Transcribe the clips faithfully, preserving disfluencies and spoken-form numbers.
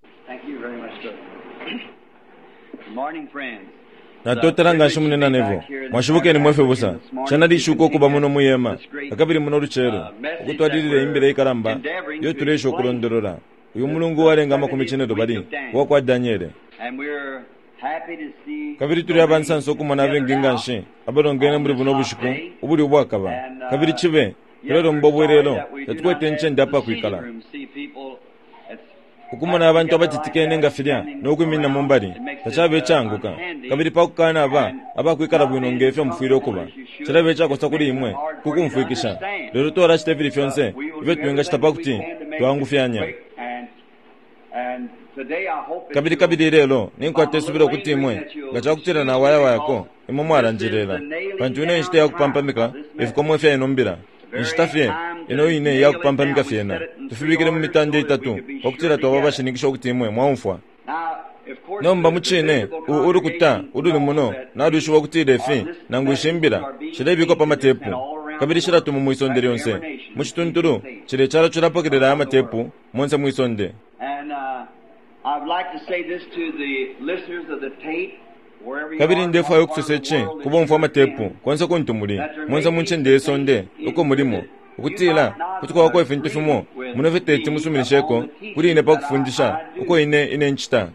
Thank you very much, brother. Good morning, friends. Natotela nganshi munena Neville. Mwashibukeni mwe fibusa. Cena lishuko ukuba muno muyema nakabili muno lucelo, ukutwalilila imbila ikalamba iyo tuleesha ukulondolola uyu mulungu uwalenga amakumi cinelubali uwakwa Daniele. Kabili tuli abansansa ukumona abengi nganshi abalongene muli buno bushiku ubuli ubwakaba. Kabili cibe, tulelomba ubwelelo, tatukwete incende apakwikala. Ukumona abantu abatitikene nga filya no kwiminina mu mbali, tacaba icaanguka. Kabili pa kukanaba abakwikala bwino nge fyo mufwile ukuba, cilaba icakosa kuli imwe ku kumfwikisha. Lelo twalacita ifili fyonse ifyo twingacita pa kuti twaangufyanya. Kabili, kabili ilelo, ninkwata isubilo ukuti imwe, nga ca kutila nawayawayako, imwe mwalanjelela, pantu ino e nshita ya kupampamika ifikomo ifya ino mbila. Inshita fye ino ine iya kupampamika fyena, tufibikile mu mitande itatu pa kutila twaba abashininkisha ukuti imwe mwaumfwa. Nomba, mucine, u, ulukuta ululi muno nalwishiba ukutila ifi, nangu ishi mbila, shilebikwa pa matepu, kabili shilatumwa mwi sonde lyonse. Mu cituntulu, cila icalo cilapokelela aya matepu monse mwi sonde. Kabili ndefwaya ukusosa ici ku bomfwa amatepu, konse kuntu muli, monse mu ncende ye sonde uko mulimo, ukutila kuti kwabako ifintu fimo muno ifyo teti musuminisheko kuli ine pa kufundisha uko ine, ine ncita.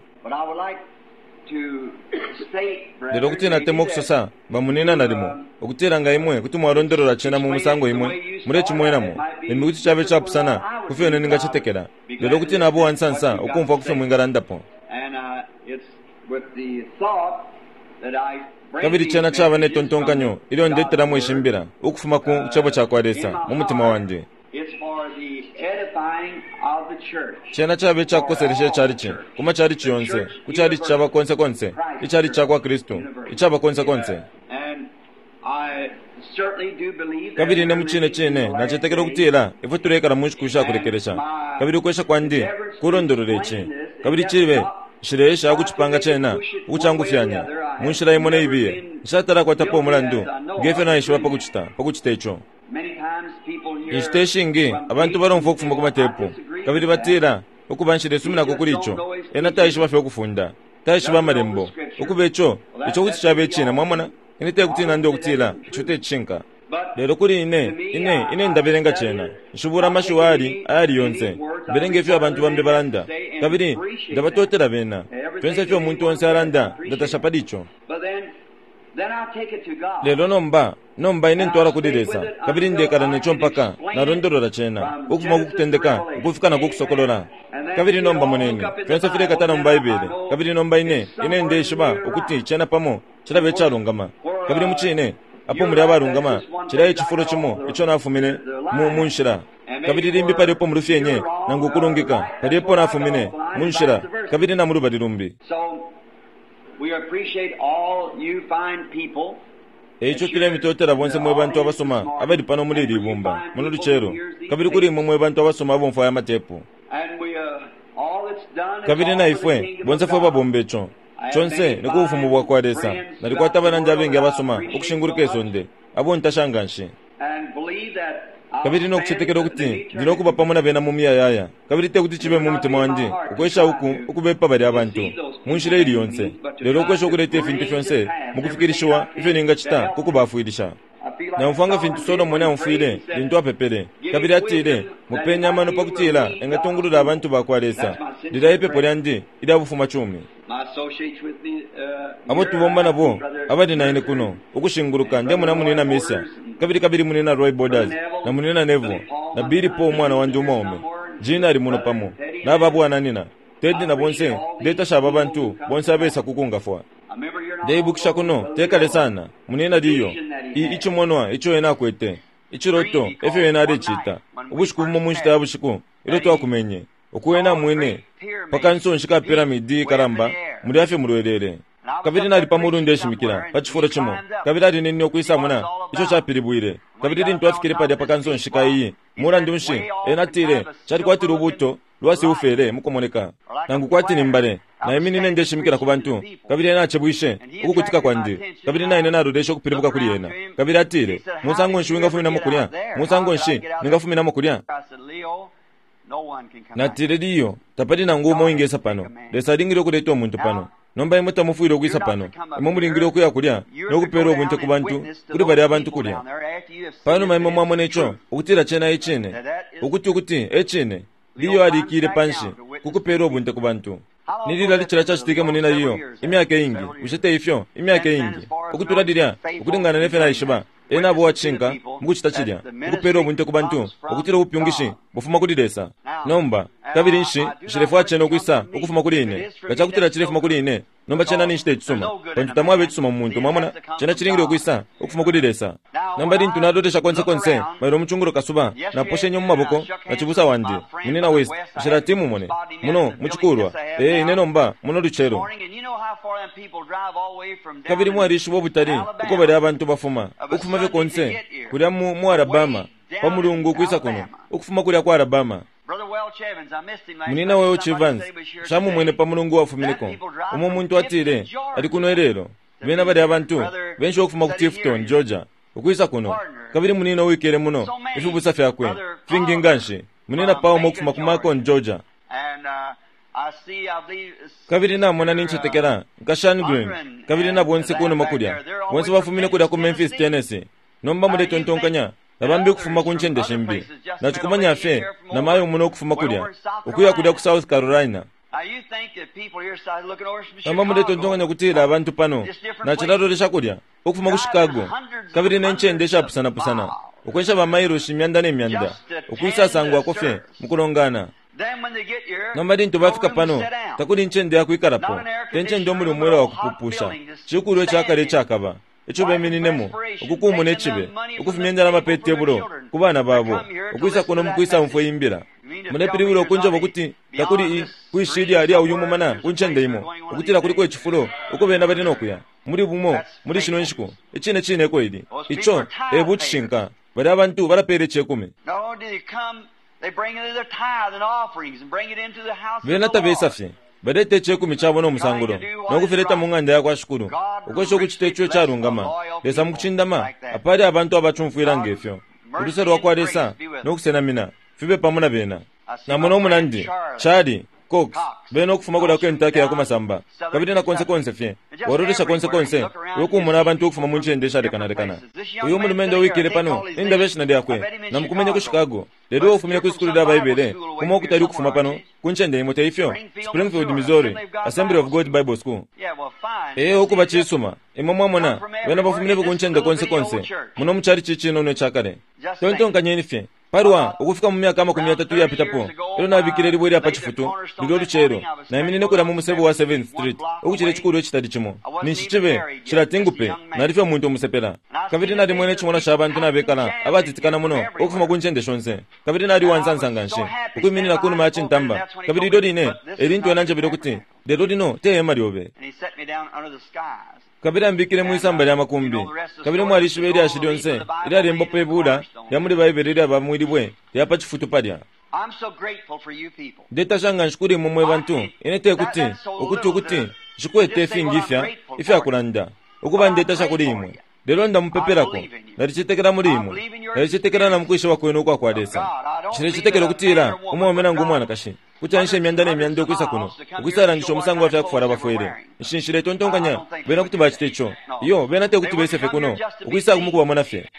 Lelo kuti natemwa ukusosa, bamunina nalimo, ukutila nga imwe kuti mwalondolola cena mu musango imwe mulecimwenamo, limbi kuti cabe icapusana ku fyo ine ningacetekela, lelo kuti naba uwansansa ukumfwa ku fyo mwingalandapo. Kabili cena caba ne tontonkanyo ilyo ndetelamo ishi mbila ukufuma ku Cebo cakwa Lesa mu mutima wandi. Cena caba ica kukoselesha ichalichi, ku machalichi yonse, ku chalichi caba konse konse, ichalichi cakwa Kristu, icaba konse konse. Kabili ine mucine cine nacetekela ukutila ifwe tuleikala mu nshiku ishakulekelesha. Kabili ukwesha kwandi kulondolola ici, kabili cibe nshileesha ukucipanga cena ukucangufyanya mu nshila imo ne ibiye. Nshatala kwatapo umulandu nge fyo naishiba pa kucita, pa kucita ico. Inshita ishingi abantu balomfwa ukufuma ku matepu, kabili batila, Ukuba, nshilesuminako kuli ico. Ena taishiba fye ukufunda. Taishiba Amalembo. Ukuba ico, ico kuti caba icine, mwamona. Ine tekuti nande ukutila ico te cishinka. Lelo kuli ine, ine, ine ndabelenga cena. Nshibula amashiwi ayali, ayali yonse. Mbelenga ifyo abantu bambi balanda. Kabili ndabatotela bena. Fyonse ifyo umuntu onse alanda, ndatasha pali ico. Lelo nomba, nomba ine ntwala kuli Lesa, kabili ndekala neco mpaka nalondolola cena, ukufuma ku Kutendeka ukufika na ku Kusokolola. Kabili nomba moneni, fyonse filekatana mu Baibele. Kabili nomba ine, ine ndeishiba ukuti cena pamo cilaba icalungama. Kabili mucine, apo muli abalungama, cilya e cifulo cimo ico nafumine mu, mu nshila. Kabili limbi palya epo mulufyenye, nangu ukulungika, palya epo nafumine, mu nshila, kabili na mulubali lumbi. E ico tulemitotela bonse mwe bantu abasuma abali pano muli ili ibumba, muno lucelo, kabili kuli imwe mwe bantu abasuma abomfwa aya matepu. Kabili na ifwe bonse fwe babomba ico, conse ni ku Bufumu bwakwa Lesa. Nalikwata abanandi abengi abasuma ukushinguluka isonde, abo ntasha nganshi. Kabili no kucetekela ukuti ndi no kuba pamo na bena mu muyayaya, kabili te kuti cibe mu mutima wandi ukwesha uku, ukubepa balya bantu mu nshila ili yonse, lelo ukwesha ukuleta ifintu fyonse mu kufikilishiwa ifyo ningacita ku kubafwilisha. Naumfwa nga fintu Solomone aumfwile lintu apepele, kabili atile, Mupeni amano pa kutila engatungulula abantu ba kwa Lesa. Lilya ipepo lyandi ilya bufumacumi. Abo tubomba nabo abali na ine kuno, ukushinguluka, ndemona Munyina Mercier, kabili, kabili Munyina Roy Borders, na Munyina Neville, na Billy Paul umwana wandi umwaume. Gene ali muno pamo, naba bwananyina, Teddy na bonse. Ndetasha aba bantu bonse abesa ku kungafwa. Ndeibukisha kuno te kale sana, Munyina Leo, i, icimonwa ico ena akwete, iciloto, efyo ena alecita. Ubushiku bumo mu nshita ya bushiku ilyo twakumenye, uku ena amwene pa kansonshi ka piramidi ikalamba mulya fye mulwelele. Kabili nali pa mulu ndeshimikila pa cifulo cimo, kabili alinenine ukwisa mona ico capilibwile. Kabili lintu afikile palya pa kansonshi ka iyi, mulandu nshi, ena atile, cali kwati lubuuto lwa silfere mukumoneka, nangu kwati ni mbale. Naiminine ndeshimikila ku bantu, kabili ena acebwishe ukukutika kwandi, kabili naine naloleshe ukupilibuka kuli ena. Kabili atile, Musango nshi wingafuminamo kulya? Musango nshi ningafuminamo kulya? Natile liyo tapali nangu umo ingesa pano. Lesa alingile ukuleta umuntu pano. Nomba imwe tamufwile ukwisa pano. Imwe mulingile ukuya kulya no kupela ubunte ku bantu kuli balya abantu kulya. Panuma imwe mwamona ico ukutila cena icine, ukuti ukuti ecine, Liyo alikile panshi kukupela ubunte ku bantu. Nilila licila cacitike munina Liyo imyaka ingi, bushe te ifyo? Imyaka ingi ukutula lilya ukulingana ne fyo naishiba, ena abo wacishinka mukucita cilya, ukupela ubunte ku bantu ukutila ubupyungishi bufuma kuli Lesa. Nomba kabili nshi nshilefwaya cena ukwisa ukufuma kuli ine. Nga cakutila cilefuma kuli ine, nomba cena ninshi te cisuma, pantu tamwaba icisuma mu muntu. Mwamona, cena cilingile ukwisa ukufuma kuli Lesa. Nomba lintu nalolesha konse konse mailo mucungulo kasuba, naposhenye mu maboko na cibusa wandi munina West, nshilati mumone muno mucikulwa. Ee, ine nomba muno lucelo. Kabili mwalishiba ubutali uko balya abantu bafuma ukufuma fye konse kulya mu, mu Alabama pa mulungu ukwisa kuno, ukufuma kulya kwa Alabama. Munina Welch Evans shamumwene pa mulungu wafumineko. Umo muntu atile ali kuno ilelo. Bena balya abantu benshi ukufuma ku Tifton, Georgia, ukwisa kuno. Kabili munina uwikele muno, ifibusa fyakwe fingi nganshi. Munina Palmer ukufuma ku Macon, Georgia. Kabili namona nincetekela nka Green, kabili na bonse kunuma kulya, bonse bafumine kulya ku Memphis, Tennessee. Nomba muletontonkanya nabambi ukufuma ku ncende shimbi. Nacikumanya fye na mayo muno ukufuma kulya ukuya kulya ku South Carolina. Nomba muletontonkanya kutila abantu pano nacilalolesha kulya ukufuma ku Chicago, kabili ne ncende ishapusanapusana, ukwensha ba mailoshi imyanda ne myanda ukwisasangwako fye mukulongana. Nomba lintu bafika pano takuli ncende yakwikalapo, te ncende omuli umwela wa kupupusha, cikulwe icakale icakaba ico bemininemo ukukumuna icibe, ukufumya indalama pe tebulo ku bana babo ukwisa kuno mukwisa umfwe imbila. Mulepilibula ukunjoba ukuti takuli kwishilya lya uyu mumana ku ncende imo, ukutila kuliko icifulo uko bena bali nokuya muli bumo muli shino nshiku. Icine cine eko ili ico e bucishinka. Balya abantu balapela icekumi. Bena tabesa fye baleta icekumi cabo no musangulo nokufileta mu ng'anda ya kwa Shikulu, ukwesha ukucita ico icalungama. Lesa mukucindama apali abantu abacumfwila ngefyo. Uluse lwa kwa Lesa nokusenamina fibe pamo na bena. Namona umunandi Charlie Cox bena ukufuma kulya ku Kentucky ya kumasamba, kabili na konse konse fye walolesha konse konse ukumona abantu ukufuma mu ncende ishalekanalekana. Uyu mulumendo wikile pano indaba ishina lyakwe namukumenye ku Chicago, lelo ufumine ku isukulu lya Baibele kuma ukutali ukufuma pano ku ncende imo, te ifyo? Springfield, Missouri, Assembly of God Bible School. Ee, ukuba cisuma imwe mwamona bena bafumine ku ncende konse konse muno mucali cicinono icakale. Tontonkanyeni fye palwa ukufika mu myaka amakumi yatatu yapitapo, elo nabikile libwe lya pa cifutu lulyo lucelo, naiminine kulya mu musebo wa seventh Street ukucila icikulu icitali cimo. Ninshi cibe cilatingupe nali fye umuntu umusepela. Kabili nalimwene icimono ca bantu nabekala abatitikana muno ukufuma ku ncende shonse. Kabili nali uwansansa nganshi ukwiminina kunuma ya cintamba. Kabili ilyo line elintu ena njebele ukuti lelo lino te hema lyobe. Kabili ambikile mwisamba lya makumbi. Kabili mwalishiba ilyashi lyonse ilyalembo pe bula lya muli Baibele ilyaba mwilibwe lya pa cifutu palya. Ndetasha nganshi kuli imwe mwe bantu. Ine te kuti ukuti ukuti nshikwete ifingi ifya ifyakulanda ukuba ndetasha kuli imwe, lelo ndamupepelako. Nalicetekela muli imwe, nalicetekela na mukwishiba kwenu ukwa kwa Lesa. Nshilecetekela ukutila umwaume nangu umwanakashi kuti anshe imyanda ne myanda ukwisa kuno ukwisalangisha umusango wa fyakufwala bafwele. Nshinshile tontonkanya bena kuti bacita ico. Iyo bena te kuti bese fye kuno ukwisa mukubamona fye.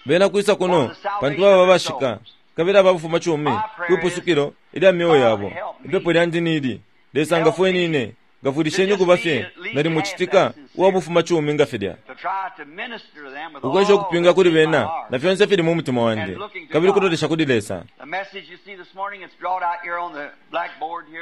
Bena kwisa kuno pantu baba bashika kabili ababufuma cumi kwipusukilo ilya myoyo yabo. Ipepo lyandi nili Lesa ngafweni ine ngafwilisheni ukuba fye nali mucitika uwabufuma cumi nga filya, ukwesha ukupinga kuli bena na fyonse fili mu mutima wandi, kabili kulolesha kuli Lesa.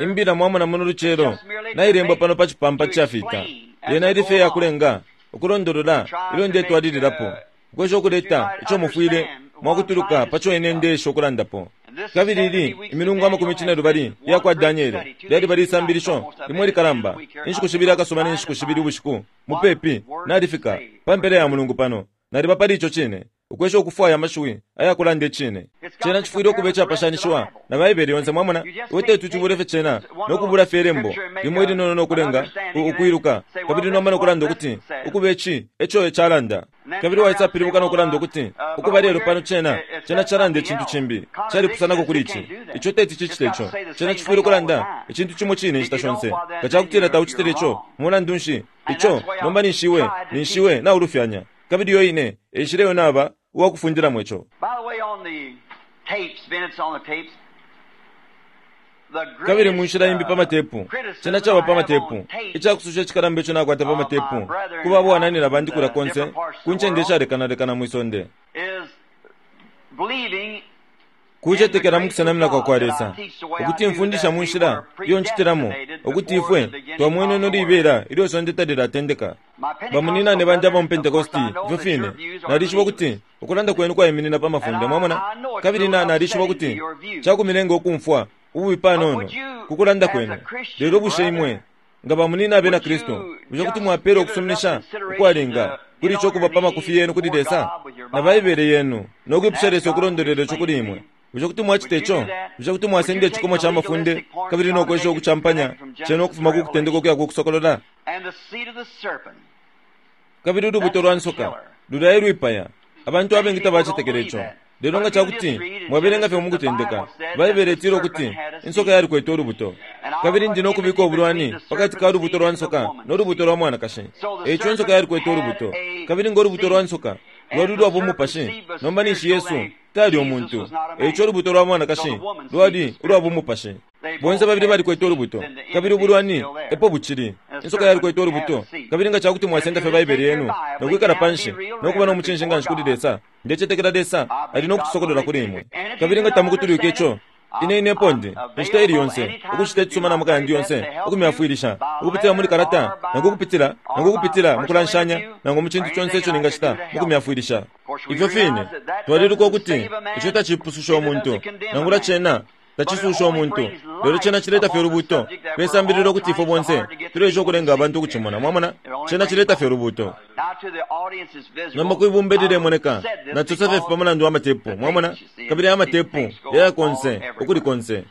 Imbila mwamona muno lucelo nailembwa pano pa cipampa cafita. Yena ili fye yakulenga ukulondolola ilyo ndetwalililapo, ukwesha ukuleta ico mufwile mwakutuluka paco ine ndesha ukulandapo. Kabili ili imilungu amakumi cine lubali iya kwa Daniele lyali bali isambilisho limwe likalamba inshiku shibili akasuba ne nshiku shibili ubushiku mupepi nalifika pa mpela ya mulungu pano naliba pali ico cine. Ukwesha ukufwaya amashiwi ayakulanda icine. Cena chifwile ukuba icapashanishiwa na Baibele yonse, mwamona. Iwe teti uchibule fye cena nokubula fye ilembo limo ilinono nokulenga ukwiluka, kabili nomba nokulanda ukuti ukuba ici eco calanda, kabili waisapilibuka nokulanda ukuti ukuba lelo pano cena cena calanda icintu cimbi calipusanako kuli ici. Ico teti cicite ico. Cena chifwile ukulanda icintu cimo cine inshita shonse. Nga cakutila taucitile ico, mulandu nshi ico nomba nishiwe nishiwe naulufyanya. Kabili yo ine eshileyo naba uwakufundilamo ico. Kabili munshila imbi pa matepu, cena caba pa matepu, icakususha icikalamba ico nakwata pa matepu kuba abwananina bandi kulya konse ku ncende ishalekanalekana mwisonde, kucetekela mukusenamina kwa kwa Lesa, ukuti mfundisha munshila iyo ncitilamo, ukuti ifwe twamwene libela ilyo sonde talilatendeka. Bamuninane bandi aba mu Pentecosti ifyo fine nalishiba ukuti ukulanda kwenu kwaiminina pa mafunde, mwamona. Kabili na nalishiba ukuti cakumilenga ukumfwa ububi panono kukulanda kwenu. Lelo bushe imwe nga bamunina abena Kristu, bushe kuti mwapela ukusuminisha ukwalinga kuli ico kuba pa makufi yenu kuli Lesa na Baibele yenu nokwipusha Lesa ukulondolera ico kuli imwe? Bushe kuti mwacita ico? Bushe kuti mwasenda icikomo ca mafunde kabili nokwesha ukucampanya cena ukufuma ku kutendeka ukuya kukusokolola? Kabili ulubuto lwa nsoka lulya elwipaya abantu abengi tabacetekela ico. Lelo nga cakuti mwabelenga fye mukutendeka, Baibele itila ukuti insoka yalikwete ulubuto, kabili ndi nokubika ubulwani pakati ka lubuto lwa nsoka no lubuto lwa mwanakashi. Eico insoka yalikwete ulubuto, kabili ngo lubuto lwa nsoka lwali lwa bumupashi, nomba ninshi Yesu tali umuntu. Eico ulubuto lwa mwanakashi lwali ulwa bumupashi. Bonse babili balikwete ulubuto, kabili ubulwani epo bucili. Insoka yalikwete ulubuto, kabili nga cakuti mwasenda fye Baibele yenu nokwikala panshi nokuba no mucinshi nganshi kuli Lesa, ndecetekela Lesa ali nokucisokolola kuli imwe. Kabili nga tamukutulwike ico, ine ine pondi inshita ili yonse ukucita icisuma na maka yandi yonse ukumyafwilisha ukupitila muli kalata nangu ukupitila nangu ukupitila mukulanshanya nangu mu cintu conse ico ningacita mukumyafwilisha. Ifyo fine twaliluka ukuti ico tacipususha umuntu, nangula cena tacisusha umuntu, lelo cena cileta fye ulubuto pesambililo ukuti ifwe bonse tulesha ukulenga abantu ukucimona, mwamona. Cena cileta fye ulubuto. Nomba kwibumba lilemoneka nacosa fye pamulandu wa matepu, mwamona. Kabili amatepu yaya konse ukuli konse.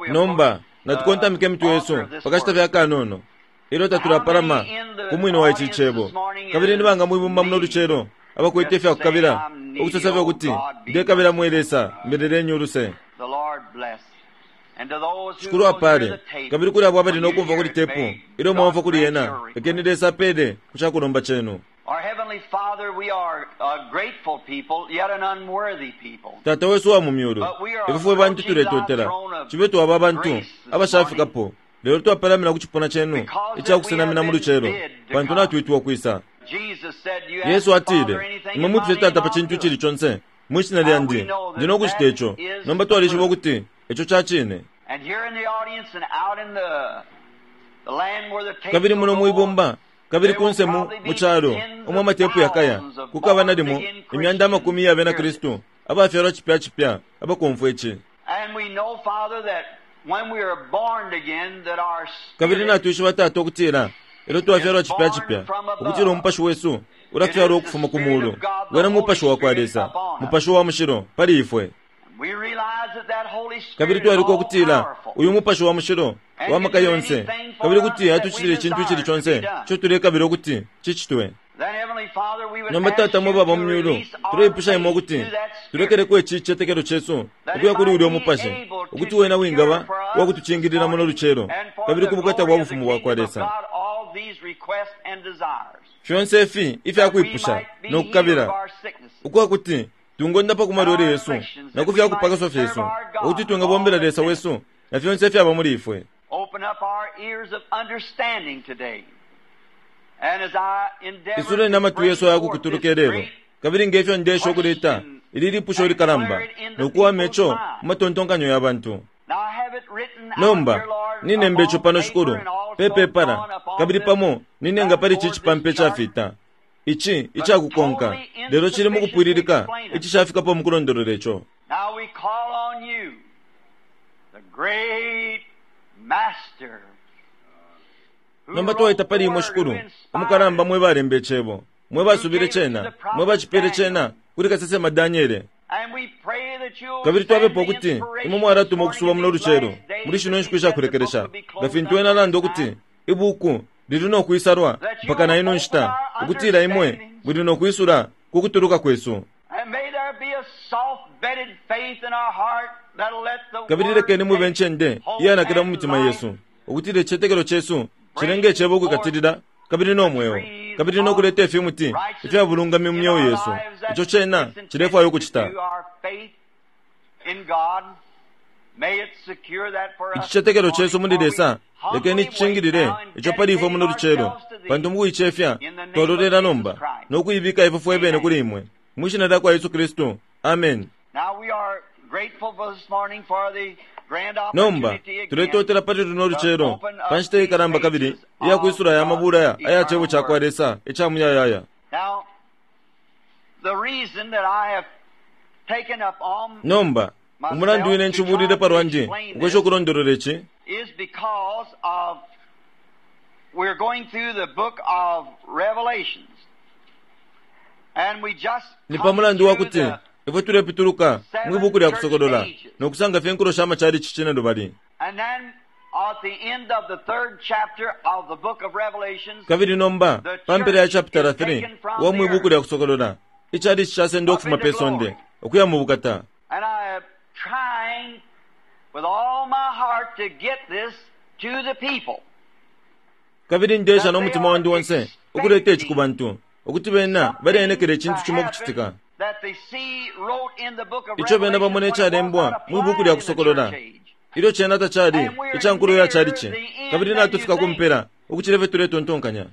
Nomba natukontamike imitwe yesu pakashita fye akanono ilyo tatulapalama ku mwine wa ici cebo. Kabili nibanga mwibumba muno lucelo abakwete ifyakukabila ukusosa fye ukuti ndekabila mwe Lesa mbelelenyi uluse. Shikulu apale. Kabili kuli abo abali nokumva kuli tepu ilyo mwamfwa kuli yena, lekeni Lesa apele ku cakulomba cenu. Tata wesu wa mu myulu, ifwe fwe bantu tuletotela cibe twaba abantu abashafikapo, lelo twapalamina ku cipuna cenu icakusenamina mu lucelo, pantu natwitwa ukwisa. Yesu atile, imwe mwipushe Tata pa cintu icili conse mwishina lyandi, ndi nokucita ico. Nomba twalishiba ukuti ico cacine. Kabili muno mwibumba, kabili kunse mu calo umwe amatepu yakaya, kukaba nalimo imyanda amakumi ya bena Kristu abafyalwa cipya cipya abakumfwa ici. Kabili natwishiba Tata ukutila ilyo twafyalwa cipya cipya, ukutila umupashi wesu ulafyalwa ukufuma ku mulu, wena mupashi wa kwa Lesa, mupashi wa mushilo pali ifwe. Kabili twalika ukutila uyu mupashi wa mushilo wa maka yonse, kabili kuti atucitile icintu icili conse ico tulekabila ukuti cicitwe. Nomba Tata mwe baba mu myulu, tuleipusha imwe ukuti tulekeleko ici cicetekelo cesu ukuya kuli ulya umupashi, ukuti wena wingaba uwakutucingilila muno lucelo kabili ku bukata bwa bufumu bwa kwa Lesa. Fyonse ifi ifyakwipusha nokukabila ukwakuti tungondapa ku malwele yesu na ku fyakupakaswa fyesu, ukuti twingabombela Lesa wesu na fyonse ifyaba muli ifwe. Isuleni amatwi yesu ayakukutuluka ilelo, kabili ngefyo ndesha ukuleta ili lipusho likalamba nokuwama ico mu matontonkanyo ya bantu. Nomba ninemba ico pano Shikulu pepepala, kabili pamo ninenga pali ici cipampa icafita ici icakukonka, lelo cili mukupwililika icishafikapo mukulondolola ico. Nomba twaita pali imwe Shikulu umukalamba mwe balemba icebo, mwe basubile cena, mwe bacipele cena kuli kasesema Daniele. Kabili twapepa ukuti imwe mwalatuma ukusuba muno lucelo muli shino nshiku ishakulekelesha, nga fintu ena alanda ukuti ibuku lili no kwisalwa mpaka na ino nshita, ukutila imwe muli no kwisula ku kutuluka kwesu. Kabili lekeni mube ncende iyanakila mu mitima yesu, ukutila icicetekelo cesu cilenge icebo ukwikatilila kabili no mweo, kabili no kuleta ifimuti ifya bulungami mu myeo yesu. Ico cena cilefwaya ukucita. Icicetekelo cesu muli Lesa lekeni cicingilile ico pali ifwe muno lucelo, pantu mukuicefya twalolela nomba no kuibika ifwe fwe bene kuli imwe mwi shina lya kwa Yesu Kristu. Amen. Nomba tuletotela pali luno lucelo pa nshita ikalamba kabili iyakwisula ya mabula aya cebo ca kwa Lesa ica muyayaya. Nomba umulandu wine nchibulile palwandi ukwesha ukulondolola ici ni pa mulandu wa kuti ifwe tulepituluka mwibuku lya kusokolola no kusanga fye nkulo sha machalichi cine lubali. Kabili nomba pa mpela ya chapter three wa mwibuku lya kusokolola, ichalichi chasenda ukufuma pe sonde ukuya mu bukata. Kabili ndesha no mutima wandi wonse ukuleta ici ku bantu, ukuti bena baleenekela icintu cimo ukucitika ico bena bamona icalembwa mwibuku lya kusokolola ilyo cena tacali ica nkulo ya chalichi. Kabili natufika kumpela ukucila ifyo tuletontonkanya.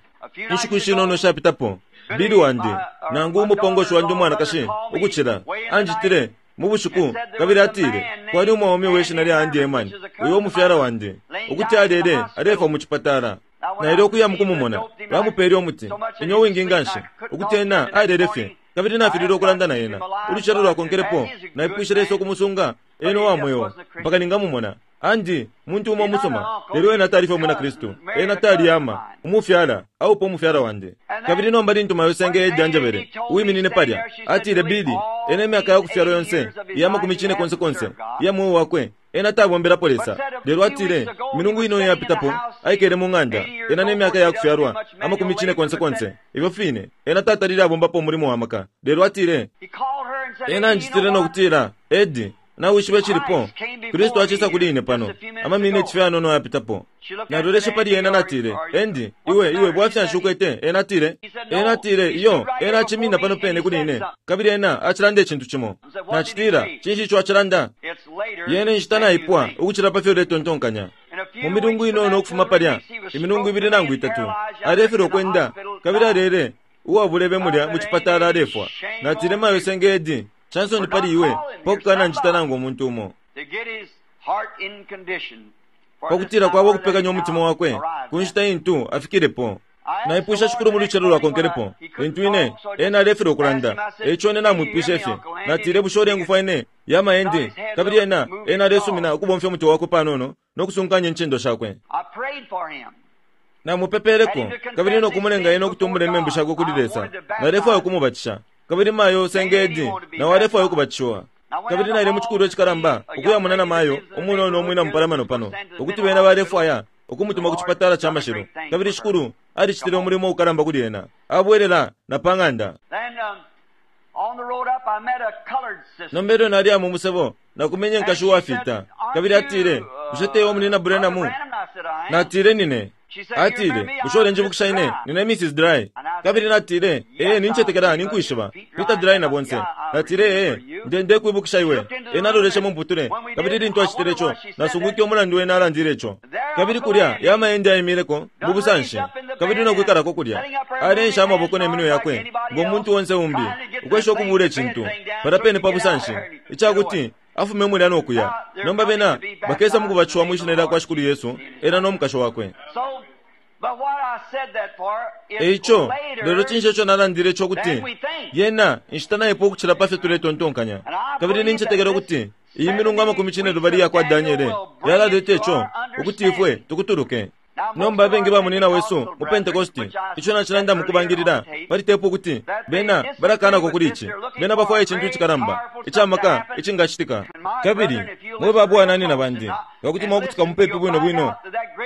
Inshiku ishinono shapitapo, Bili wandi nangu umupongoshi wandi umwanakashi ukucila anjitile mu bushiku, kabili atile kwali umwaume we shina lya Andy Eman, uyo umufyala wandi, ukuti alele alefwa mu cipatala. Naile ukuya mukumumona, bamupele umuti inyo wingi nganshi ukuti ena alele fye, kabili nafilile ukulanda na ena. Ulucelo lwakonkelepo naipwishe Lesa ukumusunga ena uwa mweo mpaka ningamumona. Andi muntu umo musoma, lelo ena tali fye umwina Kristu, ena tali ama umufyala aupo umufyala wandi. Kabili nomba lintu mayo senge Edi anjebele uwiminine palya, atile Bili ena imyaka ya kufyalwa yonse iya makumi cine konse konse iya mweo wakwe ena tabombelapo Lesa, lelo atile milungu ino yapitapo aikele mu ng'anda ena nemyaka ya kufyalwa amakumi cine konse konse ifyo fine ena tatalile abombapo umulimo wa maka, lelo atile ena anjitile no kutila Edi nawishiba cilipo Kristu acisa kuli ine pano amaminiti fye anono yapitapo. Naloleshe pali ena natile Endi iwe iwe bwafya nshukwete. Ena atile ena atile iyo ena acimina pano pene kuli ine, kabili ena acilanda icintu cimo. Nacitila cinshi ico acilanda? Yene nshita naipwa ukucila pa fyo uletontonkanya. Mu milungu inono ukufuma palya imilungu ibili nangu itatu alefilwa ukwenda, kabili alele uwabulebe mulya mu cipatala alefwa. Natile mayo senge Edi Chansoni pali iwe pakukana njita nangu umuntu umo, pakutila kwaba ukupekanya umutima wakwe ku nshita intu afikilepo. Naipwisha Shikulu mu lucelo lwakonkelepo lintu ine ena alefilwa ukulanda, eico ine namwipwishe fye. Natile bushe ulengufwa ine yama endi, kabili ena ena alesumina ukubomfya umuti wakwe panono no kusunkanya incendo shakwe. Namupepeleko kabili no kumulenga ena ukutumbula imembu shakwe kuli Lesa. Nalefwaya ukumubatisha, kabili mayo senge Edi nawe alefwaya ukubatishiwa. Kabili naile mu cikulilo cikalamba ukuyamona na mayo umunono umwina mupalamano pano, ukuti bena balefwaya ukumutuma ku cipatala ca mashilo, kabili Shikulu alicitile umulimo ukalamba kuli ena, abwelela na pa ng'anda. Nomba ilyo nali mu musebo nakumenye nkashi uwafita, kabili atile bushe tewe munina Branham? Natile nine. Atile bushe ulenjibukisha ine nine Missus Dry? Kabili natile ee nincetekela ninkwishiba Peter Dry na bonse. Natile ee nde ndekwibukisha iwe. Ena aloleshe mu mputule, kabili lintu acitile ico nasungwike umulandu wena alandile ico. Kabili kulya yamaende aimileko mu busanshi, kabili nokwikalako kulya alensha amaboko ne minwe yakwe ngo muntu onse umbi ukwesha ukubula icintu palya pene pa busanshi icakuti afume mulya nokuya. Nomba bena bakesa mukubatishiwa mwi shina lya kwa Shikulu Yesu, ena no mukashi wakwe. Eico lelo cinshi ico nalandile ico kuti yena inshita naipo ukucila pa fyo tuletontonkanya. Kabili nincetekela ukuti iyi milungu amakumi cine lubali ya kwa Daniele yalaleta ico ukuti ifwe tukutuluke. Nomba abengi ba munina wesu mu Pentecosti, ico nacilanda mukubangilila pali tepu ukuti bena balakanako kuli ici, bena bafwaya icintu icikalamba icamaka icingacitika. Kabili mwe ba bwananyina bandi, nga kuti mwakutika mupepi bwino bwino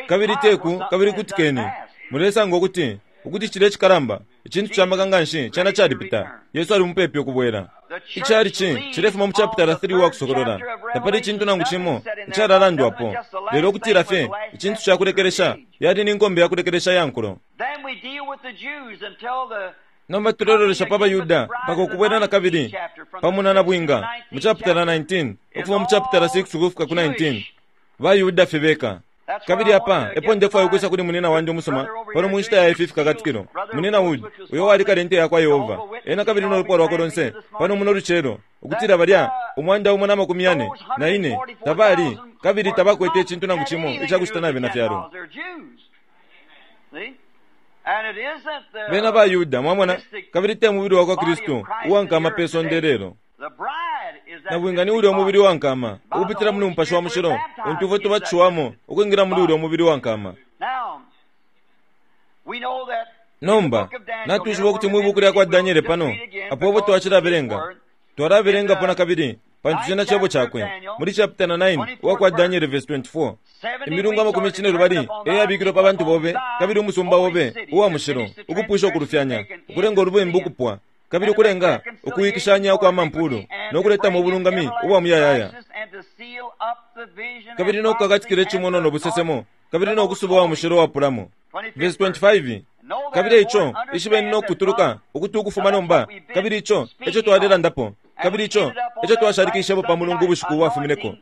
kabili teku kabili kutikeni, mulesanga ukuti ukuti cile cikalamba icintu camaka nganshi cana calipita. Yesu ali mupepi ukubwela. Icali ci cilefuma mu chapitala three wa Kusokolola. Tapali icintu nangu cimo icalalandwapo, lelo ukutila fye icintu ca kulekelesha yali ni nkombe ya kulekelesha ya nkulo. Nomba tulelolesha pa baYuda mpaka ukubwela na kabili pamo na nabwinga mu chapitala nineteen, ukufuma mu chapitala six ukufika ku nineteen. BaYuda fye beka. Kabili apa epo ndefwaya ukwisa kuli munina wandi umusuma pano mu nshita ya ifi fikakatikilo, munina Wood, uyo wali kale inte yakwa Yehova, ena kabili no lupwa lwakwe lonse pano muno lucelo, ukutila balya umwanda umo na makumi yane na ine tabali kabili tabakwete icintu nangu cimo icakucita na bena fyalo. Bena ba Yuda, mwamona, kabili te mubili wakwa Kristu uwankama pe sonde lelo. Nabwinga ni ulya umubili wankama ukupitila muli Mupashi wa Mushilo untu ifwe tubatishiwamo ukwingila muli ulya umubili wankama. Nomba natwishiba ukuti mwi buku lyakwa Daniele pano apo obo twacilabelenga, twalabelengapo na kabili pantu cena cebo cakwe muli chapter nine uwakwa Daniele verse twenty-four. Imilungu amakumi cine lubali eyabikilwe pa bantu bobe kabili umusumba obe uwa mushilo ukupwisha ukulufyanya, ukulenga ulubembu ukupwa, kabili ukulenga ukuwikishanya ukwa mampulu no kuletamo ubulungami ubwa muyayaya, kabili no kukakatikila icimono no busesemo, kabili no kusuba wa mushilo wapulamo. Verse twenty-five. Kabili ico ishibeni no kutuluka ukuti ukufuma nomba, kabili ico eco twalelandapo, kabili ico eco twashalikishepo pa mulungu ubushiku bwafumineko,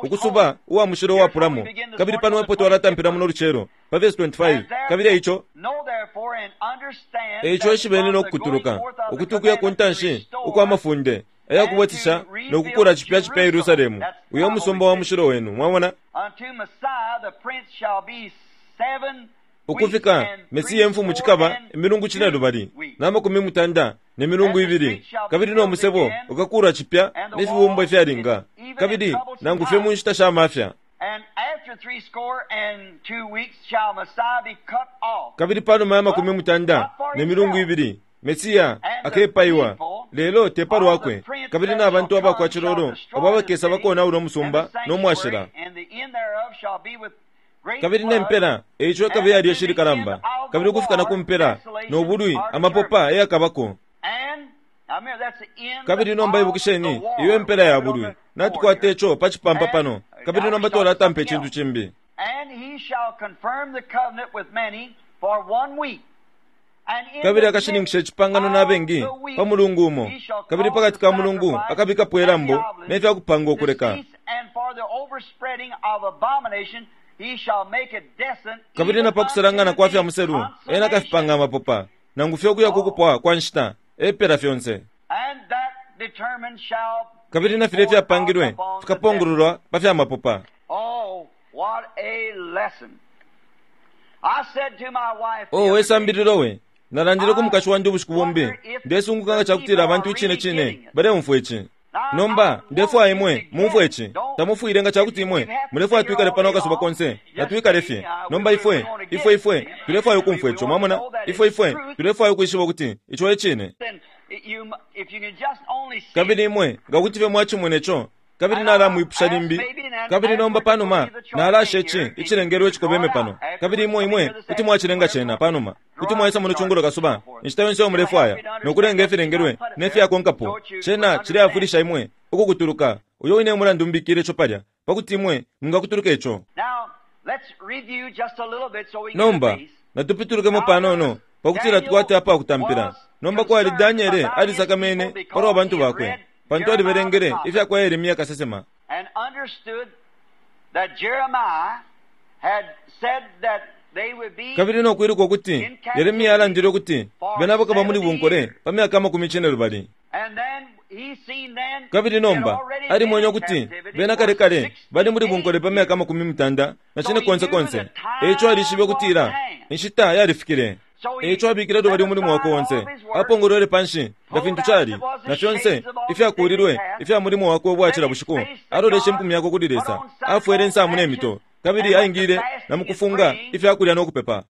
ukusuba uwa mushilo wapulamo. Kabili pano epo twalatampila muno lucelo pa verse twenty-five. Kabili ico eico ishibeni no kutuluka ukuti ukuya ku ntanshi ukwa mafunde ayakubwetisha no kukula cipya cipya Yerusalemu, uyo musumba wa mushilo wenu. Mwamona, ukufika Mesiya imfumu cikaba imilungu cine lubali na makumi mutanda ne milungu ibili, kabili no musebo ukakula cipya ne fibumba ifyalinga, kabili nangu fye mu nshita sha mafya. Kabili panuma ya makumi mutanda ne milungu ibili Mesiya akepaiwa, lelo te palwakwe, kabili na bantu abakwa cilolo abo abakesa bakonaula umusumba no mwashila. Kabili nempela eico ikabe yali eshilikalamba, kabili ukufika na kumpela no bulwi amapopa eyakabako. Kabili nomba ibukisheni iyo empela ya bulwi natukwata ico pa cipampa pano, kabili nomba twalatampa icintu cimbi. Kabili akashininkisha icipangano na bengi pa mulungu umo, kabili pakati ka mulungu akabikapo ilambo ne fyakupanga ukuleka. Kabili na pakusalangana kwa fya muselu ena akafipanga amapopa, nangu fye ukuya kukupwa kwa nshita epela fyonse. Kabili na filya ifyapangilwe fikapongololwa pa fya mapopa. Oh, we sambililo we nalandile ku mukashi wandi ubushiku bumbi, ndesunguka nga cakutila abantu icine cine baleumfwa ici. Nomba ndefwaya imwe mumfwe ici, tamufwile nga cakuti imwe mulefwaya twikale pano akasuba konse, natwikale fye. Nomba ifwe ifwe ifwe tulefwaya ukumfwa ico, mwamona, ifwe ifwe tulefwaya ukwishiba ukuti ico e cine. Kabili imwe nga kuti fye mwacimona ico, kabili nalamwipusha limbi, kabili nomba panuma nalasha ici icilengelwe icikobeme pano, kabili imwe imwe kuti mwacilenga cena panuma, kuti mwaisa muno cungulo kasuba inshita yonse mulefwaya nokulenga ifilengelwe ne fyakonkapo. Cena cileafwilisha imwe ukukutuluka uyo wine mulandu mbikile ico palya pakuti imwe mwingakutuluka ico. Nomba natupitulukemo panono pakutila tukwate apa kutampila. Nomba kwali Daniele alisakamene palwa bantu bakwe, pantu alibelengele ifyakwa Yeremia kasesema, kabili nokwiluka ukuti Yeremia alandile ukuti bena bakaba muli bunkole pa myaka amakumi cine lubali. Kabili nomba alimwenye ukuti bena kale kale bali muli bunkole pa myaka amakumi mutanda na cine konse konse. Eico alishibe ukutila inshita yalifikile. Eico abikile lubali umulimo wakwe onse, apongolwele panshi nga fintu cali na fyonse ifyakulilwe ifya mulimo wakwe ubwacila bushiku. Aloleshe impumi yakwe kuli Lesa, afwele insamu ne mito, Kabili aingile na mukufunga ifyakulya no kupepa,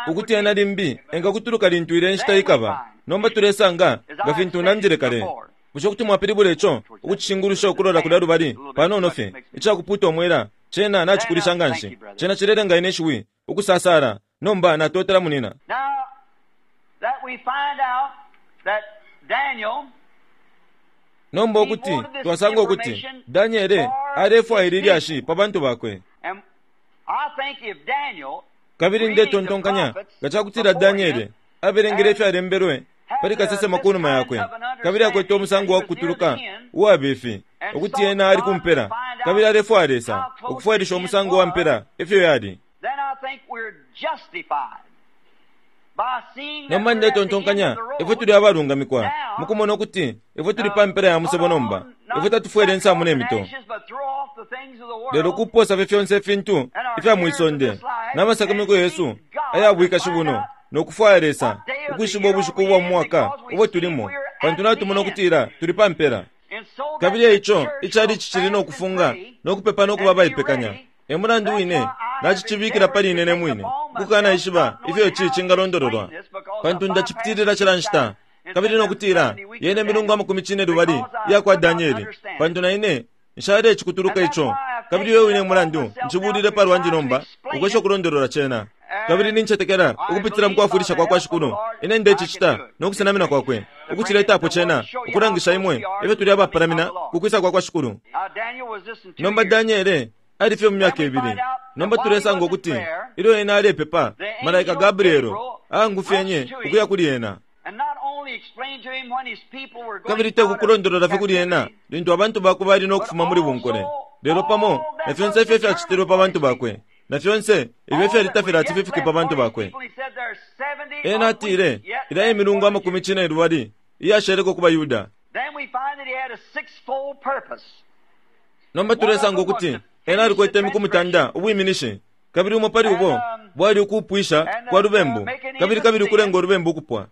ukuti ena limbi engakutuluka lintu ile nshita ikaba. Nomba tulesanga nga fintu nandile kale. Bushe kuti mwapilibula ico ukucishingulusha ukulola kulya lubali panono fye icakuputa omwela? Cena nacikulisha nganshi, cena cilelenga ine shiwi ukusasala. Nomba natotela munina. Nomba ukuti twasanga ukuti Daniele alefwaila ilyashi pa bantu bakwe. Kabili ndetontonkanya nga cakutila Daniele abelengele ifyalembelwe pali kasesema kunuma yakwe, kabili akwete umusango wa kukutuluka uwabifi ukuti ena ali kumpela, kabili alefwaya Lesa ukufwailisha umusango wa mpela ifyo yali. Nomba ndetontonkanya ifwe tuli abalungamikwa mukumona ukuti ifwe tuli pa mpela ya musebo nomba. Ifwe tatufwele insamu ne mito, lelo kuposa fye fyonse ifintu ifya mwisonde n'amasakamiko yesu ayabwikashi buno, nokufwaya Lesa ukwishiba ubushiku bwa mwaka ubo tulimo, pantu natumona ukutila tuli pa mpela. Kabili eico icali cicili nokufunga nokupepa nokuba abaipekanya. E mulandu wine nacicibikila pali ine ne mwine ukukanaishiba ifyo ici cingalondololwa, pantu ndacipitilila cila nshita. Kabili nokutila yene milungu amakumi cine lubali iyakwa Danieli, pantu na ine nshalecikutuluka ico. Kabili iwe wine mulandu ncibulile palwandi nomba ukwesha ukulondolola cena. Kabili nincetekela ukupitila mukwafwilisha kwa kwa Shikulu ine ndecicita nokusenamina kwakwe ukuciletapo cena ukulangisha imwe ifyo tuli abapalamina kukwisa kwa kwa Shikulu. Nomba Daniele ali fye mu myaka ibili. Nomba tulesanga ukuti ilyo ena alepepa, malaika Gabrielo aangufyenye ukuya kuli ena. Kabili tekukulondolola fye kuli ena lintu abantu bakwe bali nokufuma muli bunkole, lelo pamo na fyonse ifyo ifyacitilwe pa bantu bakwe, na fyonse ifyo ifyalitafila ati fifike pa bantu bakwe. Ena atile ilya imilungu amakumi cine lubali iyasheleko ku baYuda. Nomba tulesanga ukuti ena alikwete imiku mutanda ubwiminishi, kabili umo pali ubo bwali ukupwisha kwa lubembu, kabili kabili ukulenga ulubembu ukupwa,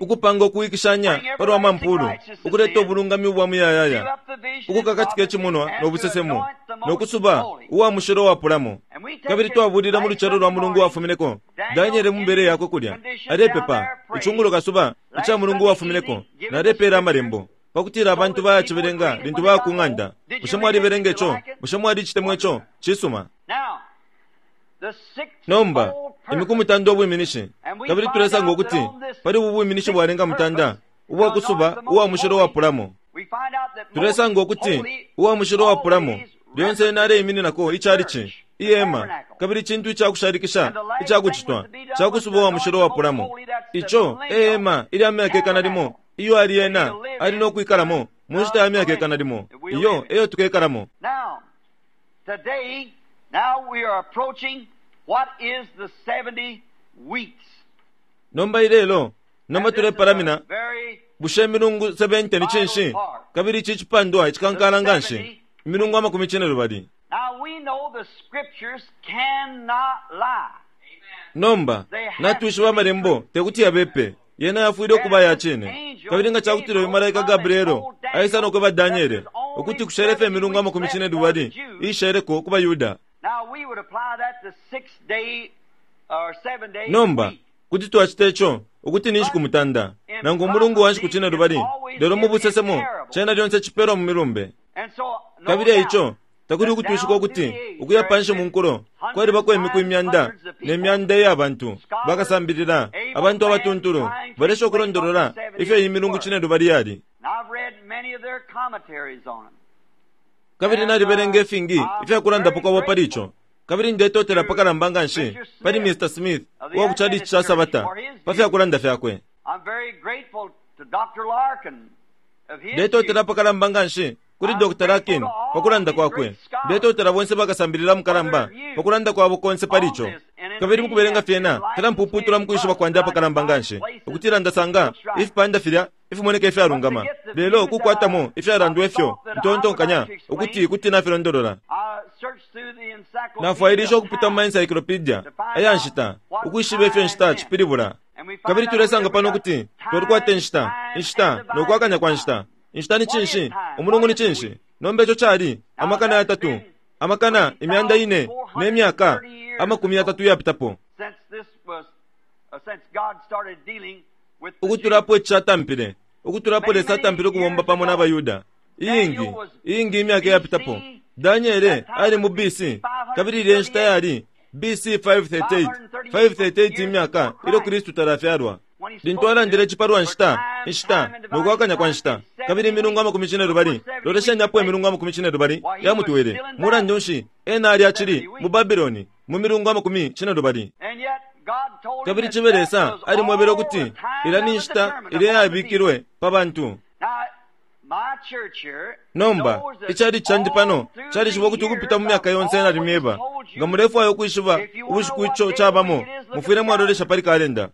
ukupanga ukuwikishanya palwa mampulu, ukuleta ubulungami ubwa muyayaya, ukukakatika icimonwa nobusesemo, nokusuba uwa mushilo wapulamo. Kabili twabulila mu lucelo lwa mulungu wafumineko Daniele mumbere yakwe kulya alepepa icungulo kasuba ica mulungu wafumineko, nalepeela amalembo pakutila abantu bayacibelenga lintu baya ku ng'anda. Bushe mwalibelenga ico? Bushe mwalicitemwa ico? Cisuma. Nomba imiku mutanda ubwiminishi, kabili tulesanga ukuti pali ubu bwiminishi bwalenga mutanda ubwakusuba uwa mushilo wapulamo. Tulesanga ukuti uwa mushilo wapulamo lyonse ena aleimininako icalici ihema, kabili icintu icakushalikisha icakucitwa cakusuba uwa mushilo wapulamo. Ico ehema ilya myaka ikana limo iyo ali ena ali nokwikalamo mu nshita ya myaka ikana limo, iyo eyo tukekalamo. Nomba ilelo nomba tulepalamina bushe imilungu seventy ni cinshi? Kabili ici cipandwa icikankala nganshi, imilungu amakumi cine lubali. Nomba natwishiba amalembo tekuti yabepe, yena yafwile ukuba ya cine. Kabili nga cakutila uyu malaika Gabrielo aisa nokweba Daniele ukuti kushelefe imilungu amakumi cine lubali iisheleko ku baYuda. Nomba kuti twacita ico ukuti ni nshiku mutanda nangu umulungu wa nshiku cine lubali, lelo mu busesemo cena lyonse cipelwa mu milumbe. Kabili eico takuli ukutwishika ukuti ukuya panshi mu nkulo kwalibako imiku imyanda ne myanda iya bantu bakasambilila, abantu abatuntulu balesha ukulondolola ifyo iyi milungu cine lubali yali. Kabili nalibelenga ifingi ifyakulandapo kwabo pali ico. Kabili ndetotela pakalamba nganshi pali Mister Smith uwa ku chalichi ca Sabata pa fyakulanda fyakwe. Ndetotela pakalamba nganshi kuli Doctor Larkin pakulanda kwakwe. Ndetotela bonse bakasambilila mukalamba pakulanda kwabo konse pali ico. Kabili mukubelenga fyena filampuputula mukwishiba kwandi apakalamba nganshi ukutila ndasanga ifipanda filya ifimoneka ifyalungama, lelo kukwatamo ifyalandwa ifyo ntontonkanya ukuti kuti nafilondolola. Nafwailisha ukupita mu encyclopedia aya nshita ukwishiba ifyo nshita cipilibula. Kabili tulesanga pano ukuti twalikwata inshita, inshita nokwakanya kwa nshita, Inshita ni cinshi? Umulungu ni cinshi? Nomba ico cali amakana yatatu, amakana imyanda ine ne myaka amakumi yatatu yapitapo. Ukutulapo ici catampile, ukutulapo Lesa atampile ukubomba pamo n'abaYuda. Iyingi, iyingi imyaka yapitapo. Daniele ali mu B C, kabili ilya nshita yali B C five thirty-eight, five thirty-eight imyaka ilyo Kristu talafyalwa. Lintu alandile icipalwa nshita, inshita, nokwakanya kwa nshita, kabili imilungu amakumi cine lubali, lolesheni apo imilungu amakumi cine lubali yamutwele. Mulandu nshi ena ali acili mu Babiloni mu milungu amakumi cine lubali. Kabili cibe Lesa alimwebele ukuti ilya ni nshita ilya yabikilwe pa bantu. Nomba icali candi pano calishiba ukuti ukupita mu myaka yonse nalimyeba. Nga mulefwaya ukwishiba ubushiku ico cabamo, mufwile mwalolesha pali kalenda.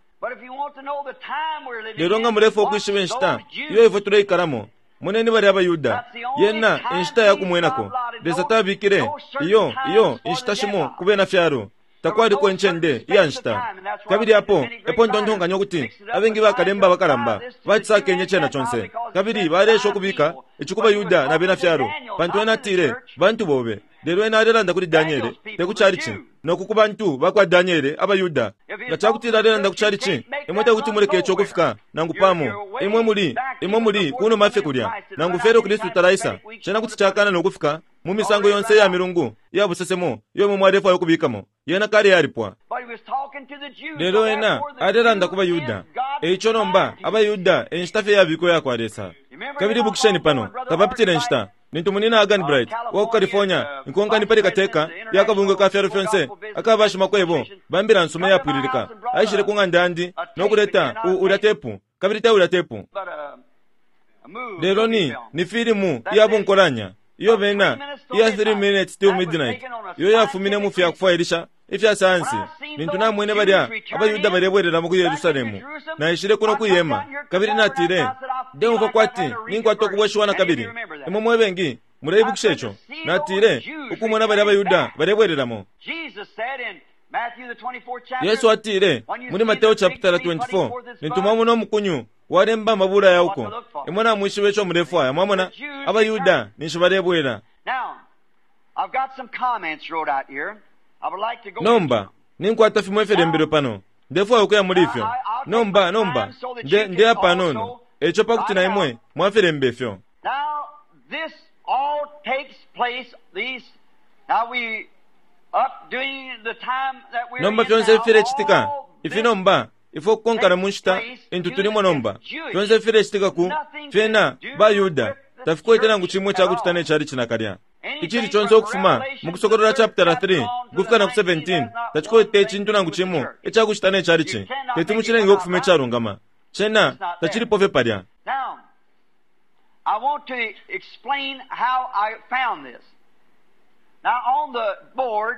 Lelo nga mulefwaya ukwishiba inshita iyo ifwe tuleikalamo, moneni bali abaYuda. Yena inshita yakumwenako. Lesa tabikile iyo iyo inshita shimo ku bena fyalo. Takwaliko incende iya nshita. Kabili apo epo ntontonkanya ukuti abengi bakalemba bakalamba bacisakenye cena conse, kabili balesha ukubika ici ku baYuda na bena fyalo, pantu ena atile bantu bobe. Lelo ena alelanda kuli Daniele, te ku calici, noku ku bantu bakwa Daniele abaYuda. Nga cakutila alelanda ku calici, imwe tekuti muleke ico ukufika nangu pamo. Imwe muli, imwe muli kunuma fye kulya, nangu fye Kristu talaisa, cena kuti cakana nokufika mu misango yonse ya milungu iya busesemo iyo imwe mwalefwaya ukubikamo. Yena kale yalipwa. Lelo ena alelanda ku baYuda. Eico nomba abaYuda enshita fye yabikwa yakwa Lesa. Kabili ibukisheni pano, tapapitile nshita lintu munina Hagan Bright wa ku California inkonkani pali kateka ya kabungwe ka fyalo fyonse akabashimakwebo bambila nsuma yapwililika aishile ku ng'anda yandi nokuleta ulya tepu, kabili te ulya tepu, lelo ni ni filimu iya bunkolanya iyo bena iya three minutes till midnight iyo yafumine mu fya kufwailisha ifya sayansi. Lintu namwene balya abaYuda balebwereramo ku Yerusalemu, naishile kuno kuyema, kabili natile ndeumva kwati ninkwata ukubweshiwa na kabili. Imwe mwe bengi muleibukisha ico. Natile ukumona balya abaYuda balebwereramo. Yesu atile muli Mateo chapter twenty-four, lintu mwamona umukunyu walemba amabula yauko, imwe namwishiba ico mulefwaya. Mwamona abaYuda ninshi balebwera. Nomba ninkwata fimwe ifilembelwe pano, ndefwaya ukuya muli ifyo. Nomba nomba nde ndeya panono eco pakuti na imwe mwafilemba ifyo. Nomba fyonse ifilecitika ifi nomba ifwe ukukonkana mu nshita intu tulimo nomba, fyonse ifilecitika ku fyena baYuda tafikwete nangu cimwe cakucita ne cali cinakalya. Icili conse ukufuma mu Kusokolola chapter three ukufika na ku seventeen tacikwete icintu nangu cimo icakucita ne calici. Teti mucilenge ukufuma icalungama, cena tacilipo fye palya. I want to explain how I found this. Now on the board,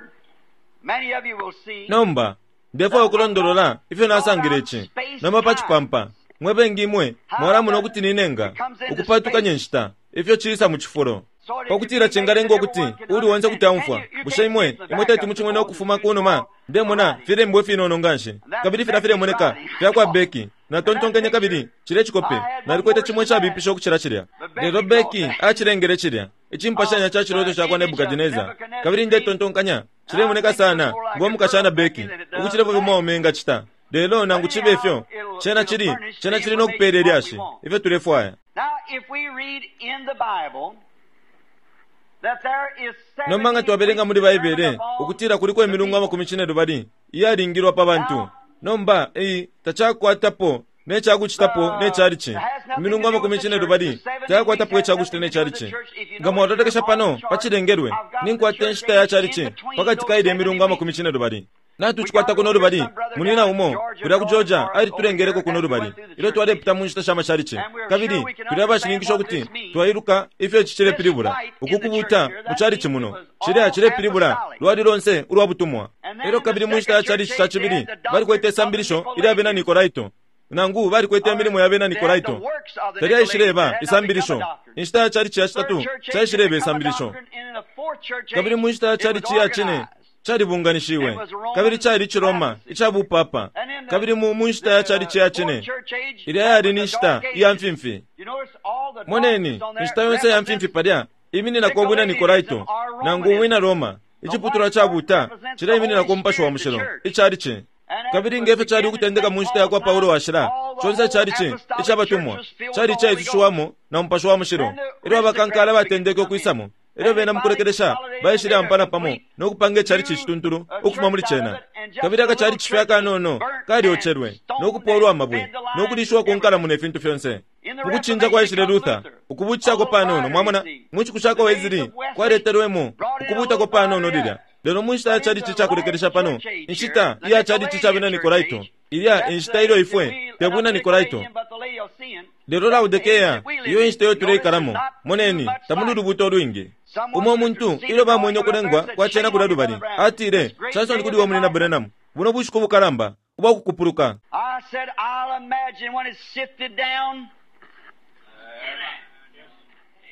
many of you will see. Nomba ndefwaya ukulondolola ifyo nasangile ici. Nomba pa cipampa mwe bengi imwe mwalamona ukuti ninenga ukupatukanya inshita ifyo ciisa mu cifulo, pakutila cingalenga ukuti uli onse kuti aumfwa. Bushe imwe imwe teti mucimwene ukufuma kunuma? Ndemona filembwe finono nganshi, kabili filya filemoneka fyakwa Beki. Natontonkenye kabili cile cikope nalikwete cimwe cabipisha ukucila cilya, lelo Beki acilengele cilya icimpashanya ca ciloto cakwa Nebukadineza. Kabili ndetontonkanya cilemoneka sana ngo mukashana Beki ukucilepo fye engacita. Lelo nangu cibe ifyo, cena cili cena cili nokupela ilyashi ifyo tulefwaya. Nomba nga twabelenga muli Baibele ukutila kuliko imilungu amakumi cine lubali iyalingilwa pa bantu. Nomba iyi tacakwatapo necakucitapo necalici. Imilungu amakumi cine lubali tayakwatapo icakucita necalici. Nga mwalolekesha pano pacilengelwe, ninkwata inshita ya calici pakati ka ilya imilungu amakumi cine lubali. Natucikwata kuno lubali munina umo kulya ku Georgia alitulengeleko kuno lubali ilyo twalepita mu nshita sha machalichi, kabili tuli abashininkisha ukuti twailuka ifyo ici cilepilibula. Uku kubuta mu chalichi muno cilya cilepilibula lwali lonse ulwa butumwa. Elyo kabili mu nshita ya chalichi ca cibili balikwete isambilisho ilya bena Nikolaito, nangu balikwete imilimo ya bena Nikolaito. Talyaishileba isambilisho. Inshita ya chalichi ya citatu caishileba isambilisho, kabili mu nshita ya chalichi ya cine calibunganishiwe, kabili cali Ciroma icabupapa. Kabili mu mu nshita ya chalichi ya cine ilya yali ni nshita iya mfimfi. Moneni inshita yonse ya mfimfi palya imininako ubwina Nikolaito nangu ubwina Roma. Iciputulwa ca buta cilemininako Umupashi wa Mushilo, icalici. Kabili ngefyo cali ukutendeka mu nshita ya kwa Paulo washila, conse calici icabatumwa cali icaisushiwamo na Mupashi wa Mushilo. Elyo abakankala batendeke ukwisamo, elyo bena mukulekelesha baishile ampana pamo no kupanga icalici icituntulu ukufuma muli cena. Kabili akacalici fye akanono kalyocelwe no kupolwa amabwe no kulishiwa ku nkalamu ne fintu fyonse. Mukucinja kwaishile Luther, ukubuutishako panono, mwamona, mu nshiku sha kwa Wesley kwaletelwemo ukubuutako panono lilya. Lelo mu nshita ya calici icakulekelesha pano, inshita iya calici ca bena Nikolaito, ilya inshita ilyo ifwe te bwina Nikolaito, lelo Laodikea, iyo inshita iyo tuleikalamo. Moneni, tamuli ulubuuto ulwingi. Umo muntu ilyo bamwene ukulengwa kwa cena kulya lubali, atile, Samson kuli uwo munina Branham, buno bushiku bukalamba ubwa kukupuluka. I said, I'll imagine when it's sifted down.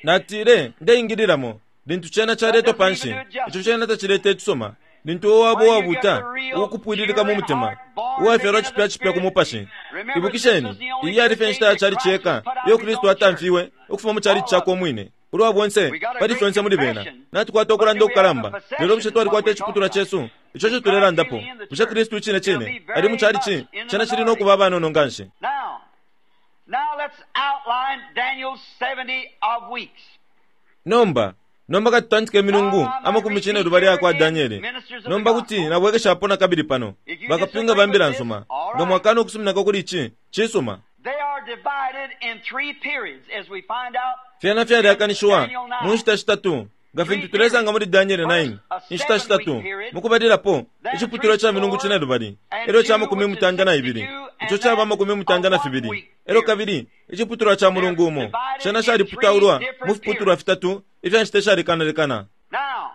Natile, ndeingililamo lintu cena caletwa panshi, ico cena tacileta icisoma. Lintu uwo wabo wabuta ukupwililika mu mutima, uwafyalwa cipya cipya ku mupashi. Ibukisheni, iyi yali fye inshita ya calici yeka iyo Kristu atamfiwe ukufuma mu calici cakwe umwine. Ulwa bonse pali fyonse muli bena natukwata ukulanda ukukalamba, lelo bushe twalikwata iciputulwa cesu ico ico tulelandapo? Bushe Kristu icine cine ali mu calici? Cena cili no kuba abanono nganshi. Now, now let's outline Daniel's seventy of weeks. Nomba nomba katutantike imilungu amakumi cine lubali yakwa Daniele. Nomba kuti nabwekeshapo na kabili pano bakapyunga ba mbila nsuma, nga mwakana ukusuminako kuli ici cisuma. They are divided in three periods, as we find out. Fyena fyalyakanishiwa mu nshita shitatu nga fintu tulesanga muli Daniele nine. Inshita shitatu mukubalilapo iciputulwa ca milungu cine lubali, elyo ca makumi mutanda na ibili, ico caba amakumi mutanda na fibili, elyo kabili iciputulwa ca mulungu umo. Cena caliputaulwa mu fiputulwa fitatu ifya nshita ishalekanalekana. Now,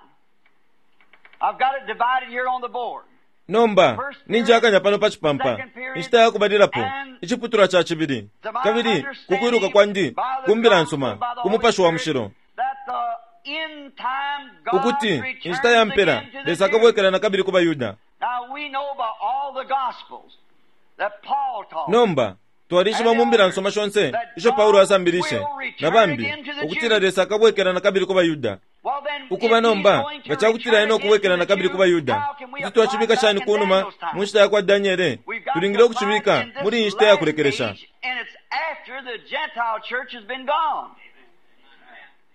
I've got it divided here on the board. Nomba ninjakanya pano pa cipampa inshita ya kubalilapo iciputulwa ca cibili, kabili kukwiluka kwandi ku mbila nsuma ku Mupashi wa Mushilo, That the end time God ukuti returns inshita ya mpela again to the Lesa Jews. akabwekela na kabili ku baYuda. Now we know by all the Gospels that Paul taught. Nomba twalishiba mu mbila nsoma shonse isho Paulo asambilishe na bambi ukutila Lesa akabwekela na kabili ku baYuda. Well, then, Ukuba if nomba he's going to nga cakutila return ena ukubwekela again na to the kabili ku Jews, baYuda, how can we kuti apply twacibika back shani in ku numa Daniel's time? mu nshita ya kwa Daniele? We've got Tulingile to ukucibika find in this muli iyi nshita ya last kulekelesha. age, and it's after the Gentile church has been gone.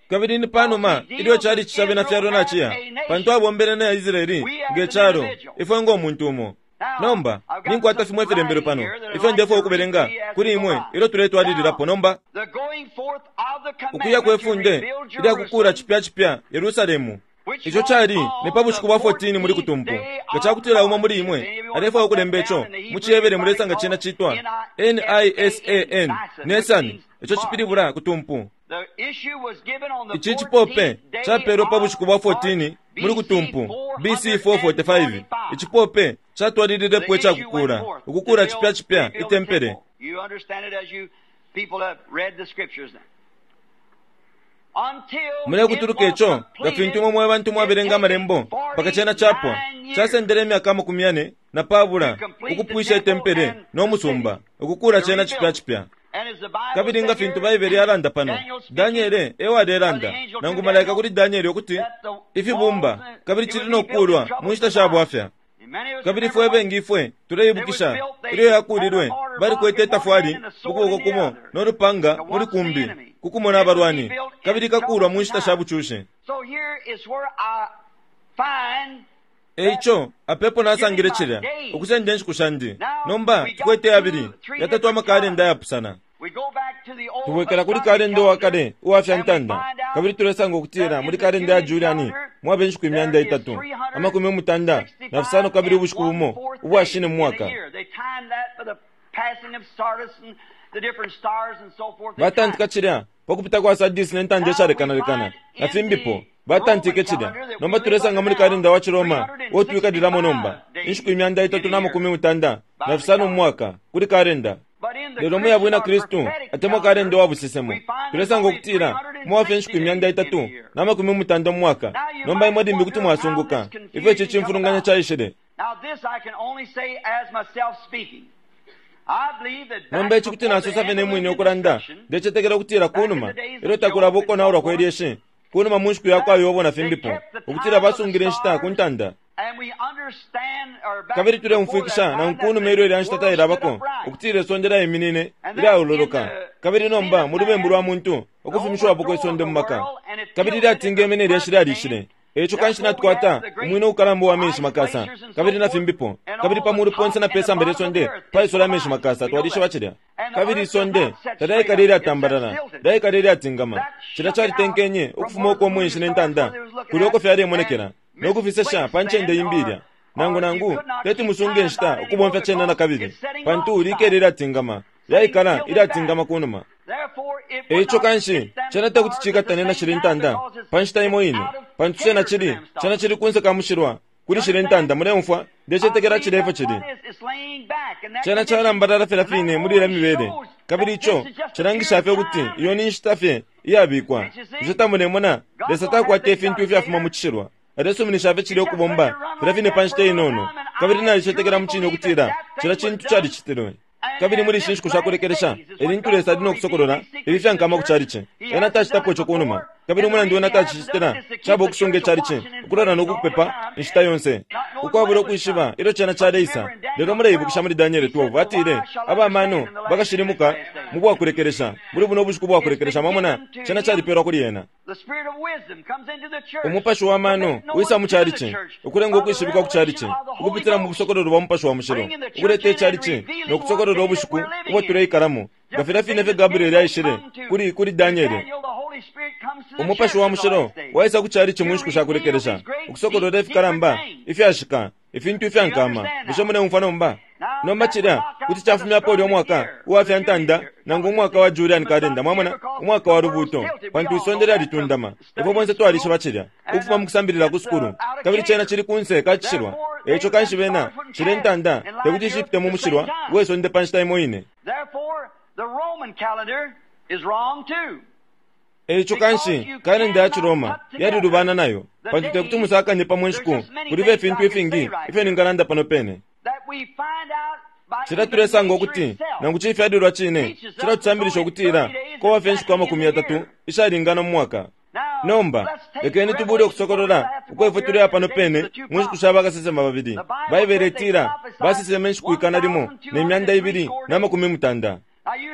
Kabili ni panuma ilyo calici ca bena fyalo naciya, pantu abombele na Israeli nge calo, ifwe ngo muntu umo. Nomba ninkwata fimwe ifilembelo pano ifyo ndefwaya ukubelenga kuli imwe ilyo tuletwalililapo. Nomba The going forth of the ukuya commandment kwe to funde rebuild ilya kukula Jerusalem, cipya cipya Yerusalemu, ico cali ni pa bushiku bwa fourteen muli kutumpu. Nga cakutila umo muli imwe alefwaya ukulemba ico mu ciHebere, mulesanga cena citwa N I S A N, Nesani, ico cipilibula kutumpu. The issue was given on the Ici cipope fourteenth day capelwe pa of bushiku bwa fourteen March, muli B C kutumpu B C four forty-five. four forty-five. Icipope catwalililepo The issue went icakukula forth to ukukula build, cipya cipya rebuild the itempele. temple. You understand it as you people have read the scriptures now. Until it Mulekutuluka was ico nga completed, fintu imwe mwe bantu it mwabelenga taken amalembo mpaka cena capwa. forty-nine years Casendele imyaka amakumi yane na pabula to complete the ukupwisha temple itempele and no the musumba, city, ukukula to cena cipya rebuild. cipya. And as the Bible Kabili nga said fintu here, Baibele yalanda pano, Daniel speaking, Daniele ewalelanda the angel to nangu malaika Daniel, kuli Danieli ukuti that the ifibumba walls and kabili it cili would no be built in kukulwa mu troublesome nshita sha times. bwafya. And many of us Kabili remember fwe when bengi ifwe it was tuleibukisha built, ilyo they had a yakulilwe, mortar block balikwete in one hand itafwali and a mu sword kuboko in the kumo other no lupanga to muli watch the kumbi enemy. kukumona It would be abalwani, built in kabili ikakulwa mu troublesome nshita sha times. bucushi. So here is where I find E that ico apepo giving nasangile my cilya days. ukusenda inshiku shandi. Now Nomba we got tukwete yabili two, three yatatu different amakalenda calendars. ayapusana. We go back to the old Tubwekela kuli astronomy kalenda uwa calendar kale uwa fya and we ntanda, find out kabili tulesanga ukutila that muli in the kalenda ya Julian Juliani calendar mwaba inshiku imyanda there is itatu amakumi mutanda na fisano three hundred sixty-five kabili and ubushiku one bumo fourth ubwa day shine mu in a mwaka. year. They timed that by the passing of Sardis and the different stars and so forth. They timed Batantika it. cilya pakupita kwa Sardis ne ntanda Now we ishalekanalekana find na in fimbipo the batantike Roman cilya. calendar that we Nomba live tulesanga under muli now kalenda wa Ciroma uo twikalilamo nomba inshiku imyanda three hundred sixty-five days itatu in na a makumi year mutanda by na the fisano mu calendar. mwaka kuli kalenda. But in the Lelo mu ya Christian bwina or Kristu prophetic atemwa calendar, kalenda wa busesemo we find there's tulesanga only ukutila mwafye inshiku three hundred sixty imyanda days in a itatu year. na makumi mutanda mu mwaka. Now you Nomba imwe might limbi kuti wonder how this mwasunguka ifyo ici confusion come cimfulunganya about. caishile. Now this I can only say as myself speaking. Nomba ici kuti nasosa fye ne mwine ukulanda, ndecetekela ukutila kunuma ilyo takulaba ukonaulwa kwe lyeshi, kunuma mu nshiku yakwa Yobo na fimbipo, ukutila basungile inshita ku ntanda. Kabili tuleumfwikisha nangu kunuma ilyo ilya nshita tailabako, ukutila isonde lyaiminine ilyaololoka. Kabili nomba mu lubembu lwa muntu ukufumishiwapo kwe sonde mu maka, kabili lyatingeme ne lyeshi lyalishile. Eico kanshi natukwata umwina ukalamba wa menshi makasa, kabili na fimbipo, kabili pamulu ponse na pesamba lye sonde paisola amenshi makasa, twalishiba cilya. Kabili isonde talyaikala ilyatambalala, lyaikala ilyatingama. Cilya calitenkenye ukufuma uko umwenshi ne ntanda kulya uko fyalemonekela no kufisesha pa ncende imbi ilya. Nangu nangu teti musunge inshita ukubomfya cena na kabili, pantu likele ilyatingama, lyaikala ilyatingama kunuma. Eico kanshi cena tekuti cikatane na shili ntanda pa nshita imo ine, pantu cena cili cena cili kunse ka mushilwa kuli shili ntanda. Muleumfwa? Ndecetekela cile efyo cili. Cena calambalala fye fine muli ilya mibele, kabili ico cilangisha fye ukuti iyo ni nshita fye iyabikwa. Ico tamulemona, Lesa takwata ifintu ifyafuma mu cishilwa, alesuminisha fye cile ukubomba filya fine pa nshita inono. Kabili nalicetekela mu cine ukutila cila cintu calicitilwe. Kabili muli ishi nshiku shakulekelesha elintu Lesa ali nokusokolola ifi fyankama ku chalichi. Ena tacitapo ico kunuma, kabili umulandu wena tacicitila caba ukusunga ichalichi ukulola nokukupepa inshita yonse, ukwabula ukwishiba ilyo cena caleisa. Lelo muleibukisha muli Daniele twelve atile abamano bakashilimuka mu bwakulekelesha, muli buno ubushiku bwakulekelesha. Mwamona, cena calipelwa kuli ena. Umupashi wa mano wisa mu chalichi, ukulenga ukwishibikwa ku chalichi ukupitila mu busokololo bwa mupashi wa mushilo, ukuleta ichalichi nokusokolola ubushiku ubo tuleikalamo, nga filya fine fye Gabrieli aishile kuli kuli Daniele. Umupashi wa mushilo waisa ku chalichi mu nshiku shakulekelesha, ukusokolola ifikalamba ifyashika, ifintu ifyankama. Bushe muleumfwa nomba? Nomba cilya kuti cafumyapo ulya umwaka uwa fya ntanda, nangu umwaka wa Julian calendar, mwamona, umwaka wa lubuuto, pantu isonde lyalitundama. Ifwe bonse twalishiba cilya ukufuma mu kusambilila ku sukulu, kabili cena cili kunse ka cishilwa. Eico kanshi bena shile ntanda tekuti cipite mu mushilwa we sonde pa nshita imo ine. Eico kanshi kalenda ya Ciroma yalilubana nayo, pantu tekuti musakanye pamo inshiku. Kulibe ifintu ifingi ifyo ningalanda pano pene. Cila tulesanga ukuti nangu cifyalilwa cine cila tusambilisha ukutila kowa fye inshiku amakumi yatatu ishalingana mu mwaka. Nomba lekeni tubule ukusokolola uko ifwe tuleya pano pene mu nshiku sha bakasesema babili. Baibele itila basesema inshiku ikana limo ne myanda ibili na makumi mutanda.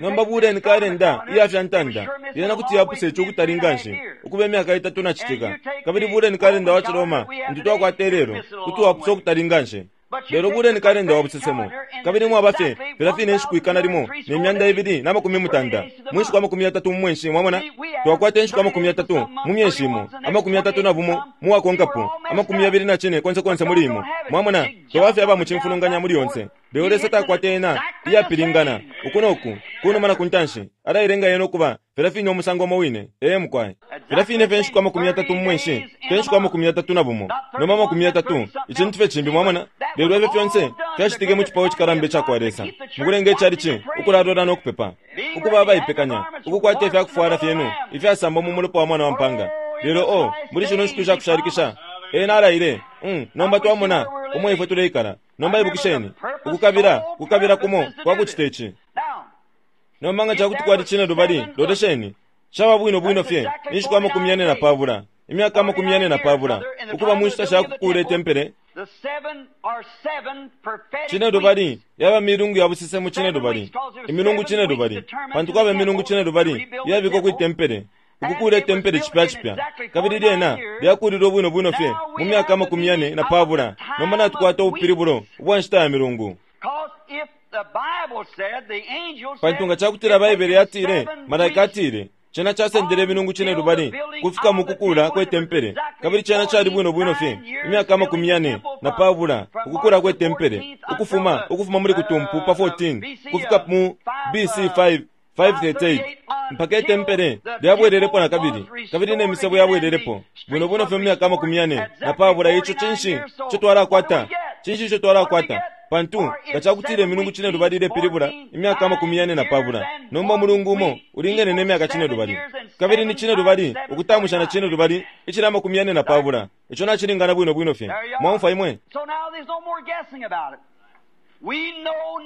Nomba buleni kalenda iya fya ntanda, yena kuti yapusa ico ukutali nganshi ukuba imyaka itatu na citika. Kabili buleni kalenda wa Ciroma ntu twakwata ilelo, kuti wapusa ukutali nganshi. Lelo buleni kalenda wa busesemo, kabili mwaba fye filya fine inshiku ikana limo ne myanda ibili na makumi mutanda mu nshiku amakumi yatatu mu mwenshi. Mwamona, twakwata inshiku amakumi yatatu mu myenshi imo, amakumi yatatu na bumo mu wakonkapo, amakumi yabili na cine konse konse muli imo. Mwamona, twaba aba mu cimfulunganya muli yonse. Lelo Lesa takwata ena iyapilingana uku noku, kunuma na kuntanshi, alailenga yena ukuba filya fine umusango umo wine. Ee mukwai, filya fine fye inshiku amakumi yatatu mu mwenshi, te nshiku amakumi yatatu na bumo, noma amakumi yatatu, icintu fye cimbi. Mwamona, lelo ifyo fyonse fyacitike mu cipao cikalamba icakwa Lesa, mukulenga icalichi ukulalola nokupepa, ukuba abaipekanya ukukwata ifyakufwala fyenu ifyasambwa mu mulopa wa mwana wa mpanga. Lelo o muli shino nshiku shakushalikisha ena alaile. Mm, nomba twamona umo ifwe tuleikala. Nomba ibukisheni ukukabila kukabila kumo kwa kucita ici. Nomba nga cakuti kwali cine lubali, lolesheni caba bwino bwino fye inshiku amakumi yane na pabula, imyaka amakumi yane na pabula, ukuba mu nshita shakukuula itempele. Cine lubali yaba milungu ya busesemo cine lubali, imilungu cine lubali, pantu kwaba imilungu cine lubali iyabikwa kwitempele, ukukuula itempele cipya cipya. Kabili lyena lyakulilwe bwino bwino fye mu myaka amakumi yane na pabula. Nomba natukwata ubupilibulo ubwa nshita ya milungu. Pantu nga cakutila Baibele yatile, malaika atile, cena casendele imilungu cine lubali kufika mu kukula kwe tempele, kabili cena cali bwino bwino fye imyaka amakumi yane na pabula ukukula kwe tempele, ukufuma ukufuma muli kutumpu pa fourteen kufika mu B C five five thirty-eight, mpaka itempele lyabwelelepo na kabili, kabili ne misebo yabwelelepo bwino bwino fye mu myaka amakumi yane na pabula. Ico cinshi ico twalakwata? Cinshi ico twalakwata? Pantu nga cakutile imilungu cine lubali ilepilibula imyaka amakumi yane na pabula, nomba umulungu umo ulingene ne myaka cine lubali, kabili ni cine lubali ukutamusha na cine lubali icili amakumi yane na pabula. Ico nacilingana bwino bwino fye. Mwaumfwa imwe?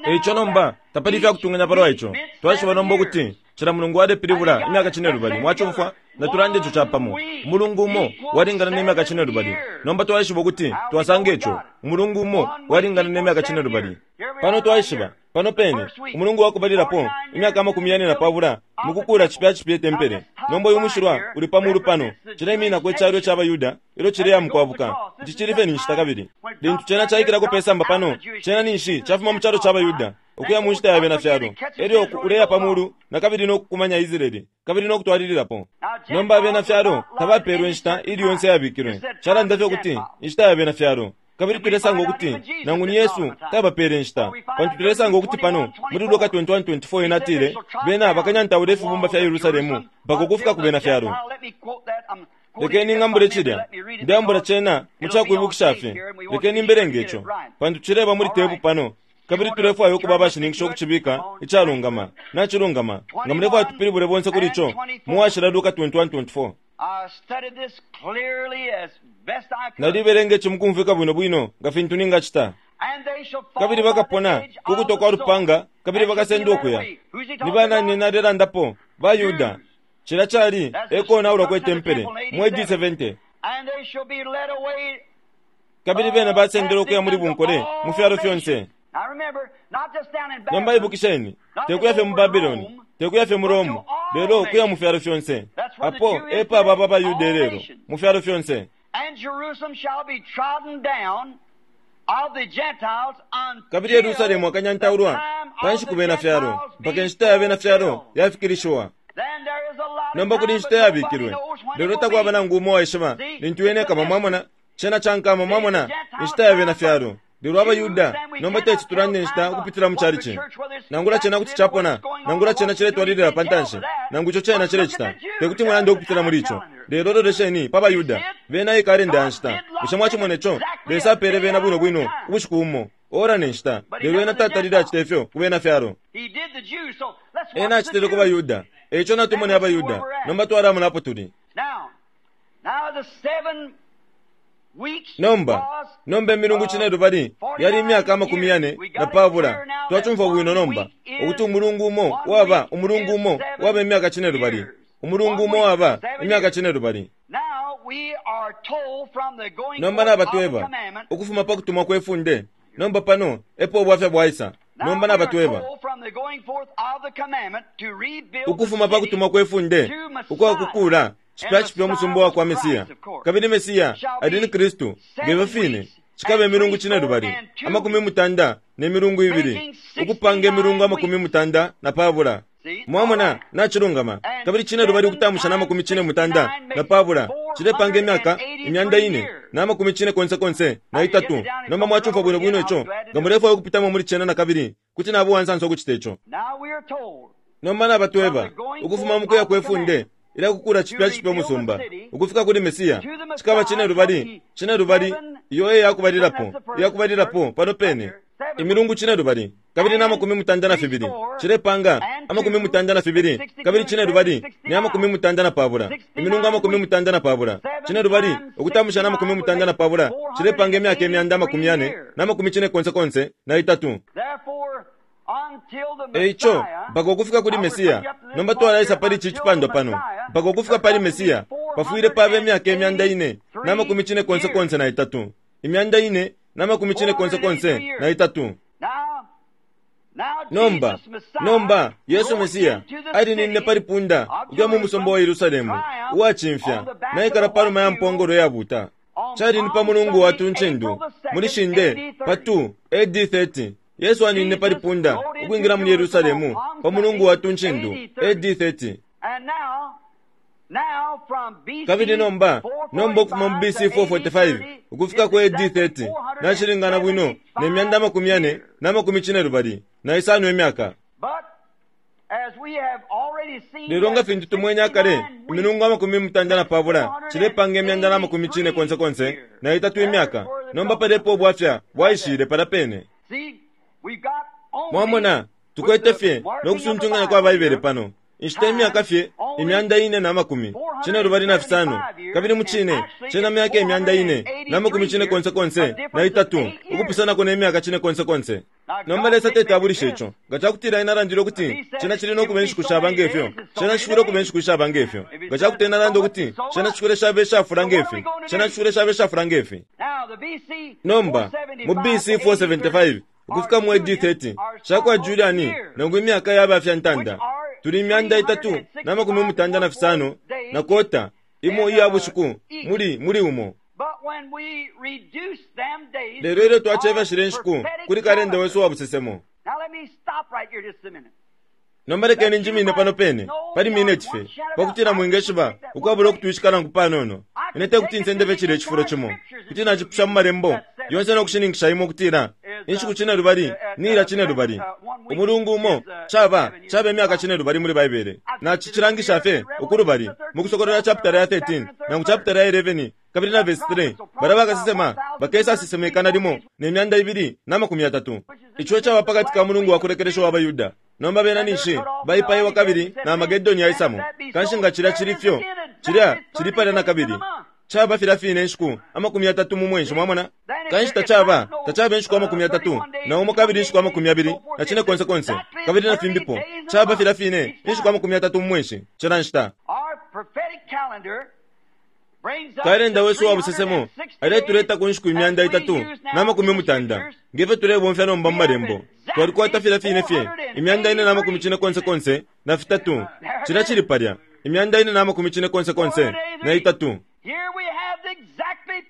Eico nomba tapali ifyakutunganya palwa ico. Twaishiba nomba ukuti cila mulungu walepilibula imyaka cinelubali. Mwacumfwa? Natulande ico capamo. Umulungu umo walingana ne myaka cinelubali. Nomba twaishiba ukuti twasanga ico. Umulungu umo walingana ne myaka cinelubali. Pano twaishiba pano pene umulungu wakubalilapo imyaka amakumi yane na pabula mukukula cipya cipya itempele. Nomba uyu mushilwa uli pa mulu pano cileiminako icalo ca Bayuda ilyo cileya mukwabuka. Ici cili fye ni nshita kabili lintu cena caikilako pe samba pano, cena ninshi cafuma mu calo ca Bayuda ukuya mu nshita ya bena fyalo, elyo uleya pa mulu na kabili no kukumanya Israeli kabili no kutwalililapo. Nomba abena fyalo tabapeelwe inshita ili yonse yabikilwe. Calanda fye ukuti inshita ya bena fyalo. Kabili tulesanga ukuti nangu ni Yesu tabapeele inshita, pantu tulesanga ukuti pano muli Luka twenty-one twenty-four ena atile bena bakanyantaula ifibumba fya Yerusalemu mpaka ukufika ku bena fyalo. Lekeni ngambule cilya, ndeambula cena mu cakwibukisha fye. Lekeni mbelenge ico, pantu cileba muli tepu pano, kabili tulefwaya ukuba abashininkisha ukucibika icalungama. Nacilungama. Nga mulefwaya tupilibule bonse kuli ico, muwashila Luka twenty-one twenty-four. Nalibelenga ici mukumfwika bwino bwino nga fintu ningacita. Kabili bakapona kukuto kwa lupanga, kabili bakasenda ukuya. Ni banani nalelandapo? Bayuda. Cila cali ekonaulwa kwe tempele mu A D seventy. Kabili bena basendele ukuya muli bunkole mu fyalo fyonse. Nomba ibukisheni, tekuya fye mu Babiloni, tekuya fye mu Rome, lelo kuya mu fyalo fyonse. Apo epo aba Abayuda lelo mu fyalo fyonse. Kabili Yerusalemu akanyantaulwa panshi ku bena fyalo mpaka inshita ya bena fyalo yafikilishiwa. Nomba kuli inshita yabikilwe, lelo takwaba nangu umo waishiba lintu yene ikaba. Mwamona cena cankama, mwamona inshita ya bena fyalo. Lelo Abayuda nomba teti tulande inshita ukupitila mu chalichi. Nangula cena kuti capona, nangula cena ciletwalilila pa ntanshi, nangu ico cena cilecita, tekuti mwalande ukupitila muli ico. Lelo lolesheni pa Bayuda, bena ikalenda ya nshita. Bushe mwacimona ico? Lesa apeele bena bwino bwino ubushiku bumo, ora ne nshita. Lelo ena tatalile acita ifyo ku bena fyalo. Ena acitile ku Bayuda. Eico natumone Abayuda. Nomba twalamona apo tuli. Nomba, nomba imilungu cinelubali yali imyaka amakumi yane na pabula. Twacumfwa bwino nomba ukuti umulungu umo waba umulungu umo waba imyaka cinelubali. Umulungu umo waba imyaka cinelubali. Nomba nabatweba ukufuma pa kutumwa kwe funde. Nomba pano epo ubwafya bwaisa. Nomba nabatweba ukufuma pa kutumwa kwe funde ukwa kukula cipya cipya umusumba wa kwa Mesiya. Kabili Mesiya ali ni Kristu ngefyo fine. Cikaba imilungu cinelubali amakumi mutanda ne milungu ibili, ukupanga imilungu amakumi mutanda na pabula. Mwamona nacilungama. Kabili cinelubali ukutamusha na amakumi cine mutanda na pabula cilepanga imyaka imyanda ine na amakumi cine konse konse na itatu. Nomba mwacumfwa bwino bwino ico. Nga mulefwaya ukupitamo muli cena na kabili, kuti nabo wansansa ukucita ico. Nomba nabatweba ukufuma mukuya kwe funde ila kukula cipya cipya umusumba ukufika kuli Mesiya cikaba cinelubali cinelubali iyo e yakubalilapo yakubalilapo pano pene imilungu cinelubali kabili na amakumi mutanda na fibili cilepanga amakumi mutanda na fibili kabili cinelubali ni amakumi mutanda na pabula imilungu amakumi mutanda na pabula cinelubali ukutamusha na amakumi mutanda na pabula cilepanga imyaka imyanda amakumi yane na amakumi cine konse konse na itatu. Eico mpaka ukufika kuli Mesiya. Nomba twalaisa pali ici cipandwa pano. Mpaka ukufika pali Mesiya pafwile pabe imyaka imyanda ine na amakumi cine konse konse na itatu. Imyanda ine na amakumi cine konse konse na itatu. Nomba, nomba Yesu Mesiya alininine pali punda ukuya mu musumba wa Yerusalemu uwacimfya naikala panuma ya mpongolo yabuta. Cali ni pa mulungu wa tuncindu muli shinde pa two A D thirty. Yesu aninine pali punda ukwingila mu Yerusalemu pa mulungu wa tuncindu A D thirty. Kabili nomba, nomba ukufuma mu B C four forty-five ukufika ku A D thirty nacilingana bwino ne myanda amakumi yane na amakumi cinelubali na isano imyaka. Lelo nga fintu tumwene akale imilungu amakumi mutanda na pabula cilepanga imyanda na amakumi cine konse konse na itatu imyaka. Nomba palepo ubwafya bwaishile pala pene. Mwamona tukwete fye no kusuntunganya kwa Baibele pano. Inshita imyaka fye imyanda ine na makumi cine lubali na fisano, kabili mucine cena myaka imyanda ine na makumi cine konse konse na itatu, ukupusanako ne myaka cine konse konse. Nomba Lesa tetabulisha ico. Nga cakutila ena alandile ukuti cena cili no kuba inshiku shaba ngefyo, cena cifwile ukuba inshiku shaba ngefyo. Nga cakuti ena alanda ukuti cena cifwile shaba ishafula ngefi, cena cifwile shaba ishafula ngefi. Nomba mu B C four seventy-five ukufika mu A D thirty shakwa Juliani nangu imyaka yaba fya ntanda, tuli imyanda itatu na makumi mutanda na fisano na kota imo iya bushiku muli muli umo. Lelo ilyo twacefya inshiku kuli kalenda wesu wa busesemo. Nomba lekeni njimine pano pene pali minute fye pakutila mwingeshiba ukwabula ukutwishika nangu panono. Ine tekuti nsendefye cilya icifulo cimo, kuti nacipusha mu malembo yonse no kushininkisha imwe ukutila inshiku cine lubali nila cine lubali. Umulungu umo caba caba imyaka cine lubali muli Baibele. Nacicilangisha fye ukulubali mu Kusokolola chapter ya thirteen nangu chapter ya eleven kabili na verse three. Bala bakasesema bakesa sisemekana limo ne myanda ibili na makumi yatatu. Ico caba pakati ka mulungu wa kulekelesha wa Bayuda. Nomba bena ninshi baipaiwa kabili na Amagedoni yaisamo. Kanshi nga cilya cili fyo, cilya cili palya na kabili. Caba filya fine inshiku amakumi yatatu mu mwenshi, mwamona? Kanshi tacaba tacaba inshiku amakumi yatatu na umo kabili inshiku amakumi yabili na cine konse konse kabili na fimbipo. Caba filya fine inshiku amakumi yatatu mu mwenshi cila nshita. Kalenda wesu wa busesemo aletuleta ku nshiku imyanda itatu na makumi mutanda ngefyo tulebomfya nomba mu malembo. Twalikwata filya fine fye imyanda ine na makumi cine konse konse na fitatu. Cilya cili palya imyanda ine na makumi cine konse konse na itatu.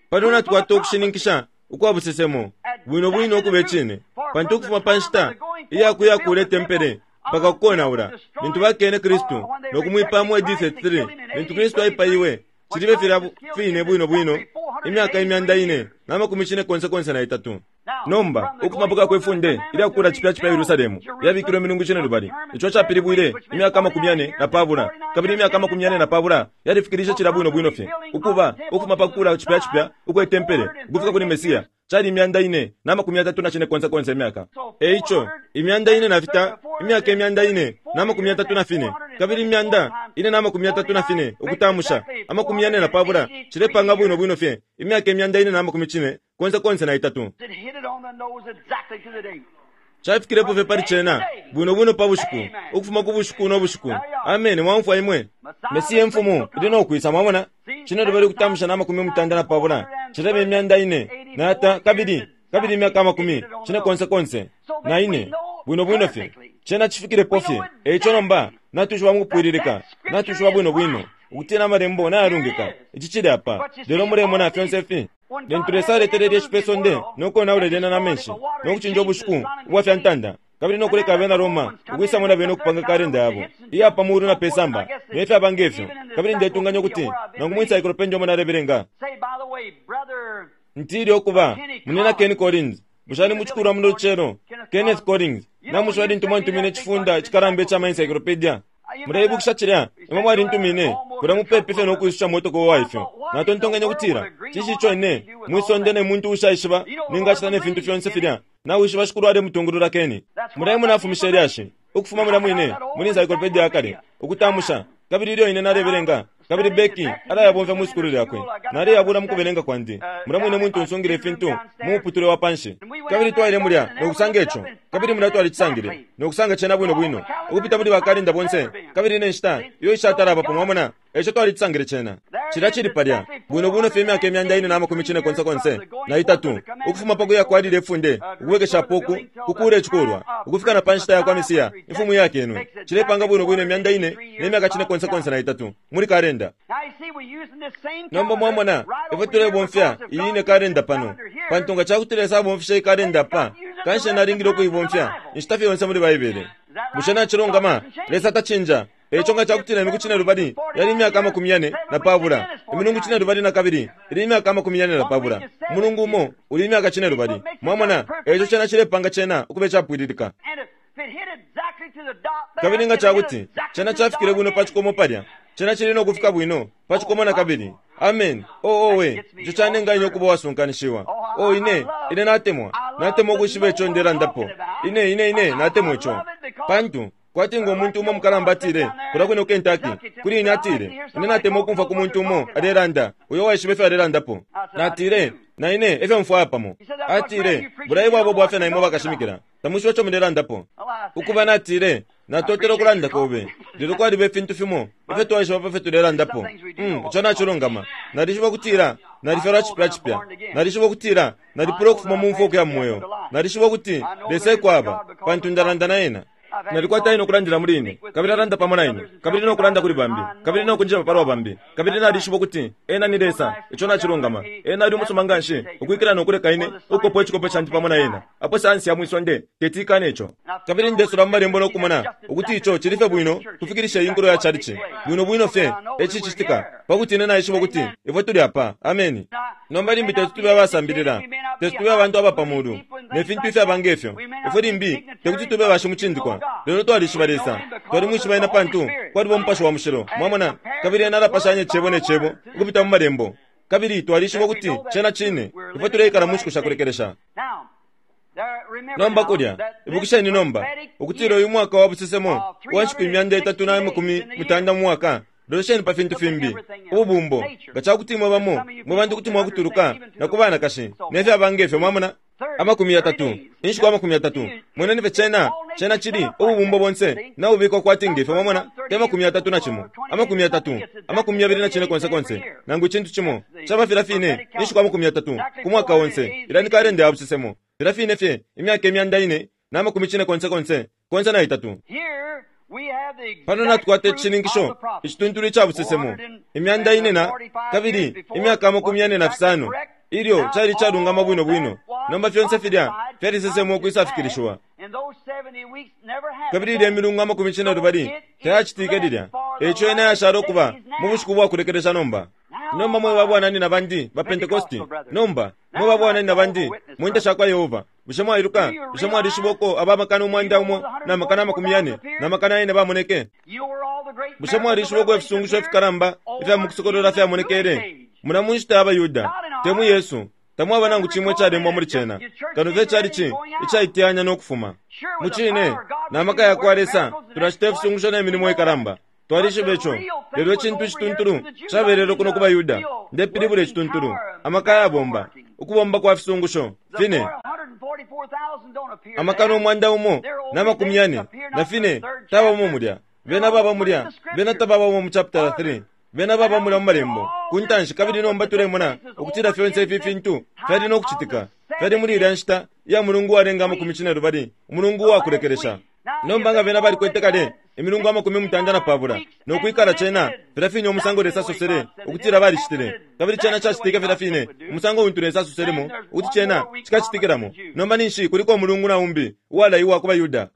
Pano natukwata ukushininkisha ukwa busesemo bwino bwino ukube cine, pantu ukufuma pa nshita iyakuya kule tempele mpaka kukonaula lintu bakene Kristu no kumwipaya mu A D thirty-three, lintu Kristu aipaiwe cilibe filya fine bwino bwino imyaka imyanda ine na makumi cine konse konse na itatu. Nomba ukufuma pakakwe funde ilya kukula cipya cipya Yerusalemu yabikilwe milungu cine lubali. Ico capilibwile imyaka amakumi yane na pabula, kabili imyaka amakumi yane na pabula yalifikilishe cila bwino bwino fye ukuba ukufuma pakukula cipya cipya ukwe tempele ukufika kuli Mesiya cali imyanda ine na makumi yatatu na cine konse konse imyaka. Eico imyanda ine na fita imyaka imyanda ine na makumi yatatu na fine kabili imyanda ine na makumi yatatu na fine ukutamusha amakumi yane na pabula cilepanga bwino bwino fye imyaka imyanda ine na makumi cine konse konse na itatu. Cafikilepo fye pali cena bwino bwino pa bushiku ukufuma ku bushiku no bushiku. Amen. Mwamfwa imwe Mesiya imfumu ili no kwisa, mwamona? Cine lubali ukutamusha na makumi mutanda na pabula cilebe imyanda ine na ata kabili kabili imyaka amakumi cine konse konse na ine bwino bwino fye cena cifikilepo fye. Eico nomba natushiwa mukupwililika, natushiwa bwino bwino ukutina amalembo nayalungika. Ici cili apa lelo mulemona fyonse fi. Lintu Lesa aletelele icipe sonde nokonaula lyena na menshi nokucinja ubushiku ubwa fya ntanda kabili nokuleka abena Roma ukwisamo na bene ukupanga kalenda yabo iya pa mulu na pesamba nefyaba ngefyo. Kabili ndetunganya ukuti nangu mu encyclopedia omo nalebelenga ntili okuba munena Ken Collins bushani muchikulwa muno lucelo Kenneth Collins namushwa lintu mwantumine icifunda icikalamba ica ma encyclopedia. Muleibukisha cilya imwe mwalintumine kulya mupepi fye nokwisusha motoko wa ifyo. Natontonkanya ukutila cinshi ico ine mwisonde ne muntu ushaishiba ningacita ne fintu fyonse filya nawishiba shikulu alemutungulula Keni. Muleimwe nafumisha ilyashi ukufuma mulya mwine muli encyclopedia yakale ukutamusha kabili ilyo ine nalebelenga kabili Becky alayabomfya mu sukulu lyakwe naleyabula mu kubelenga kwandi. Mulya mwine muntu nsungile ifintu mu muputule wa panshi kabili twaile mulya nokusanga ico kabili mulya twalicisangile nokusanga cena bwino bwino ukupita muli bakalinda bonse kabili ne nshita iyo ishatalabapo, mwamona? Eico twalicisangile cena cilya cili palya bwino bwino fye imyaka imyanda ine na makumi cine konse konse na itatu ukufuma pakuya kwalile ifunde ukubwekeshapo uku kukula icikulwa ukufika na pa nshita ya kwa Mesiya imfumu yakenwe cilepanga bwino bwino imyanda ine ne myaka cine konse konse na itatu muli kalenda. Nomba mwamona ifwe tulebomfya iyi ine kalenda pano pantu nga cakuti Lesa abomfishe ikalenda pa kanshi nalingile ukuibomfya inshita fye yonse muli Baibele. Bushe nacilungama? Lesa tacinja. Eico nga cakutila imiku cine lubali yali imyaka amakumi yane na pabula, imilungu cine lubali na kabili ili imyaka amakumi yane na pabula, umulungu umo uli imyaka cine lubali. Mwamona? Eico cena cilepanga cena ukube capwililika. Kabili nga cakuti cena cafikile bwino pa cikomo palya, cena cili nokufika bwino pa cikomo na kabili. Amen. Oh, oh, we ico canenga ine ukuba wasunkanishiwa. Oh, ine ine natemwa natemwa ukwishiba ico ndelandapo. Ine ine ine natemwa ico pantu Kwati ngo muntu umo mukalamba atile kulya kwine ku Kentucky kuli ine, atile, ine natemwa ukumfwa ku muntu umo alelanda uyo waishiba ifyo alelandapo. Natile, na ine efyo mfwaya pamo. Atile, bulayi bwabo bwafya na imwe bakashimikila, tamwishiba ico mulelandapo. Ukuba natile, natotela ukulanda kobe, lelo kwaliba ifintu fimo ifyo twaishiba pa fyo tulelandapo. Mm, ico nacilungama. Nalishiba ukutila nalifyalwa cipya cipya. Nalishiba ukutila nalipula ukufuma mu mfwa ukuya mu mweo. Nalishiba ukuti Lesa ekwaba, pantu ndalanda na ena. Nalikwata ine ukulandila muli ine, kabili alanda pamo na ine, kabili nokulanda kuli bambi, kabili nokunjeba palwa bambi, kabili nalishiba ukuti ena ni Lesa. Ico nacilungama. Ena ali umusuma nganshi ukwikila nokuleka ine ukukopa icikope candi pamo na ena, apo sayansi ya mwisonde teti ikane ico. Kabili ndesula mu malembo nokumona ukuti ico cili fye bwino kufikilisha iyi nkulo ya chalichi bwino bwino fye ecicitika, pakuti ine naishiba ukuti ifwe tuli apa. Ameni. Nomba limbi teti tube abasambilila, teti tube abantu abapamulu ne fintu ifyaba ngefyo. Ifwe limbi tekuti tube bashimucindikwa, lelo twalishiba Lesa. Twalimwishiba ena pantu kwaliba Umupashi wa Mushilo, mwamona, kabili ena alapashanya icebo ne cebo ukupita mu malembo, kabili twalishiba ukuti cena cine. Ifwe tuleikala mu nshiku sha kulekelesha. Nomba kulya, ibukisheni nomba ukutila uyu mwaka wa busesemo uwa nshiku imyanda itatu na makumi mutanda mu mwaka. Lolesheni pa fintu fimbi, ububumbo, nga cakuti imwe bamo mwe bantu kuti mwakutuluka na ku banakashi ne fyaba ngefyo, mwamona. Amakumi yatatu, inshiku amakumi yatatu, mweneni fye cena, cena cili ububumbo bonse nabubikwa kwati ngefyo, mwamona, te makumi yatatu na cimo, amakumi yatatu, amakumi yabili na cine konse konse, nangu icintu cimo caba filya fine inshiku amakumi yatatu ku mwaka onse. Ilya ni kalenda ya busesemo, filya fine fye imyaka imyanda ine na makumi cine konse konse konse na itatu. Pano natukwata icishininkisho icituntulu ica busesemo, imyanda ine na kabili imyaka amakumi yane na fisano, ilyo cali calungama bwino bwino. Nomba fyonse filya fyalisesemwa ukwisafikilishiwa, kabili ilya milungu amakumi cine lubali tayacitike lilya. Eico ena yashala ukuba mu bushiku bwa kulekelesha nomba. Nomba mwe babwananyina bandi ba Pentecosti, nomba mwe babwananyina bandi mu nte sha kwa Yehova, bushe mwailuka, bushe mwalishiba uko aba makana umwanda umo na makana amakumi yane na makana yane bamoneke? Bushe mwalishiba uko ifisungusho ifikalamba ifya mukusokolola fyamonekele? Muna mu nshita ya baYuda, te mu Yesu, tamwaba nangu cimwe icalembwa muli cena, kano fye cali icaiteyanya no kufuma. Mu cine, na maka ya kwa Lesa tulacita ifisungusho ne milimo ikalamba. Twalishiba ico, lelo icintu icituntulu cabelele kuno ku baYuda. Ndepilibula icituntulu, amaka yabomba, ukubomba kwa fisungusho fine. Amakana umwanda umo na makumi yane na fine tabamo mulya, bena baba mulya, bena tababamo mu chapter three, bena baba mulya mu malembo ku ntanshi. Kabili nomba tulemona ukutila fyonse ifi fintu fyali no kucitika, fyali muli ilya nshita ya mulungu walenga amakumi cine lubali, umulungu wakulekelesha. Nomba nga bena balikwete kale imilungu amakumi mutanda na pabula nokwikala cena filya fine umusango Lesa asosele ukutila balicitile, kabili cena cacitike filya fine umusango untu Lesa asoselemo ukuti cena cikacitikilamo. Nomba ninshi kuliko umulungu na umbi uwalaiwa ku baYuda.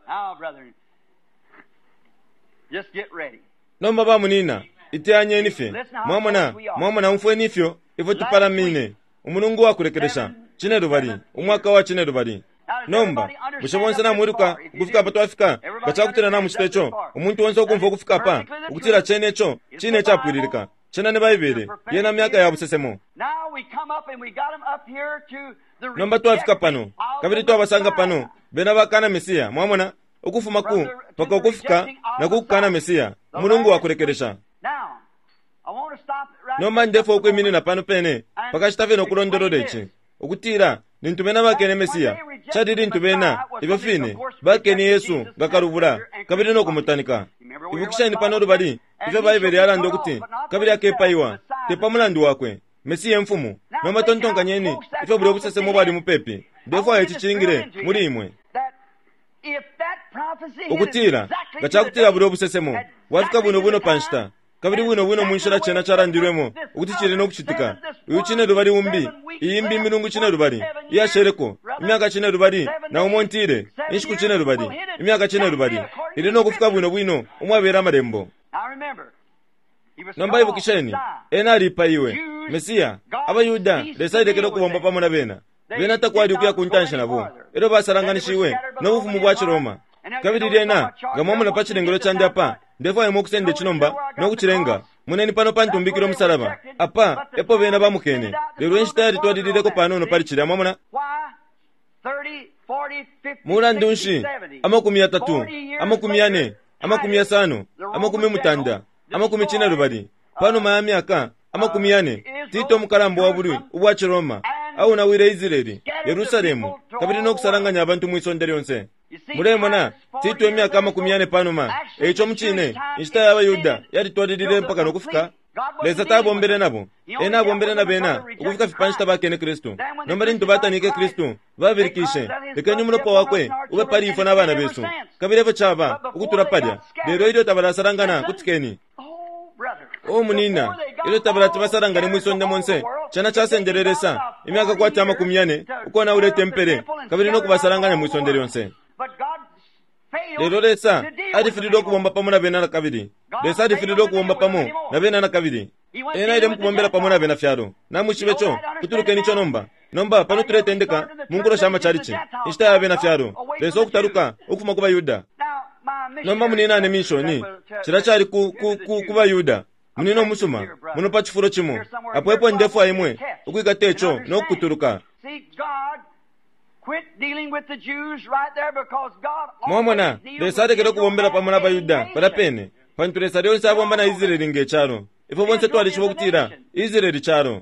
Nomba bamunina, iteyanyeni fye, mwamona, mwamona, umfweni ifyo ifyo tupalamine umulungu wakulekelesha, cine lubali, umwaka wa cine lubali. Nomba bushe bonse namwiluka ukufika apa twafika? Nga cakutila namucita ico, umuntu onse ukumfwa ukufika apa ukutila cene ico cine icapwililika, cena ni Baibele yena myaka ya busesemo. Nomba twafika pano kabili twabasanga pano bena bakana Mesiya, mwamona, ukufuma ku paka ukufika na kukana Mesiya, umulungu wakulekelesha. Nomba ndefwa ukwiminina pano pene pakashita fye nokulondolola ici, ukutila lintu bena bakene Mesiya, cali lintu bena ifyo fine bakene Yesu nga kalubula kabili nokumutanika. Ibukisheni pano lubali ifyo Baibele yalanda ukuti kabili akepaiwa te pa mulandu wakwe, Mesiya emfumu. Nomba tontonkanyeni ifyo bulya ubusesemo bwali mupepi. Ndefwaya ici cingile muli imwe ukutila nga cakutila bulya ubusesemo bwafika bwino bwino pa nshita kabili bwino bwino mu nshila cena calandilwemo ukuti cili nokucitika. Uyu cine lubali umbi, iyi mbi milungu cine lubali iyasheleko imyaka cine lubali na umo ntile inshiku cine lubali imyaka cine lubali ili nokufika bwino bwino umwabela amalembo. Nomba ibukisheni, ena alipaiwe Mesiya. AbaYuda Lesa alekele ukubomba pamo na bena, bena takwali ukuya ku ntanshi nabo, elyo basalanganishiwe nobufumu bwa Ciroma. Kabili lyena nga mwamona pa cilengelo candi apa, ndefwaya ukusenda icinomba nokucilenga. Moneni pano pantumbikile umusalaba apa epo bena bamukene, lelo inshita yalitwalilileko panono pali cilya, mwamona. Mulandu nshi amakumi yatatu, amakumi yane, amakumi yasano, amakumi mutanda, amakumi cinelubali, panuma ya myaka amakumi yane, Tito umukalamba wa bulwi ubwa Ciroma aonawile Israeli, Yerusalemu, kabili no kusalanganya abantu mwisonde lyonse. Mulemona Tito imyaka amakumi yane panuma. Eico mucine inshita ya Bayuda yalitwalilile mpaka nokufika. Lesa tabombele nabo, ena abombele na bena ukufika fye pa nshita bakene Kristu. Nomba lintu batanike Kristu, babilikishe, lekeni umulopa wakwe ube pali ifwe na bana besu. Kabili efyo caba ukutula palya. Lelo ilyo tabalasalangana, kutikeni. O munina, ilyo tabalati basalangane mwisonde monse, cena casendele Lesa imyaka kwati amakumi yane ukonaula itempele kabili no kubasalanganya mwisonde lyonse. Lelo Lesa alifililwe ukubomba pamo na bena nakabili. Lesa alifililwe ukubomba pamo na bena nakabili. Ena aile mukubombela pamo na bena fyalo. Namwishibe co, kutulukeni ico nomba. Nomba pano tuletendeka mu nkulo sha macalici, inshita ya bena fyalo, Lesa ukutaluka ukufuma ku baYuda. Nomba muninane minshoni, cila cali ku, ku, ku, ku baYuda. Munina umusuma, muno pa cifulo cimo. Apo epo ndefwaya imwe ukwikata ico no kukutuluka. Mwamona, Lesa alekele ukubombela pamo na baYuda palya pene, pantu Lesa lyonse abomba na Israeli nge calo. Ifwe bonse twalishiba ukutila Israeli calo.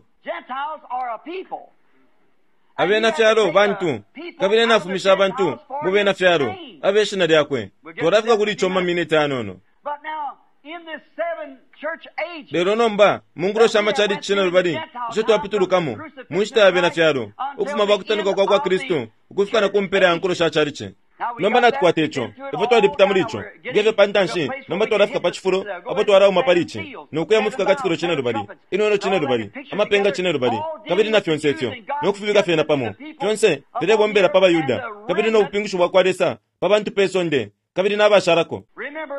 Abena fyalo bantu, kabili ena afumisha abantu mu bena fyalo abe shina lyakwe. Twalafika kuli ico mu maminiti ayanono. Lelo nomba mu nkulo sha macalici cinelubali isho twapitulukamo mu nshita ya bena fyalo, ukufuma pa kutanuka kwa kwa Kristu ukufika na ku mpela ya nkulo sha calici. Nomba natukwata ico, ifwe twalipita muli ico ngefyo pa ntanshi. Nomba twalafika pa cifulo apo twalauma pali ici no kuya mu fikakatikilo cinelubali, inweno cinelubali, amapenga cinelubali, kabili na fyonse ifyo no kufibika fyena pamo. Fyonse filebombela pa baYuda kabili no bupingushi bwa kwa Lesa pa bantu pe sonde kabili nabashalako.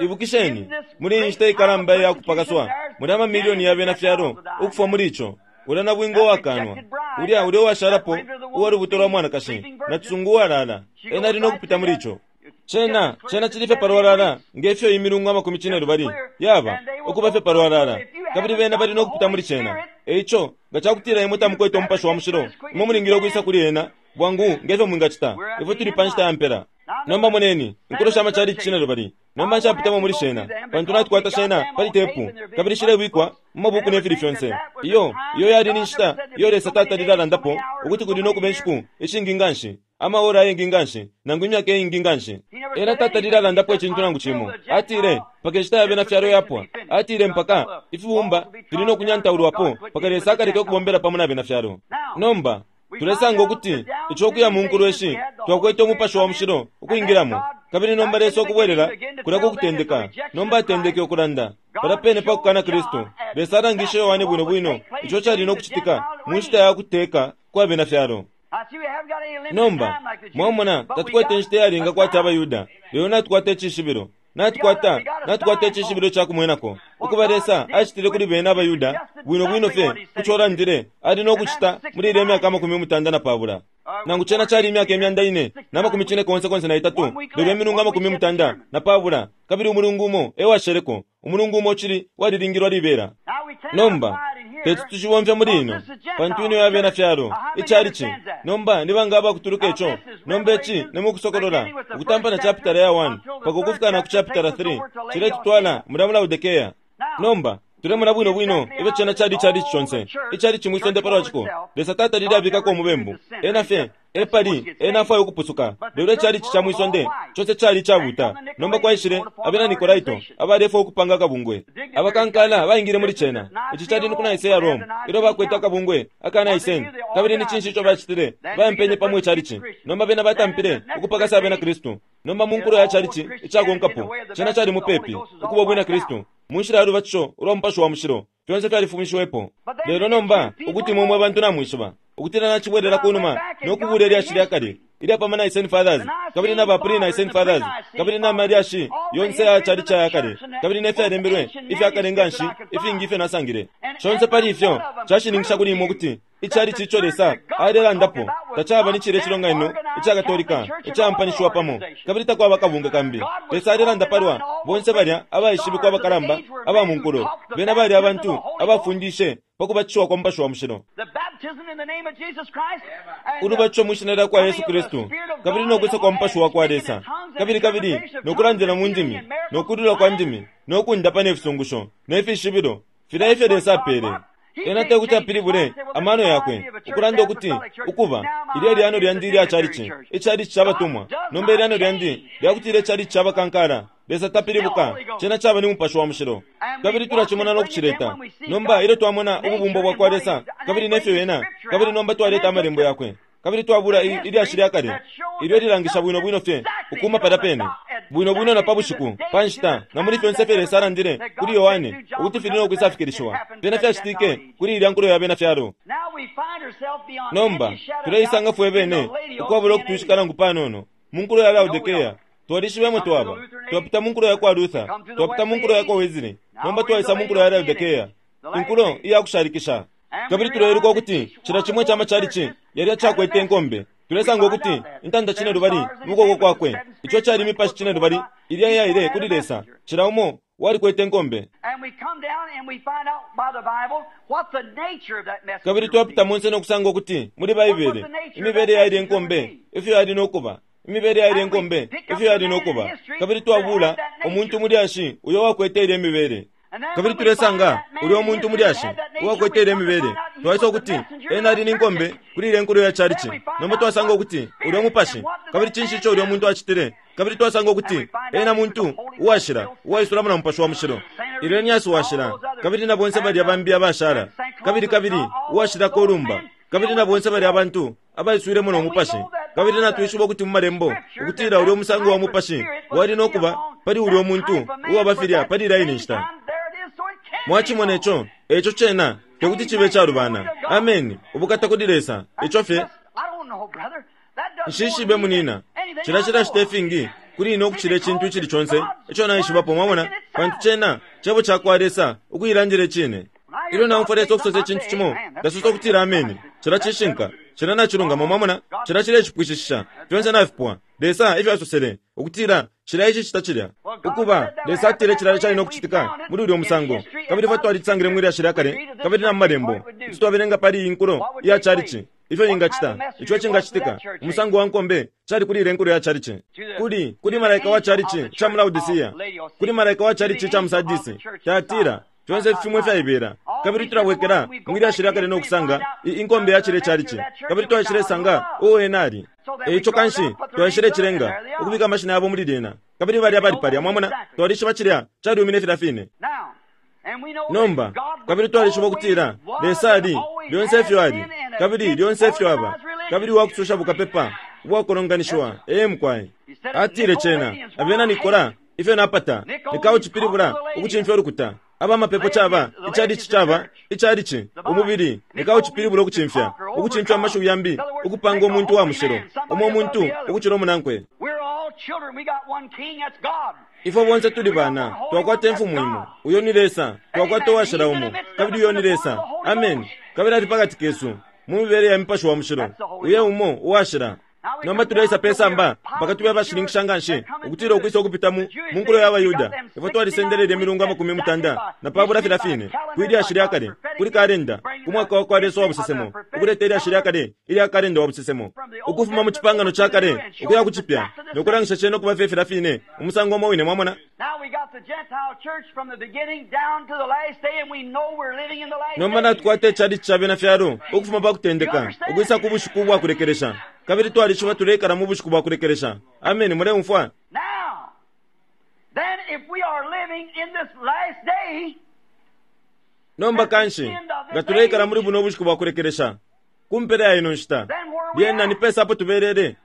Ibukisheni, muli iyi nshita ikalamba iya kupakaswa, muli amamilioni ya bena fyalo ukufwa muli ico. Ulya na bwinga uwakanwa, ulya ulya uwashalapo uwa lubuto lwa mwanakashi, na cisungu uwalala, ena ali no kupita muli ico. Cena, cena cili fye palwalala nge fyo imilungu amakumi cinelubali yaba ukuba fye palwalala, kabili bena bali no kupita muli cena. Eico nga cakutila imwe tamukwete Umupashi wa Mushilo, imwe mulingile ukwisa kuli ena bwangu nge fyo mwingacita. Ifwe tuli pa nshita ya mpela. Nomba moneni inkulo sha macalici cinelubali. Nomba nshapitamo muli shena, pantu natukwata shena pali tepu, kabili shilebikwa mu mabuku ne fili fyonse. Iyo, iyo yali ni nshita iyo Lesa tatalile alandapo ukuti kuli no kuba inshiku ishingi nganshi, amaora ayengi nganshi, nangu imyaka iingi nganshi. Ena tatalile alandapo icintu nangu cimo. Atile mpaka inshita ya bena fyalo yapwa. Atile mpaka ifibumba fili no kunyantaulwapo, mpaka Lesa akaleke ukubombela pamo na bena fyalo. Nomba tulesanga ukuti ico ukuya mu nkulo ishi twakwete Umupashi wa Mushilo ukwingilamo, kabili nomba Lesa ukubwelela kulya ku kutendeka. Nomba atendeke ukulanda palya pene pa kukana Kristu. Lesa alangishe Yohane bwino bwino ico cali no kucitika mu nshita ya kuteka kwa bena fyalo. Nomba mwamona, tatukwete inshita iyalinga kwati abaYuda, lelo natukwata icishibilo. Natukwata, natukwata icishibilo ca kumwenako ukuba Lesa acitile kuli bena abaYuda bwino bwino fye kuco alandile ali no kucita muli ilya myaka amakumi mutanda na pabula. Nangu cena cali imyaka imyanda ine na makumi cine konse konse na itatu, lelo imilungu amakumi mutanda na pabula, kabili umulungu umo e washeleko. Umulungu umo ucili walilingilwa libela. Nomba teti tucibomfya muli ino, pantu ino ya bena fyalo icalici. Nomba ni banga abakutuluka ico? Nomba ici ni mu Kusokolola, ukutampa na chapitala ya one mpaka ukufika na ku chapitala three, ciletutwala mulya mu Laodikea. Nomba tulemona bwino bwino ifyo cena cali icalici conse, icalici mwisonde palwa ciko. Lesa tatalile abikako umubembu, ena fye epali ena afwaya ukupusuka. Lelo icalici ca mwisonde conse cali icabuta. Nomba kwaishile abena Nikolaito abalefwaya ukupanga akabungwe. Abakankala baingile muli cena. Ici cali ni ku Nicaea, Rome, ilyo bakwete akabungwe aka Nicene. Kabili ni cinshi ico bacitile? Baampenye pamo icalici. Nomba bena batampile ukupakasa abena Kristu. Nomba mu nkulo ya calici icakonkapo, cena cali mupepi ukuba ubwina Kristu mu nshila ya lubatisho ulwa Mupashi wa Mushilo. Fyonse fyalifumishiwepo. Lelo nomba ukuti imwe mwe bantu namwishiba ukutila nacibwelela ku numa no kubula ilyashi lya kale ilya pa ma Nicene Fathers, kabili na ba pre-Nicene Fathers, kabili na malyashi yonse ya calici aya kale, kabili ne fyalembelwe ifya kale nganshi ifingi ifyo nasangile. Conse pali ifyo cashininkisha kuli imwe ukuti icalici ico Lesa alelandapo tacaba ni cilya cilonganino ica Katolika icampanishiwa pamo, kabili takwaba kabunga kambi. Lesa alelanda palwa bonse balya abaishibikwa abakalamba aba mu nkulo. Bena bali abantu abafundishe pa kubatishiwa kwa Mupashi wa Mushilo. Ulubatisho mwishina lya kwa Yesu Kristu, kabili nokwisa kwa Mupashi wa kwa Lesa, kabili kabili nokulandila mu ndimi, nokulula kwa ndimi, nokundapa ne fisungusho ne fishibilo filya ifyo Lesa apele. Ena tekuti apilibule amano yakwe ukulanda ukuti ukuba ilyo lyano lyandi lya chalichi, ichalichi chabatumwa, nomba ilyano lyandi lyakutile chalichi chabakankala. Lesa tapilibuka, chena chaba ni Mupashi wa Mushilo. Kabili tulachimona nokuchileta. Nomba ilyo twamona ububumbo bwa kwa Lesa, kabili nefyo yena, kabili nomba twaleta amalembo yakwe, kabili twabula ilyashi lya kale ilyo lilangisha bwino bwino fye ukuma palya pene bwino bwino na pabushiku panshita na muli fyonse fye Lesa alandile kuli Yohane ukuti fili nokwisafikilishiwa fyena fyacitike kuli ilya nkulo ya bena fyalo. Nomba tuleisanga fwe bene ukwabula ukutwishika nangu panono mu nkulo ya Laodikea. Twalishibemo twaba twapita mu nkulo ya kwa Luther, twapita mu nkulo ya kwa Wesley, nomba twaisa mu nkulo ya Laodikea, inkulo iyakushalikisha. Kabili tuleiluka ukuti cila chimwe chama chalichi yali achakwete enkombe. Tulesanga ukuti intanda chine lubali mukoko kwakwe, icho chali mipashi chine lubali ilya yaile kuli Lesa, cila umo walikwete enkombe. Kabili twapita monse nokusanga ukuti muli Baibele imibele yaile enkombe ifyo yali nokuba, imibele yaile enkombe ifyo yali nokuba. Kabili twabula omuntu mulyashi uyo wakwete ile mibele. Kabili tulesanga ulyo muntu mulyashi uwakwete ile mibele. Twaisa ukuti ena ali ninkombe kuli ile nkulo ya chalichi. Nomba twasanga ukuti ulyo mupashi, kabili chinshi icho ulyo muntu achitile. Kabili twasanga ukuti ena muntu uwashila uwaisulamo na Mupashi wa Mushilo, Irenias washila, kabili na bonse balya bambi abashala, kabili kabili uwashila kolumba, kabili na bonse balya abantu abaiswilemo no mupashi. Kabili natwishiba ukuti mu malembo ukutila ulyo musango wa mupashi wali nokuba pali ulyo muntu uwabafilya pali ilya ine nshita. Mwachimona icho, echo chena tekuti chibe chalubana. Amen. Ubukata kuli Lesa. Icho fye nshishibe munina chila chila chitefingi kuli ino kuchile chintu ichili chonse icho naishibapo, mwamona, pantu chena chebo chakwa Lesa ukuyilandile chine. Ilyo naumfwa Lesa okusosa echintu chimo, ndasosa okutila ameni. Chila chishinka, chila nachilungama, mwamona, chila chile chipwishishisha fyonse nafipwa. Lesa ifyo asosele ukutila chila ichi chita chilya ukuba Lesa atile chilalo chali nokuchitika muli ulyo musango. Kabili fwe twalitsangile mwili ashili akale, kabili na malembo kuti twabelenga pali inkulo iya chalichi ifyo ingachita, icho chingachitika umusango wa nkombe chali kuli ile nkulo ya chalichi, kuli kuli malaika wa chalichi cha mu Laodicea, kuli malaika wa chalichi cha mu Sardisi, Thyatira, fyonse fimwe fyaibera. Kabili tulabwekela mwili ashili akale nokusanga inkombe ya chile chalichi, kabili twashilesanga uwo ena ali. Eicho kanshi twashile chilenga ukubika amashina yabo muli lyena, kabili balya bali palya, mwamona, twalishiba chilya chaliumine filya fine. Nomba kabili twalishiba ukutila Lesa ali lyonse ifyo ali, kabili lyonse ifyo aba, kabili wakususha bukapepa ubwakolonganishiwa. Ee mukwai atile chena abena Nikola ifyo napata nikauchipilibula ukuchimfya ulukuta aba mapepo chaba ichalichi chaba ichalichi umubili nikauchipilibula ukuchimfya ukuchimfya amashu yambi ukupanga umuntu wa mushilo umo umuntu ukuchila umunankwe. Ifo bonse tuli bana twakwata emfumu imo, uyo ni Lesa, twakwata uwashila umo, kabili uyo ni Lesa. Amen. Kabili ali pakati kesu mu mibele ya mipashi wa mushilo, uye umo uwashila. Nomba tuleisa pesamba mpaka tube abashilinkisha nganshi ukutila ukwisa ukupita mu munkulo ya Bayuda. Ifo twalisendelele imilungu amakumi mutanda na pabula filya fine kwi lyashi lya kale kuli kalenda ku mwaka wa kwa Lesa wa busesemo, ukuleta ilyashi lya kale ilya kalenda wa busesemo ukufuma mu chipangano cha kale ukuya ku chipya nokulangisha chene okuba fye filya fine umusango umo wine, mwamona. Nomba natukwata ichalichi cha bena fyalo ukufuma pa kutendeka ukwisa ku bushiku bwa kulekelesha, kabili twalishiba tulekala mu bushiku bwa kulekelesha. Amen. Muleumfwa? Nomba kanshi nga tulekala muli buno bushiku bwa kulekelesha kumpela ya ino nshita, lyena ni pesa apo tubelele.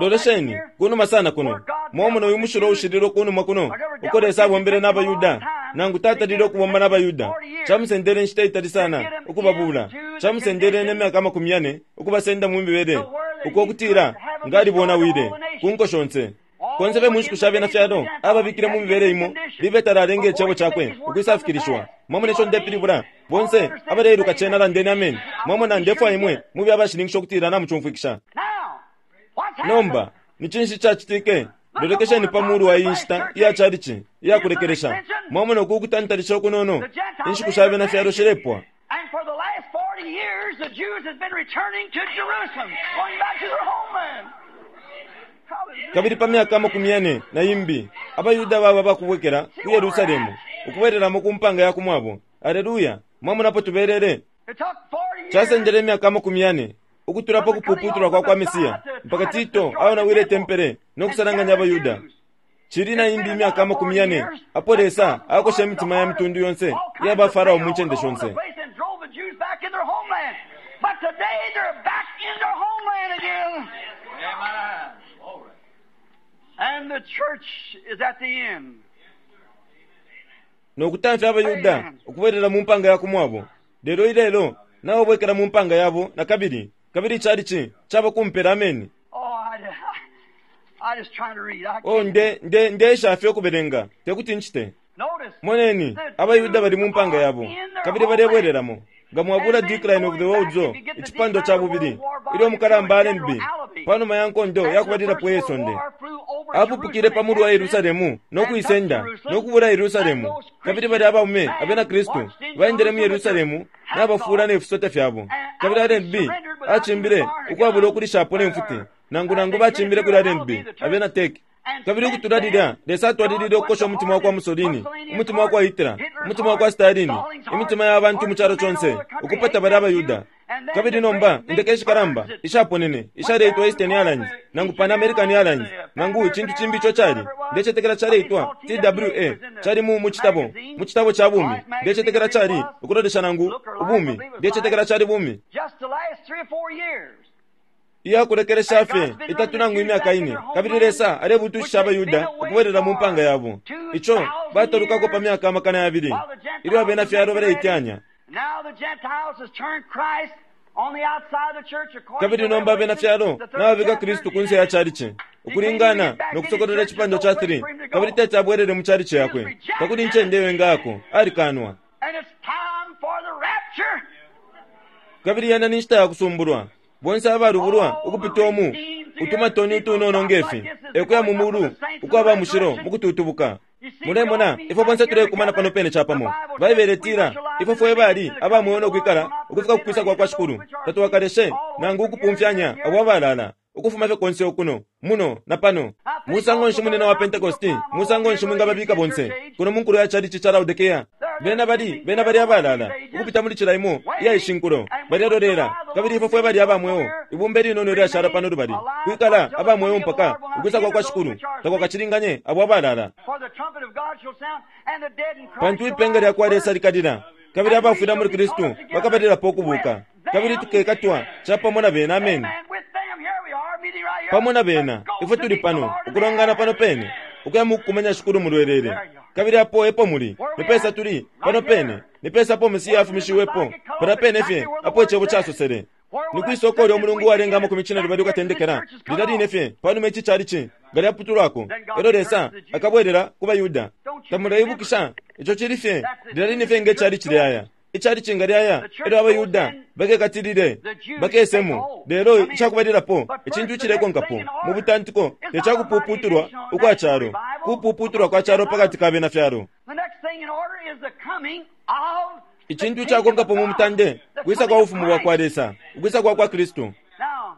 Lolesheni kunuma sana kuno mwamona uyu mushilo ushililo kunuma kuno uko Lesa abombele n'Abayuda nangu tatalile okubomba n'Abayuda. Chamusendele nshita itali sana ukubabula, chamusendele n'emyaka amakumi yane ukubasenda mu mibele uko okutila ngalibonawile ku nko shonse. Konse fe munshiku sha bena fyalo ababikile mu mibele imo libe talalenga echebo chakwe ukwisafikilishwa. Mwamona icho ndepilibula bonse abaleiluka chena landeni amen. Mwamona ndefwa imwe mube abashilinkisha okutila namuchumfwikisha. Nomba ni chinshi chachitike? Lolekesheni pa mulu wa iyi nshita iya chalichi iya kulekelesha. Mwamona uku kutantalisha okunono inshiku sha bena fyalo shilepwa. years, the Jews has been returning to Jerusalem, going back to their homeland. Hallelujah. Kabili pa myaka amakumi yane na imbi abayuda baba bakubwekela ku Yerusalemu ukubwereramo ku mpanga ya kumwabo. Aleluya! Mwamonapo tubelele. It took forty years Chasendele imyaka amakumi yane ukutulapo kupuputulwa kwa kwa Mesiya mpaka Tito aonawile tempele nokusalanganya abayuda. Chili na imbi imyaka amakumi yane apo Lesa akosha imitima ya mitundu yonse iya ba Farao mu ncende shonse. And drove the Jews back in their homeland. But today they're back in their homeland again. And the church is at the end. Nokutamfya abayuda ukubwerera mu mpanga ya kumwabo. Lelo ilelo nabo bwekela mu mpanga yabo na kabili kabili chalichi chaba kumpera. Ameni. Oh, I, I, I just trying to read. I Oh, can't. nde nde ndesha fye ukubelenga tekuti nchite. Notice. Moneni abayuda bali mu mpanga yabo kabili balebwereramo. Nga mwabula Decline of the World War icipando cha bubili ilyo mukalamba Allenby panuma ya nkondo yakubalilapo yesonde apupukile pa mulu wa Yerusalemu nokuisenda nokubula Yerusalemu. Kabili bali abaume abena Kristu baendele mu Yerusalemu nabafula nefisote fyabo. Kabili Allenby achimbile ukwabula okulishapo nemfuti nangu nangu bachimbile kuli Allenby abena Turkey. Kabili ukutula Lesa atwalilile ukukosha umutima wa kwa Mussolini, umutima wa kwa Hitler, umutima wa kwa Stalin, imitima ya bantu mu chalo chonse ukupata bali abayuda. Kabili nomba indeke ishikalamba ishaponene ishaleitwa Eastern Airlines nangu Pan American Airlines nangu icintu cimbi ico cali ndecetekela caleitwa T W A cali mu mu citabo mu citabo ca bumi ndecetekela cali ukulolesha nangu ubumi ndecetekela cali bumi Just the last three or four years. iyakulekelesha fye itatu nangu imyaka ine. Kabili Lesa alebutushisha abayuda ukubwerera mu mpanga yabo ico batalukako pa myaka amakana yabili ilyo abena fyalo baleityanya. Now the Gentiles has turned Christ on the outside of the church according Kabili to nomba abena Revelation, fyalo the third nababika chapter. Kristu kunse ya chalichi ukulingana nokusokolela icipando cha three. Kabili tete abwerere mu chalichi yakwe takuli ncende iyo ingako alikanwa. And it's time for the rapture. Kabili yena ni nshita ya kusumbulwa bonse abalubulwa ukupita omu utumatoni utunono ngefi ekuya mu mulu ukwaba mushilo mukututubuka. Mulemona ifwe bonse tulekumana pano pene chapamo. Baibele tila ifwe fwe bali abamweyo nokwikala ukufika kukwisa kwa kwa Shikulu tatuwakaleshe nangu ukupumfyanya abo abalala ukufuma fye konse okuno muno na pano. Musango nshi munene wa Pentecosti musango nshi mwingababika bonse kuno munkulu ya chalichi cha Laodikea. Bena bali bena bali abalala ukupita muli cila imo iya ishinkulo balelolera. Kabili ifwe fwe bali abamweyo ibumba linono lyashala pano lubali kwikala abamweyo mpaka ukwisa kwa kwa Shikulu takwakachilinganye abo abalala. For the trumpet of God shall sound, and the dead in Christ Pantu shall ipenga lya kwa rise Lesa first. likalila kabili abafwila muli Kristu bakabalirapo ukubuka kabili tukekatwa chapamo na bena. Ameni. Amen. With them, here we are, meeting right here. Pamo na bena ifwe tuli pano ukulongana pano pene ukuya mukukumanya Shikulu mulwelele. Kabili apo epo muli nipesa tuli pano pene nipesa apo Mesiya afumishiwepo pano pene fye apo icebo casosele. Ni kwisoko lyo mulungu walenga amakumi cine lubali ukatendekela lilya line fye panuma ici chalichi nga lyaputulwako elyo Lesa akabwerera ku bayuda. Tamuleibukisha ico cili fye lilya line fye nge chalichi lyaya ichalichi nga lyaya elyo abayuda bakekatilile bakesemo. Lelo icakubalilapo icintu icilekonkapo mu butantiko tecakupuputulwa ukwa calo kupuputulwa kwa calo pakati ka bena fyalo. The next thing in order is the coming of the Icintu kingdom icakonkapo of mu God, mutande the kwisa coming kwa of ufumu bwa kwa Christ. Lesa ukwisa kwa kwa Kristu. Now,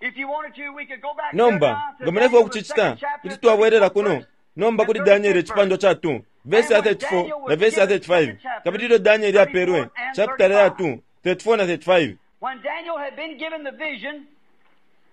if you wanted to, we could go back Nomba here now to nga mulefwa Daniel, the ukucicita second chapter, kuti twabwerera kuno verse nomba kuli Daniel icipando cha two verse ya thirty-four na verse ya thirty-five. Kabili ilyo Daniel aperwe chapter ya two thirty-four na thirty-five. When Daniel had been given the vision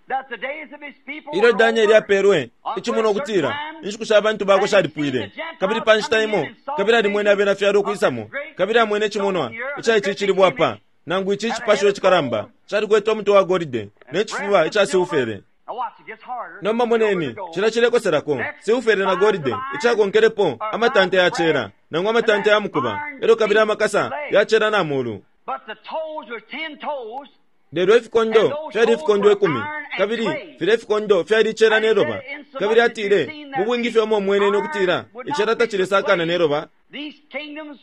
that the days of his people Ilyo were Daniel over, aperwe icimuno ukutila inshiku sha bantu bakwe shalipwile. Kabili pa nshita imo kabili alimwene abena fyalo ukwisamo kabili amwene icimonwa ica ici icilibwa apa nangu ici icipasho icikalamba calikwete umutwe wa golide ne cifuba ica silfere. Now watch, it gets harder. Nomba moneni cila cilekoselako silfere na golide icakonkelepo amatante ya cera nangu amatante ya mukuba elyo kabili amakasa ya cera na mulu. But the toes were ten toes, Lelo ifikondo fyali ifikondo ikumi kabili filya ifikondo fyali icera ne loba. Kabili atile mu bwingi fye umo mwenene ukutila icera tacilesakana ne loba. these kingdoms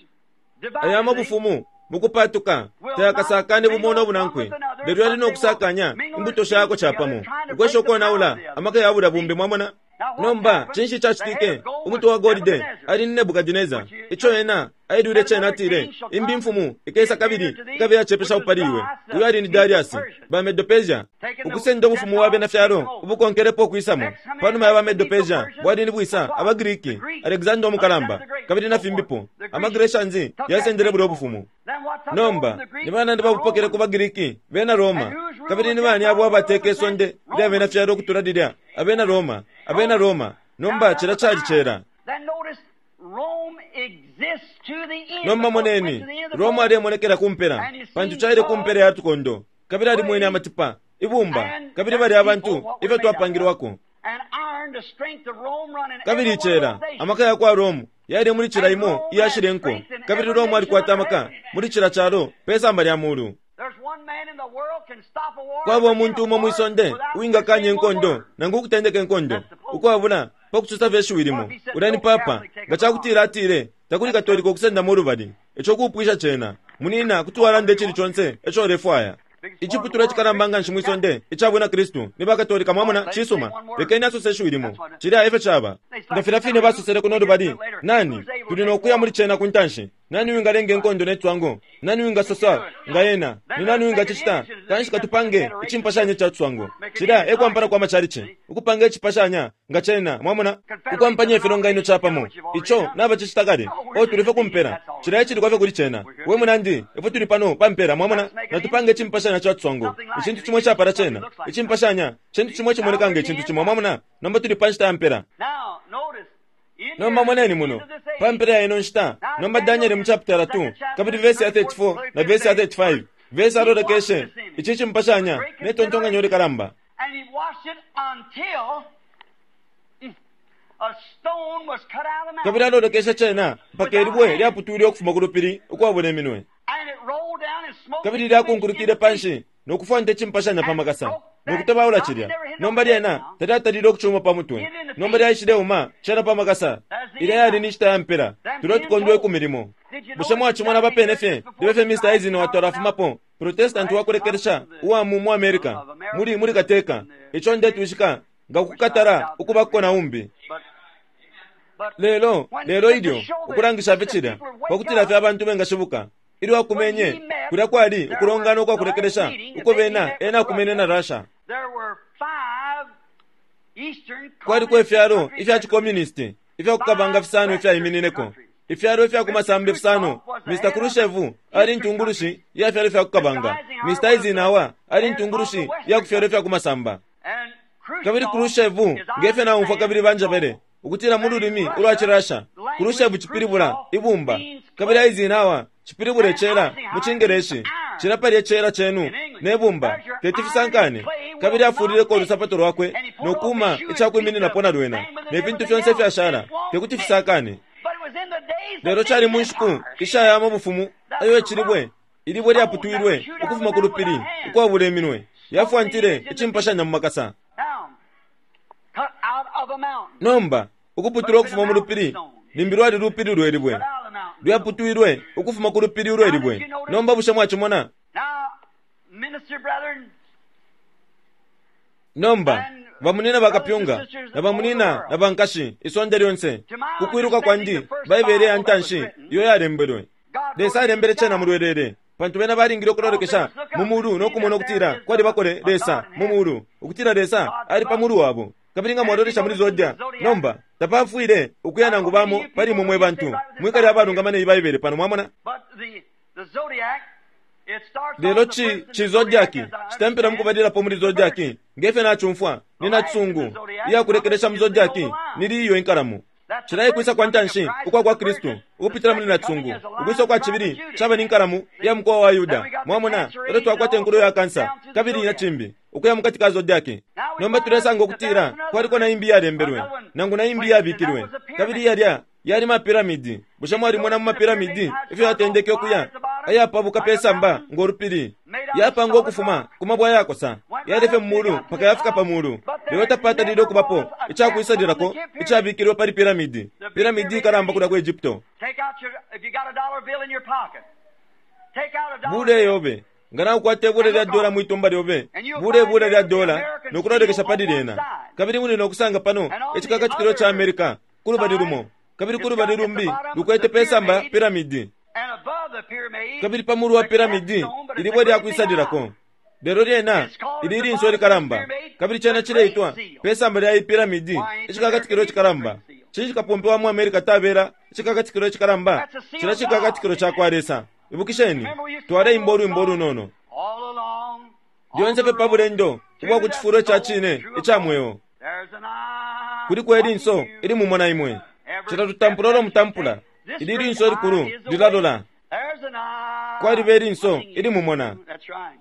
Aya mabufumu mukupatuka tayakasakane bumo no bunankwe lelo yali nokusakanya imbuto shako chapamo ukwesha ukonaula amaka ya bula bumbi. Mwamona Nomba cinshi cacitike? Umutwe wa golide ali ni Nebukadineza. Ico ena ailwile cena, atile imbi mfumu ikesa kabili ikabe yacepesha pali iwe. Uyo ali ni Darius, ba Medo-Persia, ukusenda ubufumu wa bena fyalo ubukonkelepo ukwisamo panuma ya ba Medo-Persia bwali ni bwisa abaGriki, Alexander Omukalamba kabili na fimbipo. AmaGrecians yasendele bulya ubufumu. Nomba ni banandi babupokele ku baGriki, bena Roma. Kabili ni bani abo abateka isonde lya bena fyalo ukutula lilya? Abena Roma, abena Roma. Nomba cila cali cela. Nomba moneni, Roma alemonekela kumpela, pantu caile kumpela ya tukondo, kabili alimwene amatipa, ibumba, kabili bali abantu ifyo twapangilwako. Kabili icela, amaka ya kwa Rome yali muli cila imo iyashile nko, kabili Rome alikwata amaka muli cila calo pesamba lya mulu. Kwaba umuntu umo mwisonde uwingakanya inkondo nangu ukutendeka inkondo ukwabula pakusosa fye shiwi limo, ulya ni papa. Nga cakutila atile takuli Katolika ukusendamo ulubali, ico kupwisha cena. Munina kuti walanda icili conse ico ulefwaya. Iciputulwa icikalamba nganshi mwisonde ica bwina Kristu ni bakatolika, mwamona. Cisuma, lekeni asose shiwi limo, cilya efyo caba. Nga filya fine basosele kuno lubali, nani tuli nokuya muli cena ku ntanshi? Nani wingalenga inkondo ne cwango? Nani wingasosa nga yena? Ni nani wingacicita? Kanshi katupange icimpashanya ca cwango. Cilya e kwampana kwa macalici, ukupanga icipashanya nga cena, mwamona, ukwampanya ifilonganino capamo. Ico nabacicita kale. O tuli fye kumpela, cilya ecili kwafye kuli cena. We munandi, ifwe tuli pano pampela, mwamona, natupanga icimpashanya ca cwango, icintu cimo icapala cena. Icimpashanya cintu cimo icimoneka nga icintu cimo, mwamona. Nomba tuli pa nshita ya mpela. Nomba moneni muno pampela ya ino nshita. Nomba Daniel mu chapter two kabili verse ya thirty-four na verse ya thirty-five, verse alolekeshe ici cimpashanya ne tontonkanyo likalamba. Kabili alolekeshe cena mpaka ilibwe lyaputwile ukufuma ku lupili ukwabula iminwe, kabili lyakunkulukile panshi nokufwanta icimpashanya pa makasa nokutabaula cilya. Nomba lyena talyatalile ukucuma pa mutwe, nomba lyaishileuma cena pa makasa. Ilya yali ni nshita ya mpela, tulyo tukondwe ikumi limo. Bushe mwacimona bapene fye libe fye Mister Eisenhower twalafumapo, Protestant wakulekelesha uwa mu mu America, muli muli kateka. Ico ndetwishika nga kukatala ukubako na umbi. Lelo lelo ilyo ukulangisha fye cilya pakutila fye abantu bengashibuka. Ilyo akumenye kulya kwali ukulongana ukwakulekelesha uko bena ena akumene na Russia. Kwaliko ifyalo ifya chikomunisti ifya kukabanga fisano ifyaiminineko, ifyalo ifya kumasamba fisano. Mister Khrushchev ali ntungulushi ya fyalo ifya kukabanga, Mister Eisenhower ali ntungulushi ya kufyalo ifya kumasamba. Kabili Khrushchev ngefye naumfwa kabili banjabele ukutila mu lulimi ulwa Chirasha, Khrushchev cipilibula ibumba, kabili Eisenhower cipilibula icela mu Cingeleshi. Cila pali icela cenu ne bumba teti fisankane. Kabili afulileko ulusapato lwakwe nokuma icakwimininapo na lwena, ne fintu fyonse fyashala tekuti fisakane. Lelo cali mu nshiku ishayama bufumu ayo icilibwe ilibwe lyaputwilwe ukufuma ku lupili ukwabula iminwe yafwantile icimpashanya mu makasa. Nomba ukuputulwa ukufuma mu lupili limbi lwali lupili lwelibwe lyaputwilwe ukufuma ku lupili lwelibwe. Nomba bushe mwacimona? Nomba bamunina bakapyunga na bamunina na bankashi isonde lyonse kukwiluka kwandi Baibele ya ntanshi iyo yalembelwe. Lesa alembele cena mu lwelele, pantu bena balingile ukulolekesha mu mulu nokumona ukutila kwali bakole Lesa mu mulu, ukutila Lesa ali pa mulu wabo. Kabili nga mwalolesha muli Zodia, nomba tapafwile ukuya nangu bamo pali mwe bantu mwikali abalungama ne Baibele pano, mwamona. Lelo chi chi zodiaki chitempera mukubadirapo muli zodiaki ngefe nachumfwa nina tsungu iyakulekelesha mu zodiaki nili iyo inkalamu. Chilayi kwisa kwa ntanshi ukwa kwa Kristu ukupitila muli natsungu ukwisa kwa chibili chaba ni nkalamu ya mkoa wa Yuda, mwamona. Elo twakwata enkulu ya kansa kabili na chimbi ukuya mukati ka zodiaki. Nomba tulesanga ukutila kwaliko na imbi yalembelwe nangu na imbi yabikilwe kabili yalya yali mapiramidi. Bushe mwalimona mu mapiramidi ifyo yatendeke ukuya ayapabuka pesamba ngolupili yapanga ukufuma kumabwa yakosa yalefe mumulu mpaka yafika pamulu. Lelo tapatalile ukubapo icakwisalilako icabikilwe pali piramidi. Piramidi ikalamba kulya ku Egypto. Bule yobe Nga naukwata ibula lya dola mwitumba lyobe, bule ibula lya dola nokulolekesha pali lyena. Kabili muli nokusanga pano icikakatikilo ca America kulubali lumo, kabili kulubali lumbi lukwete pesamba piramidi. Kabili pamulu wa piramidi ilibwe lyakwisalilako. Lelo lyena ili linso likalamba, kabili chena chileitwa pesamba lya piramidi icikakatikilo chikalamba. Cinshi kapompe wa mu America tabela icikakatikilo chikalamba? Cila cikakatikilo ca kwa Lesa. Ibukisheni, twaleimba ulwimbo lunono lyonse fye pa bulendo ubwa ku cifulo ca cine ica mweo. Kuliko ilinso ili mumona imwe, cila tutampula ulo mutampula, ili linso likulu lilalola. Kwaliba ilinso ili mumona.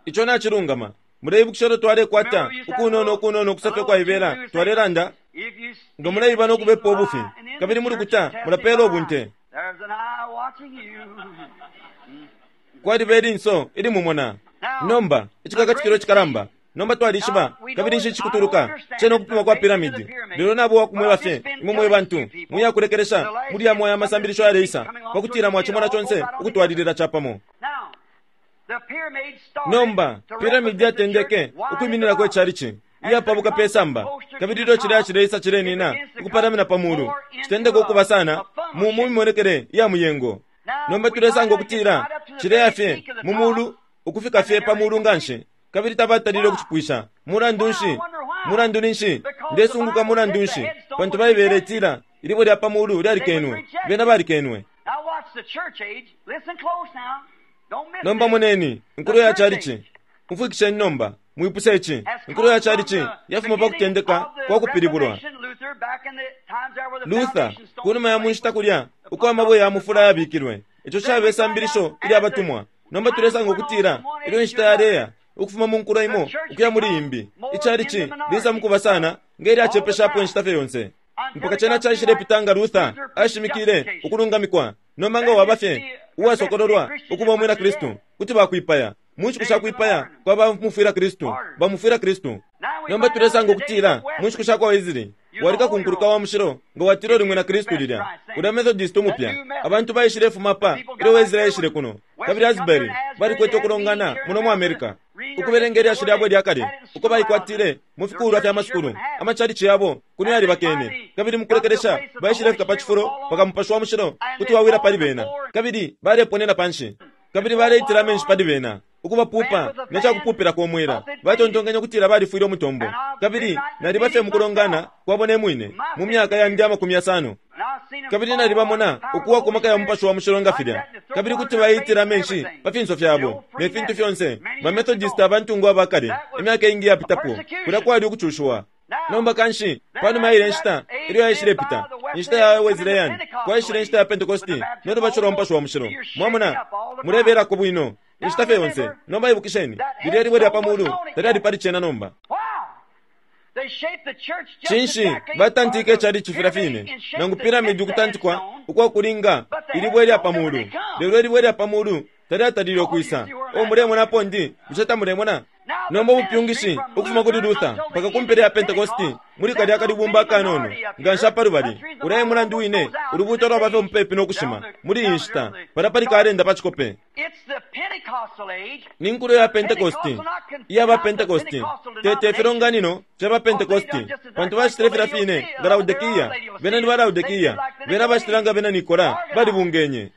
Ico nacilungama. Muleibukisha ulo twalekwata ukunono ukunono ukusefya kwaibela, twalelanda nga muleiba nokubepa ubufi, kabili muli kuta mulapela ubunte. Kwaliba ilinso ili mumona. Nomba icikakatikilo cikalamba. Nomba twalishiba kabili nshi cikutuluka cena ukupima kwa piramidi. Lelo nabo wakumweba fye imwe mwe bantu muyakulekelesha muli yamo ya masambilisho yaleisa pakutila mwachimona chonse ukutwalilila chapamo. Nomba piramidi yatendeke ukwiminina echalichi iyapabuka pesamba, kabili ilyo chilya chileisa chilenina ukupalamina pamulu chitendeka ukuba sana mu mimonekele iya muyengo. Nomba tulesanga ukutila chileya fye mu mulu ukufika fye pamulu nganshi, kabili tabatalile ukuchipwisha. Mulandu nshi? Mulandu ninshi? Ndesunguka mulandu nshi? Pantu Baibele itila ilibwe lya pamulu lyalikenwe, bena balikenwe. Nomba moneni inkulo ya chalichi. Umfwikisheni nomba, mwipuse ichi. Inkulo ya chalichi yafuma pa kutendeka kwa kupilibulwa. Luther kunuma ya munshita kulya uko amabwe ya mufula yabikilwe, ico cabe isambilisho ilya batumwa. Nomba tulesanga ukutila ilyo inshita yaleya ukufuma mu nkulo imo ukuya muli imbi, ichalichi lisa mukuba sana nge lyacepeshapo inshita fye yonse mpaka chena caishile nga Luther ashimikile ukulungamikwa. Nomba nga waba fye uwasokololwa ukuba umwina Kristu, kuti bakwipaya. Mu nshiku sha kwipaya kwa bamufwila Kristu, bamufwila Kristu. Nomba tulesanga ukutila mu nshiku sha kwa Wesley walika kunkuluka wa mushilo nga watila uli mwina Kristu lilya ulya Methodist umupya. Abantu baishile fuma pa ilyo Wesley aishile kuno, kabili Asbury balikwete ukulongana muno mu America ukubelenga ilyashi lyabo lya kale uko baikwatile mu fikulwa fya masukulu amachalichi yabo kuno yalibakene, kabili mukulekelesha baishile fika pa cifulo pakamupashi wa mushilo kuti wawila pali bena, kabili baleponena panshi, kabili baleitila amenshi pali bena ukubapupa necakupupila komwela. Batontonkanya ukutila balifwile umutombo, kabili naliba fye mukulongana kwabo ne mwine mu myaka yandi amakumi yasano, kabili nalibamona ukuwa ku maka ya mupashi wa mushilo nga filya, kabili kuti baitila amenshi pa finso fyabo ne fintu fyonse. Ba Methodist abantungwa abakale imyaka ingi yapitapo kulya kwali ukucushiwa. Nomba kanshi panuma ile nshita ilyo yaishilepita inshita ya Wesleyan, kwaishile inshita ya Pentecosti nolubatisho lwa mupashi wa mushilo. Mwamona, mulebelako bwino inshita fye yonse. Nomba ibukisheni, lilya libwe lya pamulu talyali pali cena. Nomba cinshi batantike chalichi filya fine nangu piramidi ukutantikwa ukwakulinga ilibwe lya pamulu, lelo ilibwe lya pamulu talyatalile ukwisa. O mulemonapo ndi bushe tamulemona? Nomba ubupyungishi ukufuma kuli Luther mpaka kumpela ya Pentecosti muli kalya kalibumba akanono nga nsha palubali. Ulya mulandu wine ulubuto lwaba fye mupepi nokushima muli iyi nshita palya pali kalenda pa cikope. Ni nkulo ya Pentecosti iya ba Pentecosti tete filonganino fya ba Pentecosti, pantu bashitile filya fine nga Laodikia, bena ni ba Laodikia, bena bashitile nga bena Nikola, balibungenye.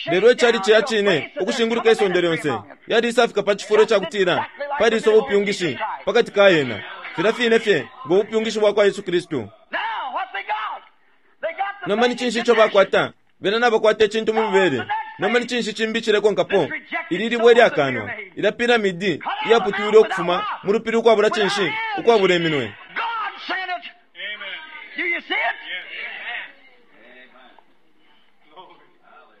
Lelo echalichi ya cine ukushinguluka isonde lyonse yalisafika pa cifulo cakutila paliso ubupyungishi pakati ka yena filya fine fye ngo bupyungishi bwa kwa Yesu Kristu. Nomba ni cinshi ico bakwata? Bena nabakwata icintu mu mibele. Nomba ni cinshi cimbi cilekonkapo? Ili libwe lyakanwa ilya piramidi iyaputwilwe ukufuma mu lupili ukwabula cinshi, ukwabula iminwe.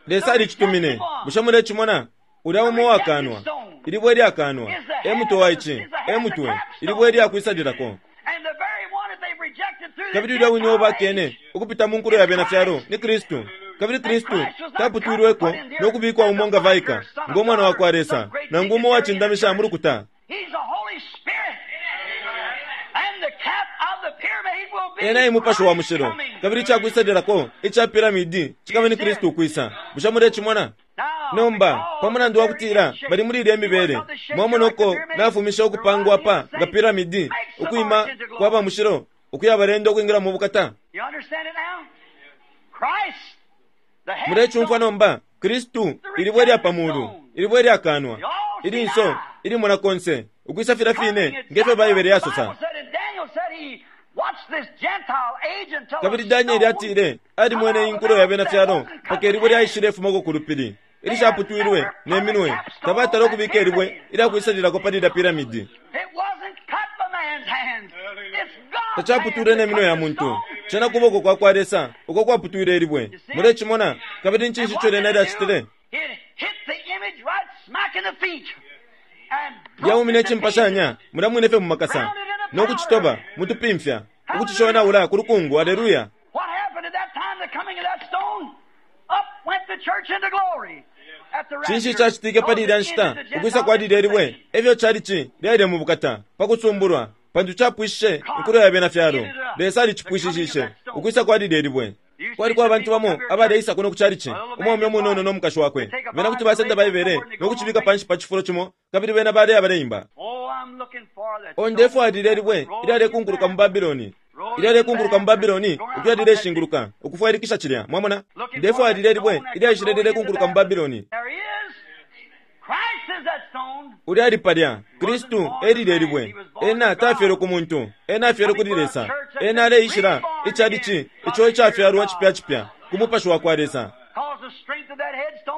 Lesa alicitumine. Bushe mulecimona? Ulya umo wakanwa, ilibwe lyakanwa e mutwe wa ici, e mutwe ilibwe lyakwisalilako. Kabili ulya wine ubakene ukupita mu nkulo ya bena fyalo ni Kristu. Kabili Kristu taputwilweko nokubikwa umo nga vaika ngo mwana wa kwa Lesa nangu umo wacindamisha mu lukuta. Ena e mupashi wa mushilo, Kabili icakwisalilako ica piramidi cikaba ni Kristu ukwisa. Bushe mulecimona? Nomba pa mulandu wa kutila bali muli ilya mibele, mwamona uko nafumisha ukupangwa pa nga piramidi, ukwima kwa ba mushilo ukuya balenda ukwingila mu bukata. Mulecumfwa nomba? Kristu ilibwe lya pamulu, ilibwe lyakanwa, ilinso ilimona konse, ukwisa filya fine ngefyo Baibele yasosa. Kabili Danieli atile alimwene inkulo ya bena fyalo mpaka ilibwe lyaishile fumako ku lupili ilishaputwilwe ne minwe. Tabatala ukubika ilibwe ilyakwisalilako pali ilya piramidi. Tacaputwilwe ne minwe ya muntu, cena kuboko kwa kwa Lesa uko kwaputwile ilibwe. Mulecimona? Kabili ncinshi ico lyena lyacitile? Lyaumine icimpashanya mulya mwine fye mu makasa no kucitoba mutupimfya, ukucishonaula ku lukungu. Aleluya! Cinshi cacitike pali ilya nshita ukwisa kwa lilya libwe? Efyo calici lyaile mu bukata pa kusumbulwa, pantu capwishishe inkulo ya bena fyalo. Lesa alicipwishishishe ukwisa kwa lilya libwe. Kwaliko abantu bamo abaleisa kuno ku calici, umwaume umunono no mukashi wakwe. Bena kuti basenda Baibele no kucibika panshi pa cifulo cimo, kabili bena baleya baleimba. O, ndefwaya lilya libwe ilyalekunkuluka mu Babiloni, ilyalekunkuluka mu Babiloni, ukuya lileshinguluka ukufwailikisha cilya. Mwamona? Ndefwaya lilya libwe ilyaishile lilekunkuluka mu Babiloni. Ulya ali palya, Kristu e lilya libwe. Ena tafyelwe ku muntu, ena afyelwe kuli Lesa. Ena aleishila icalici ico icafyalwa cipya cipya ku mupashi wa kwa Lesa,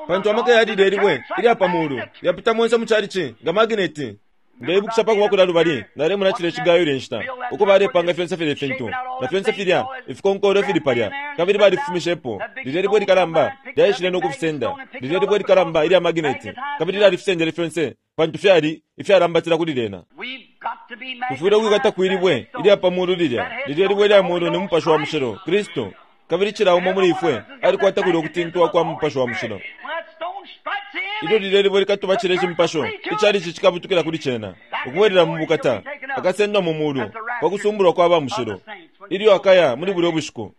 pantu amaka ya lilya libwe ilya pa mulu yapita monse mu calici nga magneti. Ndeibukisha pa kuba kulya lubali nalemona cilya cigayo ilya nshita uko balepanga fyonse filya ifintu na fyonse filya ifikonkolo fili palya, kabili balifumishepo lilya libwe likalamba lyaishile no kufisenda, lilya libwe likalamba ilya magneti, kabili lyalifisendele fyonse pantu fyali ifyalambatila kuli lyena. Tufwile ukwikata kwilibwe ilya pa mulu lilya, lilya libwe lya mulu ni mupashi wa mushilo, Kristu. Kabili cila umo muli ifwe alikwata kulya ukutintwa kwa mupashi wa mushilo. Ilyo lilya libwe likatuba cile cimpasho, icalici cikabutukila kuli cena, ukubwelela mu bukata, akasendwa mu mulu pa kusumbulwa kwa ba mushilo ilyo akaya muli bulya bushiku.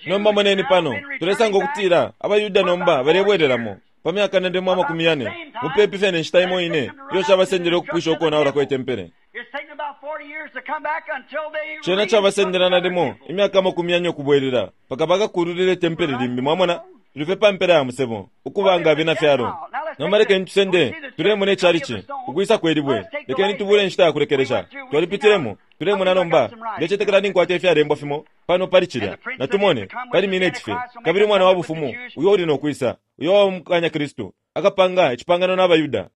Nomba moneni pano, tulesanga ukutila abaYuda nomba balebwelelamo pa myaka nalimo amakumi yane, mupepi fye ne nshita imo ine iyo cabasendele ukupwisha ukonaula kwe tempele. Cena cabasendela nalimo imyaka amakumi yane ukubwelela mpaka bakakululile tempele limbi. Mwamona? Tuli fye pa mpela ya musebo ukubanga abena fyalo. Nomba lekeni tusende tulemona icalici ukwisa kwe libwe. Lekeni tubule inshita ya kulekelesha. Twalipitilemo, tulemona nomba. Ndecetekela ninkwata ifyalembwa fimo pano pali cilya. Natumone pali mineti fye. Kabili umwana wa bufumu uyo uli no kwisa, uyo wamukanya Kristu, akapanga icipangano n'abaYuda.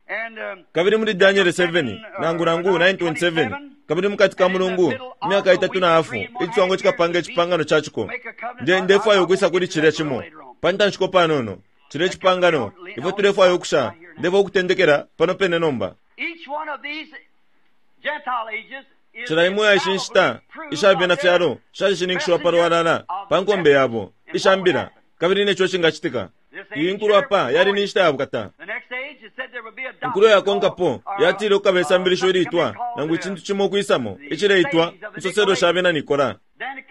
Kabili muli Daniel seven nangu nangu nine twenty-seven, kabili mukati ka mulungu imyaka itatu na hafu iciswango cikapanga icipangano ca ciko. Nde ndefwaya ukwisa kuli cilya cimo pa ntanshiko panono, cilya icipangano ifwe tulefwaya ukusha. Ndefwaya ukutendekela pano pene nomba. Cila imwe ya ishi nshita isha bena fyalo shalishinikishiwa pa lwalala pa nkombe yabo ishambila, kabili neco cingacitika. Iyi nkulo apa yali ni nshita ya bukata. Inkulo yakonkapo yatile ukukaba isambilisho ilitwa nangu icintu cimo ukwisamo icileitwa insoselo sha bena Nikola.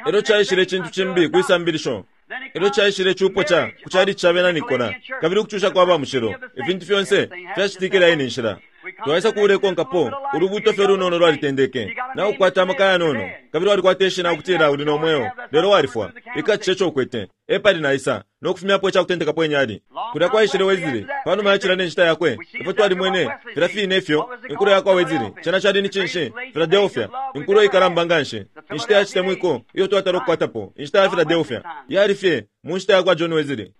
Elyo caishile icintu cimbi kwisambilisho. Elyo caishile icupo ca ku calici ca bena Nikola, kabili ukucusha kwa ba mushilo. Ifintu fyonse fyacitikile ine nshila. Twaisa kuulekonkapo ulubuto fye lunono lwalitendeke na ukwata amaka yanono, kabili walikwata ishina ukutila uli no mweo, lelo walifwa. Ikacishe ico ukwete epali naisa no kufumyapo icakutendekapo inyali. Kulya kwaishile Wezili panuma ya cila ne nshita yakwe. Ifwe twalimwene filya fine ifyo inkulo yakwa Wezili cena cali ni cinshi? Philadelphia, inkulo ikalamba nganshi, inshita ya citemwiko iyo twatala ukukwatapo, inshita ya Philadelphia yali fye mu nshita yakwa John Wesley.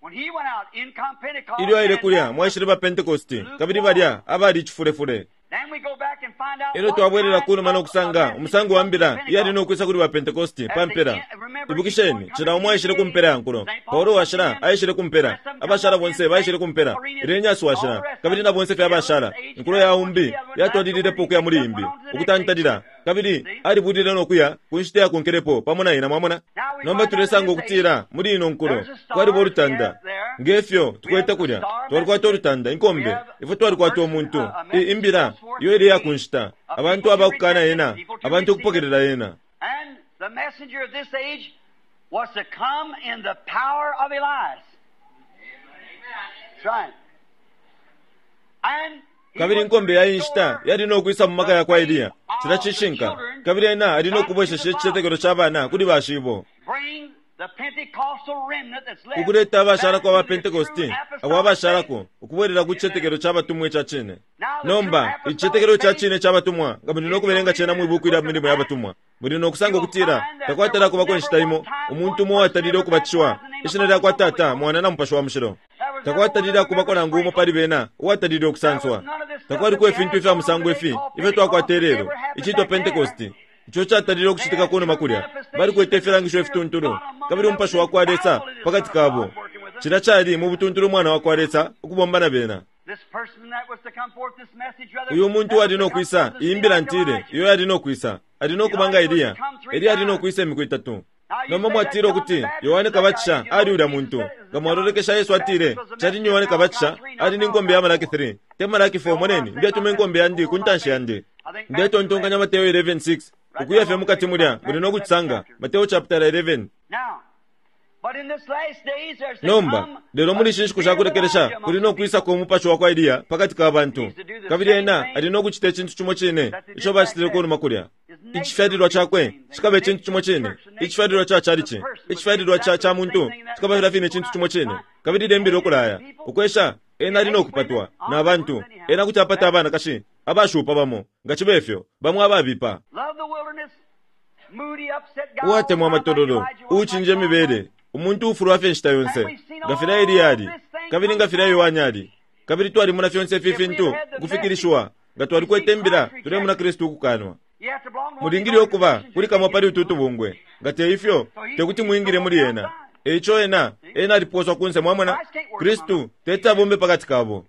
Ilyo aile kulya mwaishile ba Pentecosti, kabili balya abali icifulefule. Elyo twabwelela kunuma no kusanga umusango wa mbila iyali no kwisa kuli ba Pentecosti pa mpela. Ibukisheni, cila umo aishile ku mpela ya nkulo. Paulo washila aishile ku mpela, abashala bonse baishile ku mpela, Irenaeus washila, kabili na bonse fye abashala. Inkulo ya umbi yatwalililepo ukuya muli imbi, ukutantalila, kabili alibulile no kuya ku nshita yakonkelepo pamo na ina. Mwamona? Nomba tulesanga ukutila muli ino nkulo kwaliba ulutanda Ngefyo tukwete kulya twalikwata olutanda inkombe ifwe twalikwata omuntu imbila iyo ili yakunshita abantu abakukana yena abantu okupokelela yena. And the messenger of this age was to come in the power of Elias. That's right. And kabili inkombe ya inshita yali nokwisa mu maka yakwa Eliya cila cishinka kabili ena ali nokubwesesha icicetekelo ca bana kuli bashibo ukuleta abashalako aba Pentecosti abo abashalako ukubwelela ku cicetekelo ca batumwa ica cine. Nomba icicetekelo ca cine ca batumwa nga muli nokubelenga cena mwi buku ilya milimo ya batumwa muli nokusanga ukutila takwatala kubako inshita imo umuntu umo uwatalile ukubatishiwa ishina lyakwa Tata Mwana na Mupashi wa Mushilo. Takwatalile kubako nangu umo pali bena uwatalile okusanswa. Takwaliko ifintu ifya musango ifi ifyo twakwata lelo icitwa Pentecosti ico catalile okucitika kunuma kulya balikwete ifilangisho ifituntulu kabili umupashi wa kwa Lesa pakati kabo. Cila cali mu butuntulu umwana wa kwa Lesa ukubomba na bena. Uyu muntu wali nokwisa imbila ntile iyo yali nokwisa ali nokubanga Eliya. Eliya ali nokwisa imiku itatu. Nomba mwatile ukuti Yohane Kabatisha ali ulya muntu nga mwalolekesha Yesu atile cali ni Yohane Kabatisha ali ni nkombe ya Malaki three te Malaki four. Moneni ndyatuma inkombe yandi ku ntanshi yandi. Ndetontonkanya Mateo eleven six ukuya fye mukati mulya muli nokucisanga Mateo chapter eleven. Nomba lelo muli shinshiku shakulekelesha kuli nokwisako umupashi wa kwa Eliya pakati ka bantu kabili ena ali nokucita icintu cimo cine ico bacitile kunuma kulya. Icifyalilwa cakwe cikaba icintu cimo cine, icifyalilwa ca chalichi, icifyalilwa ca ca muntu cikaba filya fine icintu cimo cine. Kabili lembile ukulaya ukwesha ena ali nokupatwa na bantu ena kuti apata abanakashi abashupa bamo nga cibe ifyo bamwe ababipa. Uwatemwa amatololo uucinja imibele umuntu ufulwa fye inshita yonse nga filya Eliya ali kabili nga filya Yohane ali. Kabili twalimona fyonse ifi fintu ukufikilishiwa nga twalikwete imbila tulemona Kristu ukukanwa. Mulingile okuba kuli kamwe pali utu tubungwe nga te ifyo tekuti mwingile muli ena. Eico ena ena aliposwa kunse mwamona Kristu teti abombe pakati kabo.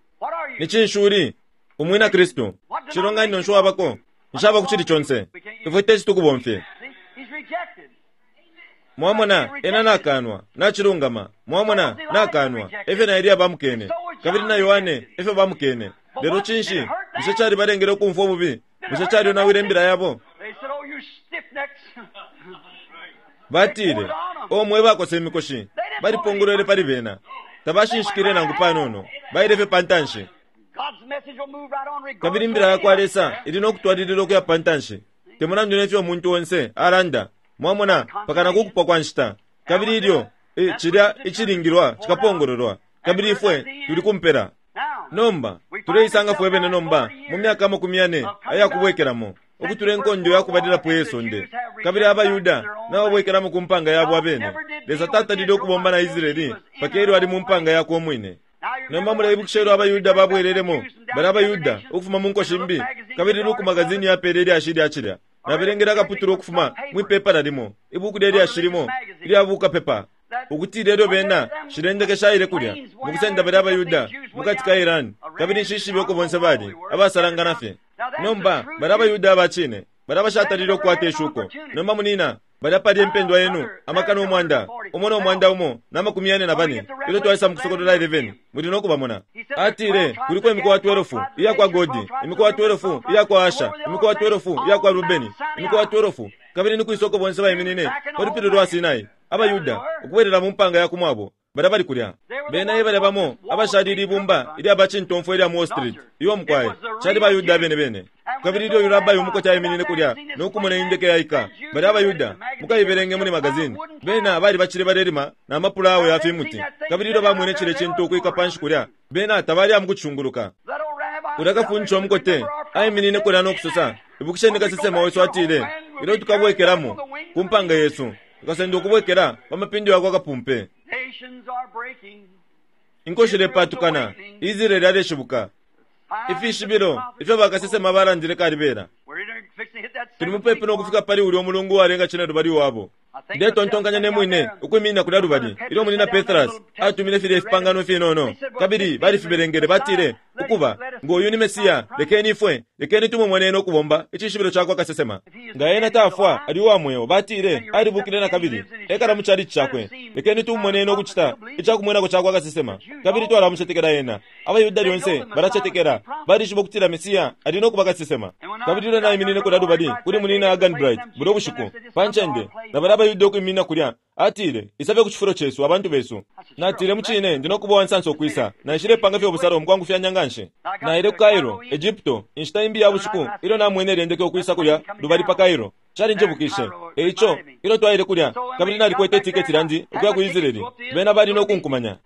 Ni cinshi umwina Kristu cilonganino nsho wabako nshaba kucili conse ifwe teti tukubomfye. Mwamona ena nakanwa nachilungama mwamona nakanwa efyo na Eliya bamukene kabili na Yohane efyo bamukene. Lelo cinshi bushe cali balengele ukumfwa ububi? Bushe cali onawile imbila yabo? Batile omwe bakose imikoshi balipongolwele pali bena tabashinshikile nangu panono baile fye pantanshi. Kabili imbila yakwa Lesa ili nokutwalilila ukuya pantanshi temulandu nefyo umuntu onse alanda mwamona pakana kukupwa kwa nshita. Kabili ilyo e, cilya icilingilwa cikapongololwa kabili ifwe tuli kumpela. Nomba tuleisanga fwe bene nomba mu myaka amakumi yane ayakubwekelamo ukutula enkondo yakubalilapo yesonde kabili abayuda nababwekelamo ku mpanga yabo abene. Lesa tatalile ukubomba na Israeli paka ilyo ali mu mpanga yakwe omwine. Nomba muleibukisha ilyo abayuda babwelelemo bali abayuda ukufuma mu nko shimbi kabili Luke magazini yapele ilyashi lya cilya nabelengele akaputula ukufuma mwipepa limo ibuku lya limo ilyabuka pepa ukuti lelo bena shilendekesha ile kulya mukusenda bali abayuda mukati ka Iran kabili nshishibe uko bonse bali abasalangana fye. Nomba bali abayuda abacine bali abashatalile okukwata ishuko. Nomba munina bali apali empendwa yenu amakana umwanda umo nomwanda umo namakumi yane na bane ilyo twaisa mukusokolola eleven muli nokubamona. Atile kuliko imikowa twelve iyakwa Godi, imikowa twelve iyakwa Asha, imikowa twelve iyakwa Rubeni, imikowa twelve kabili ni kwisoko bonse baiminine pa lupili lwa Sinai abayuda ukubwelela mu mpanga ya kumwabo bali bali kulya. Bena ebali bamo abashalile ibumba ilya bacintomfwa ilya mu Wall Street iyo mukwaye cali bayuda bene bene. Kabili ilyo yurabayi umukoti aiminine kulya nokumona indeke yaika bali abayuda mukaibelenge muli magazini bena bali bacile balelima na mapula ya fimuti. Kabili ilyo bamwene cile cintu ukwika panshi kulya bena tabali amukucunguluka. Ulya kafuncho omukote aiminine kulya nokusosa ibukisheni kasesema wesu atile ilyo tukabwekelamo ku mpanga yesu tukasenda ukubwekela pa mapindo yakwa kapumpe. Inko shilepatukana Israeli aleshibuka ifishibilo ifyo bakasesema balandile kalibela. Tuli mupepi nokufika pali ulya omulungu walenga cine lubali wabo. Ndetontonkanya nemwine ukwiminina kulya lubali ilyo munina Petras atumile filya ifipangano finono kabili balifibelengele batile Ukuba, ngo uyu ni Mesiya, lekeni ifwe, lekeni tumumone ena ukubomba icishibilo cakwa kasesema. Nga ena tafwa, ali uwa mweo, batile, alibukile na kabili, ekala mu chalichi cakwe. Lekeni tumumone ena ukucita icakumwenako cakwa kasesema, kabili twalamucetekela ena. AbaYuda lyonse balacetekela, balishiba ukutila Mesiya ali no kuba kasesema. Kabili ilyo naiminine kulya lubali kuli munina Hagan Bright bulyo bushiku pa ncende, na balya abaYuda ukwiminina kulya, atile, "Isabe ku cifulo cesu, abantu besu." Natile, "Mucine ndi no kuba uwansansa ukwisa." Naishilepanga fye ubusalo mukwangufyanya nganshi. Naile ku Cairo, Egypto, inshita imbi ya bushiku ilyo namwene lyendeke ukwisa kulya lubali pa Cairo. Calinjebukishe. Eico, ilyo twaile kulya, kabili nalikwete itiketi lyandi ukuya ku Israeli, bena bali no kunkumanya.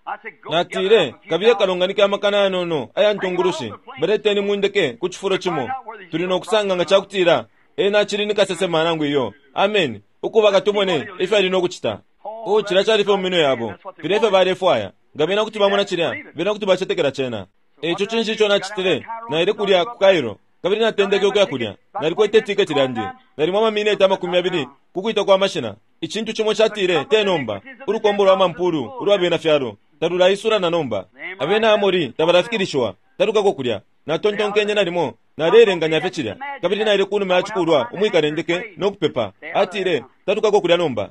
Natile, "Kabiye kalonganike amakana yanono aya ntungulushi, baleteni mundeke ku cifulo cimo. Tuli no kusanga nga cakutila ena acili ni kasesema nangu iyo. Amen. Ukuba katumone ifyo ali no kucita." Oh, cilya cali fye mu minwe yabo. Filya efyo balefwaya. Nga bena kuti bamona cilya, bena kuti bacetekela cena. Eico cinshi ico nacitile? Naile kulya ku Cairo, kabili natendeke ukuya kulya. Nalikwete itiketi lyandi. Nalimo amamineti amakumi yabili ku kwita kwa mashina. Icintu cimo catile, "Te nomba, ulukombo lwa mampulu ulwa bena fyalo talulaisula na nomba. Abena Amori tabalafikilishiwa, talukako kulya." Natontonkenye nalimo nalelenganya fye cilya, kabili naile kunuma ya cikulwa umwikalendeke no kupepa. Atile, "Talukako kulya nomba."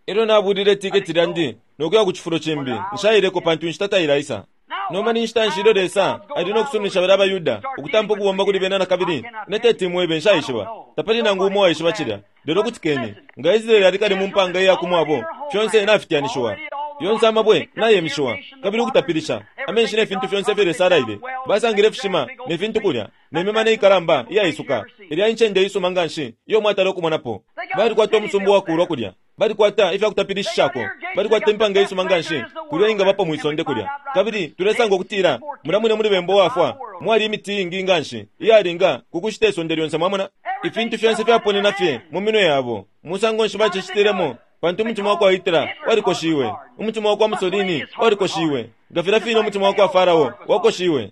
Elyo nabulile itiketi lyandi no kuya ku cifulo cimbi. Nshaileko pantu inshita tailaisa. Nomba ni nshita nshi ilyo Lesa ali no kusuminisha balya abaYuda ukutampa ukubomba kuli bena na kabili? Ine teti mwebe, nshaishiba. Tapali nangu umo waishiba cilya. Lelo kutikeni, nga Israeli ali kale mu mpanga iya ku mwabo, fyonse nafityanishiwa. Yonse amabwe nayemishiwa, kabili ukutapilisha, amenshi ne fintu fyonse ifyo Lesa alaile. Basangile ifishima ne fintu kulya, ne mimana ikalamba iyaisuka. Ilya incende isuma nganshi iyo mwatala ukumonapo. Balikwata umusumba uwakulwa kulya. Balikwata ifya kutapilishishako. Balikwata impanga isuma nganshi kulya ingabapo mwisonde kulya. Kabili tulesanga ukutila mulya mwine muli bemba uwafwa mwali imiti iingi nganshi iyalinga ku kushita isonde lyonse, mwamona. Ifintu fyonse fyaponena fye mu minwe yabo. Musango nshi bacicitilemo? Pantu umutima wakwa Hitler walikoshiwe, umutima wakwa Mussolini walikoshiwe, nga filya fine umutima wakwa Farao wakoshiwe,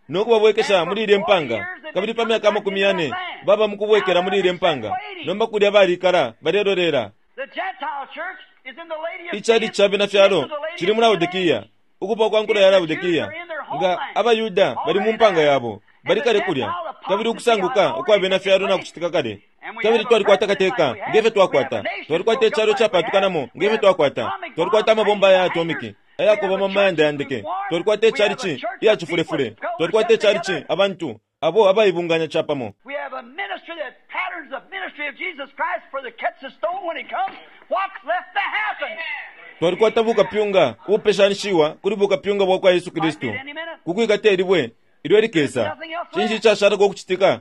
no kubabwekesha muli ilye mpanga. Kabili pa myaka amakumi yane baba mukubwekela muli ilye mpanga. Nomba kulya balikala balelolela. Icali ca bena fyalo cili mu Laodikia, ukupa kwa nkulo ya Laodikia. Nga abaYuda bali mu mpanga yabo, bali kale kulya, kabili ukusanguka ukwa bena fyalo na kucitika kale. Kabili twalikwata kateka ngefyo twakwata, twalikwata icalo capatukanamo ngefyo twakwata, twalikwata amabomba ya atomiki ayakuba mu mayanda ya ndeke, twalikwata icalici iya cifulefule, twalikwata icalici abantu abo abaibunganya capamo. We have a ministry that patterns the ministry of Jesus Christ for the catch the stone when it comes. What's left to happen? Twalikwata bukapyunga ubupeshanishiwa kuli bukapyunga bwa kwa Yesu Kristu kukwikata ilibwe ilyo likesa. Cinshi icashalako ukucitika?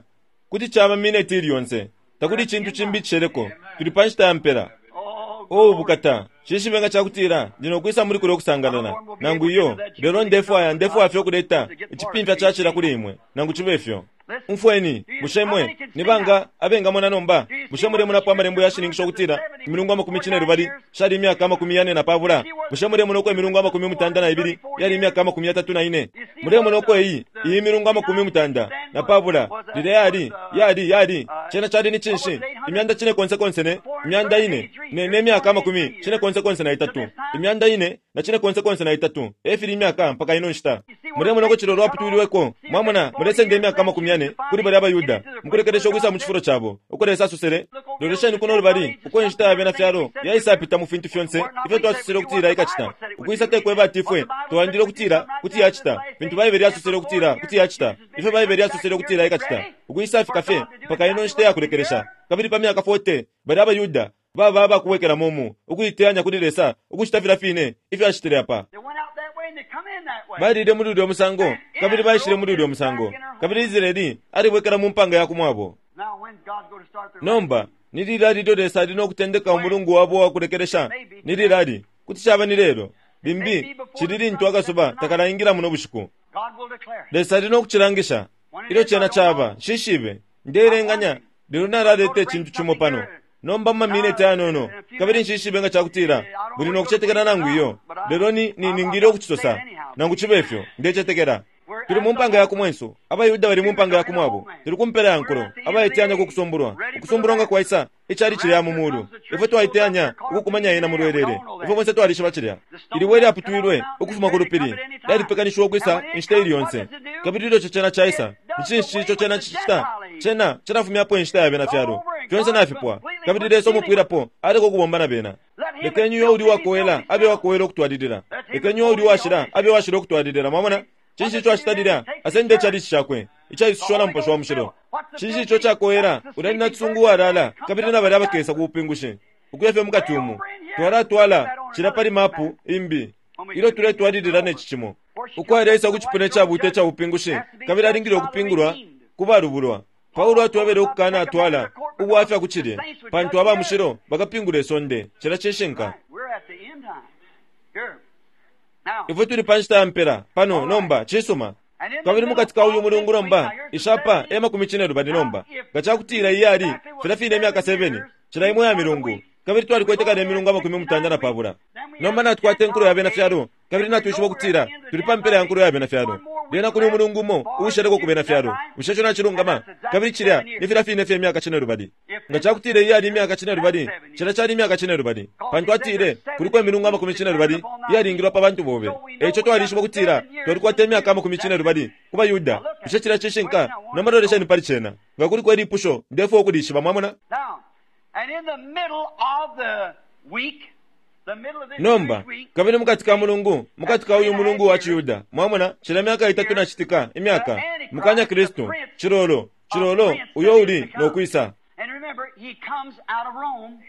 Kuti caba mineti ili yonse. Takuli icintu cimbi icisheleko. Tuli pa nshita ya mpela. Oh, O bukata, cishibe nga cakutila ndi no kwisa muli kulya ukusangalala nangu iyo, lelo ndefwaya ndefwaya fye ukuleta icipimfya cacila kuli imwe, nangu cibe fyo. Umfweni, bushe mwe ni banga abengamona nomba? Bushe mulemonapo amalembo yashininkisha ukutila imilungu amakumi cinelubali shali imyaka amakumi yane na pabula? Bushe mulemona uko imilungu amakumi mutanda na ibili yali imyaka amakumi yatatu na ine? Mulemona uko iyi iyi milungu amakumi mutanda na pabula lilya yali yali yali cena cali ni cinshi? Imyanda cine konse konse ne imyanda ine ne ne myaka amakumi cine konse konse na itatu, imyanda ine na cine konse konse na itatu efili imyaka mpaka ino nshita. Mulemona uko cilolo lwaputwilweko? Mwamona, mulesenda imyaka amakumi yane kuli balya abaYuda mukulekelesha ukwisa mu cifulo cabo uko Lesa asosele. Lolesheni kuno lubali uko inshita ya bena fyalo yaisapita mu fintu fyonse ifyo twasosele ukutila ikacita. Ukwisa tekweba ati ifwe twalandile ukutila kuti yacita fintu Baibele yasosele ukutila kuti yacita, ifyo Baibele yasosele ukutila ikacita, ukwisafika fye mpaka ino nshita yakulekelesha. Kabili pa myaka forty balya abaYuda baba abakuwekelamo mu ukuiteyanya kuli Lesa ukucita filya fine ifyo acitile apa. They went out that way and they come in that way. Balile muli ulya musango, kabili baishile muli ulya musango, kabili Israeli alibwekela mu mpanga ya kumwabo. Now when's God going to start the Nomba ni lilali ilyo Lesa ali no kutendeka umulungu wabo wakulekelesha? Ni lilali? Kuti caba ni lelo, limbi cili lintu akasuba takalaingila muno bushiku. God will declare it. Lesa ali no kucilangisha ilyo cena caba. Nshishibe, ndeelenganya, lelo nalaleta icintu cimo pano nomba mu mamineti ayanono, kabili nshishibe nga cakutila muli no kucetekela nangu iyo, lelo ni, ni ningile ukucisosa nangu cibe fyo. Ndecetekela. Tuli mu mpanga ya kumwenso, abaYuda bali mu mpanga ya kumwabo. Tuli ku mpela ya nkulo, abaiteyanya ku kusumbulwa. Ukusumbulwa nga kwaisa, icali cilya mu mulu. Ifwe twaiteyanya ukukumanya yena mu lwelele. Ifwe bonse twalishiba cilya. Ilibwe lyaputwilwe ukufuma ku lupili, lyalipekanishiwa ukwisa inshita ili yonse. Kabili ilyo cena caisa, ni cinshi ico cena cicita? Cena cilafumyapo inshita ya bena fyalo. Fyonse nafipwa. Kabili Lesa umupwilapo aleka ukubomba na bena. Lekeni uyo uli wakowela abe wakowela ukutwalilila. Lekeni uyo uli washila abe washila ukutwalilila. Mwamona? Cinshi ico acita lilya? Asenda icalici cakwe icaisushiwa na Mupashi wa Mushilo. Cinshi ico cakowela? Ulya ni nacisungu uwalala, kabili na balya abakesa ku bupingushi ukuya fye mukati umu. Twalatwala cila pali mapu imbi ilyo tuletwalilila ne ci cimo uko aleisa ku cipuna icabuuta ica bupingushi, kabili alingile ukupingulwa ku balubulwa. Paulo atwebele ukukana atwala ubwafya ku cilye, pantu aba mushilo bakapingula isonde. Cila cishinka. We're at the end time. Here. Now, Ifwe tuli pa nshita ya mpela pano nomba. Cisuma. Kabili mukati ka uyu mulungu nomba, ishapa e makumi cine lubali nomba. Nga cakutila iyali filya fine imyaka seven cila imo ya milungu, kabili twalikwete kale imilungu amakumi mutanda na pabula. Nomba natukwata inkulo ya bena fyalo, kabili natwishiba ukutila tuli pa mpela ya nkulo ya bena fyalo. Lyena kuli umulungu umo uusheleko ku bena fyalo. Bushe ico nacilungama? Kabili cilya ni filya fine fye imyaka cine lubali. Nga cakutila iyali imyaka cine lubali, cilya cali imyaka cine lubali, pantu atile kuliko imilungu amakumi cine lubali iyalingilwa pa bantu bobe. Eico twalishiba ukutila twalikwata imyaka amakumi cine lubali ku baYuda. Bushe cilya cishinka? Nomba lolesheni pali cena. Nga kuliko ilipusho, ndefwaya ukulishiba. Mwamona? Now, and in the middle of the week, the middle of this Nomba Jewish week, kabili mukati ka mulungu, mukati ka uyu mulungu wa Chiyuda, mwamona, cila myaka itatu nacitika imyaka, mukanya Kristu, chilolo chilolo uyo uli nokwisa. And remember, he comes out of Rome.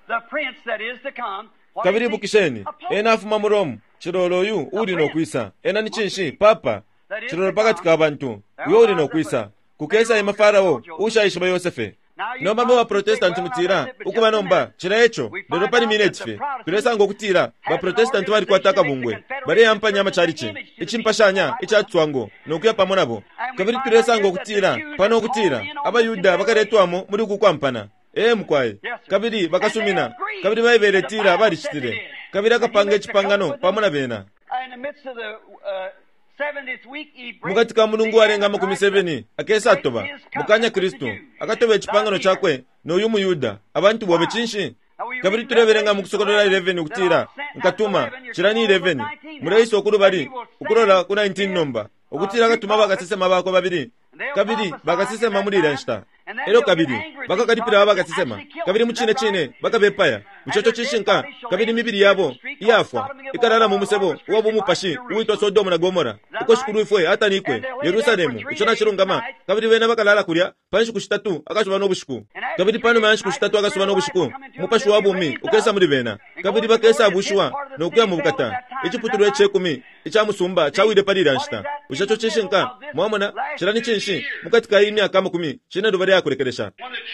The prince that is to come. What Kabili is he? ibukisheni, A pope. ena afuma mu Rome. Chilolo uyu uli nokwisa, ena ni cinshi? Papa, chilolo pakati ka bantu uyo uli nokwisa. Kukesa ima Farao ushaishiba Yosefe. Nomba mwe baprotestanti mutila, ukuba nomba cila eco. Lelo pali mineti fye tulesanga ukutila baprotestanti balikwata akabungwe, baleyampanya amacalici, icimpashanya ica tswango, nokuya pamo nabo. Kabili tulesanga ukutila pano ukutila abayuda bakaletwamo muli uku kwampana. Ee mukwai. Kabili bakasumina, kabili Baibele itila balicitile, kabili akapanga icipangano pamo na bena. In the midst of the uh, seventieth week, he breaks Mukati ka mulungu walenga amakumi seven akesatoba mukanya Kristu, akatoba icipangano cakwe n'uyu muyuda, abantu bobe. Cinshi? Kabili tulebelenga mu Kusokolola eleven ukutila nkatuma cila ni eleven, muleisa ukulubali ukulola ku nineteen nomba, ukutila akatuma bakasesema bakwe babili, kabili bakasesema muli ilya nshita. Elyo kabili bakakalipila aba bakasesema, kabili mu cine cine bakabepaya. Bushe ico cishinka? Kabili imibili yabo iyafwa ikalala mu musebo uwa bumupashi uwitwa Sodomu na Gomora, uko Shikulu ifwe atanikwe, Yerusalemu. Ico nacilungama. Kabili bena bakalala kulya pa nshiku shitatu akasuba no bushiku. Kabili panuma ya nshiku shitatu akasuba no bushiku, umupashi wa bumi ukesa muli bena, kabili bakesa bushiwa no kuya mu bukata. Iciputulwa icekumi ica musumba cawile pali ilya nshita. Bushe ico cishinka? Mwamona? Cila ni cinshi? Mukati ka iyi myaka amakumi cine lubali yakulekelesha,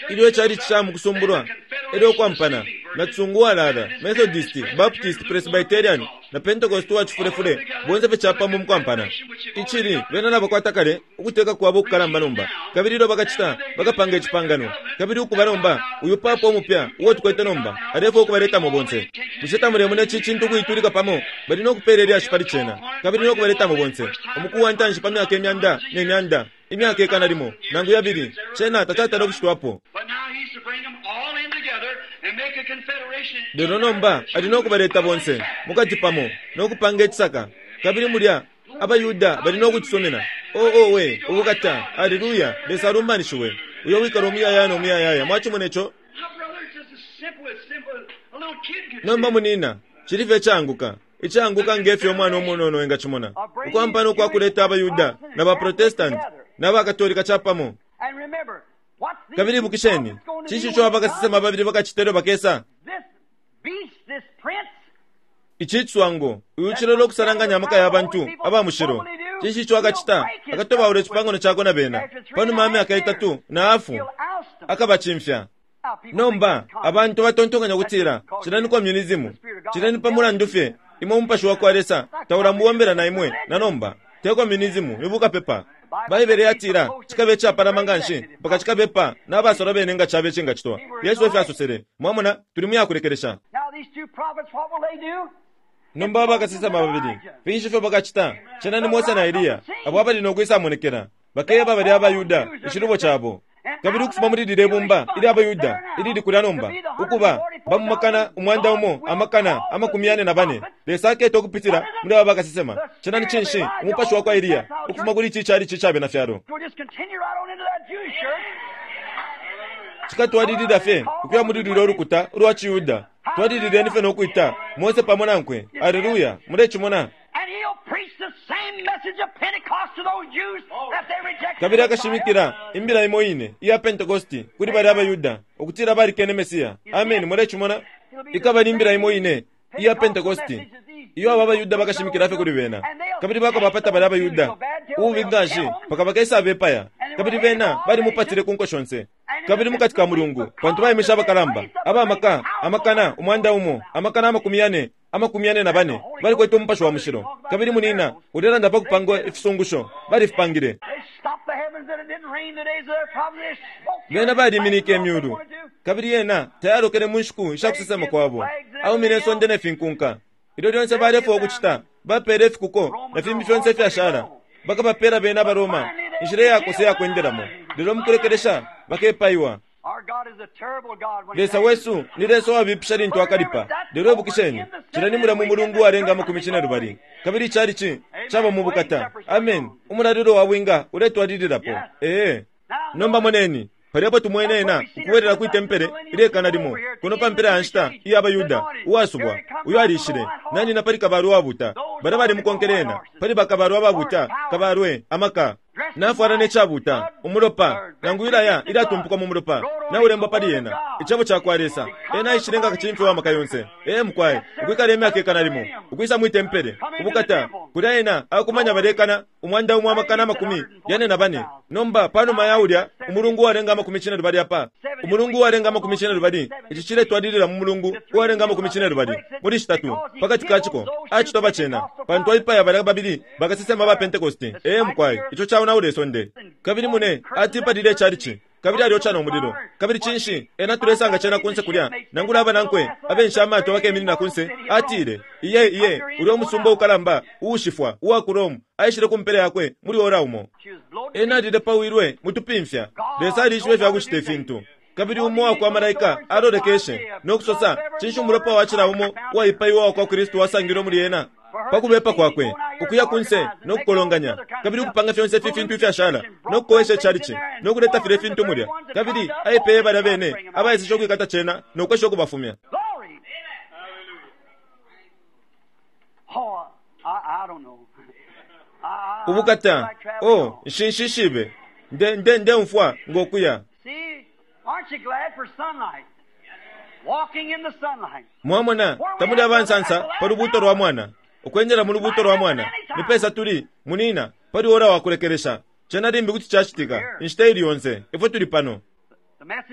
ilyo icali ca mu kusumbulwa, elyo ukwampana na tsungu walala, Methodist, Baptist, Presbyterian na Pentecost wa cifulefule, bonse fye capamo mukwampana icili bena nabakwata kale ukuteka kwabo ukukalamba nomba. Kabili ilyo bakacita, bakapanga icipangano. Kabili ukuba nomba uyu papa umupya uo tukwete nomba alefwaya ukubaletamo bonse. Bushe tamulemona ici cintu ukuitulika pamo? Bali no kupeela ilyashi pali cena, kabili no kubaletamo bonse umuku wa ntanshi pa myaka imyanda ne myanda, imyaka ikana limo nangu yabili, cena tacatala ukucitwapo. But now he's to bring them all in together and make a confederation. Lelo nomba ali no kubaleta bonse mukati pamo no kupanga icisaka, kabili mulya abayuda bali no kucisumina. Oo we ubukata! Aleluya! Lesa alumbanishiwe, uyo wikala umuyayaya no muyayaya. Mwacimona ico? Now, brother, it's just as simple as simple as a little kid could Nomba see. munina, cili fye icaanguka, icaanguka ngefyo umwana umunono engacimona, ukwampana ukwakuleta abayuda na baprotestanti na bakatolika capamo. And remember, what's these Kabili two ibukisheni, prophets gonna cinshi do ico when they abakasesema come? babili bakacita ilyo bakesa? This beast, this prince, Ici ciswango, uyu cilolo okusalanganya amaka ya bantu aba mushilo, cinshi ico akacita? Akatobaula icipangano cakwe na bena. Panuma ya myaka itatu na hafu he'll oust them. akabacimfya. Now, people Nomba think it's abantu batontonkanya kutila cila ni communism, cila ni pa mulandu fye imwe umupashi wa kwa Lesa taulamubombela na imwe na nomba. Te communism, ni bukapepa. Baibele yatila cikabe icapalama nga nshi mpaka cikabepa n'abasola bene nga cabe cingacitwa. Yesu efyo asosele. Mwamona, tuli mu yakulekelesha. Now these two prophets, what will they do? Nomba bakasesema babili finshi ifyo bakacita? Cena ni Mose na Eliya abo abali nokwisamonekela. Bakeba bali abaYuda icilubo cabo. Kabili ukufuma muli lile bumba ilya abaYuda ilili kulya nomba ukuba bamumakana umwanda umo amakana amakumi yane na bane, Lesa aketa ukupitila muli aba bakasesema. Cena ni cinshi? Umupashi wa kwa Eliya ukufuma kuli ici cali cicabe na fyalo. Cikatwalilila fye ukuya muli lulya ulukuta ulwa ciYuda. Twalilileni fye nokwita Mose pamo nankwe. Aleluya! Mulecimona? Kabili akashimikila imbila imo ine iya Pentecosti kuli bali abaYuda ukutila balikene Mesiya. Amen. Mulecimona? Ikaba ni imbila imo ine iya Pentecosti iyo aba abaYuda bakashimikila fye kuli bena, kabili bakabapata bali abaYuda ububi nganshi mpaka bakesa bepaya. Kabili bena balimupatile ku nko shonse kabili mukati ka mulungu, pantu baimisha abakalamba abamaka amakana umwanda umo amakana amakumi yane amakumi yane na bane balikwete umupashi wa mushilo. Kabili munina ulelanda pa kupangwa ifisungusho balifipangile. Bena baliminike imyulu, kabili yena tayalokele mu nshiku ishakusesema kwabo. Aumine isonde ne finkunka. Ilyo lyonse balefwa ukucita, bapele ifikuko na fimbi fyonse ifyashala. Bakabapela bena abaroma inshila iyakosa iyakwendelamo, lelo mukulekelesha bakepaiwa. Lesa wesu ni Lesa uwabipisha lintu akalipa. Lelo ibukisheni, cila ni mulya mu mulungu uwalenga amakumi cine lubali, kabili icalici caba mu bukata. Amen. Umulalilo wa bwinga uletwalililapo. Ee. Nomba moneni palyapo tumwene ena ukubwelela kwi tempele ilekana limo kuno pa mpela ya nshita iya abaYuda uwasubwa uyo alishile nanina pali kabalwe uwabuta. Bala balimukonkele ena pali bakabalwe ababuta, kabalwe amaka nafwala necabuta umulopa nangu ilaya ilyatumpuka mu mulopa naulembwa pali ena icebo cakwa Lesa. Ena aishile nga kacimfyo wa maka yonse. Ee mukwai, ukwikala imyaka ikana limo ukwisa mwi tempele ubukata kulya ena akumanya balekana umwanda umo amakana amakumi yane na bane. Nomba panuma ya ulya umulungu uwalenga amakumi cine lubali apa umulungu uwalenga amakumi cine lubali, ici ciletwalilila mu mulungu uwalenga amakumi cine lubali muli shitatu pakati kaciko acitoba cena pantu aipaya balya babili bakasesema ba Pentecosti. Ee mukwai, ico caonaula isonde. Kabili mune atipalile icalici kabili alioca no mulilo. Kabili cinshi ena tulesanga cena kunse kulya nangula abanankwe abensha amato bakeminina kunse. Atile iye iye ulya umusumba ukalamba uushifwa uwa ku Rome aishile ku mpela yakwe muli ora umo. Ena alilepawilwe mutupimfya. Lesa alishibe ifya kucita ifintu. Kabili umo wakwa malaika alolekeshe nokusosa, cinshi umulopa wa cila umo uwaipaiwa wakwa Kristu wasangilwe muli ena pakubepa kwakwe ukuya kunse nokukolonganya kabili ukupanga fyonse ifi fintu ifyashala nokukowesha icalici nokuleta file fintu mulya. Kabili aipeye balya bene abaeseshe ukwikata cena nokwesha ukubafumya. Ubukata oh nshinshishibe nde nde ndeumfwa ngokuya. Mwamona tamuli abansansa pa lubuto lwa mwana ukwendela mu lubuto lwa mwana ni pesa tuli munina pali ora wakulekelesha cena limbi kuti cacitika inshita ili yonse ifwe tuli pano.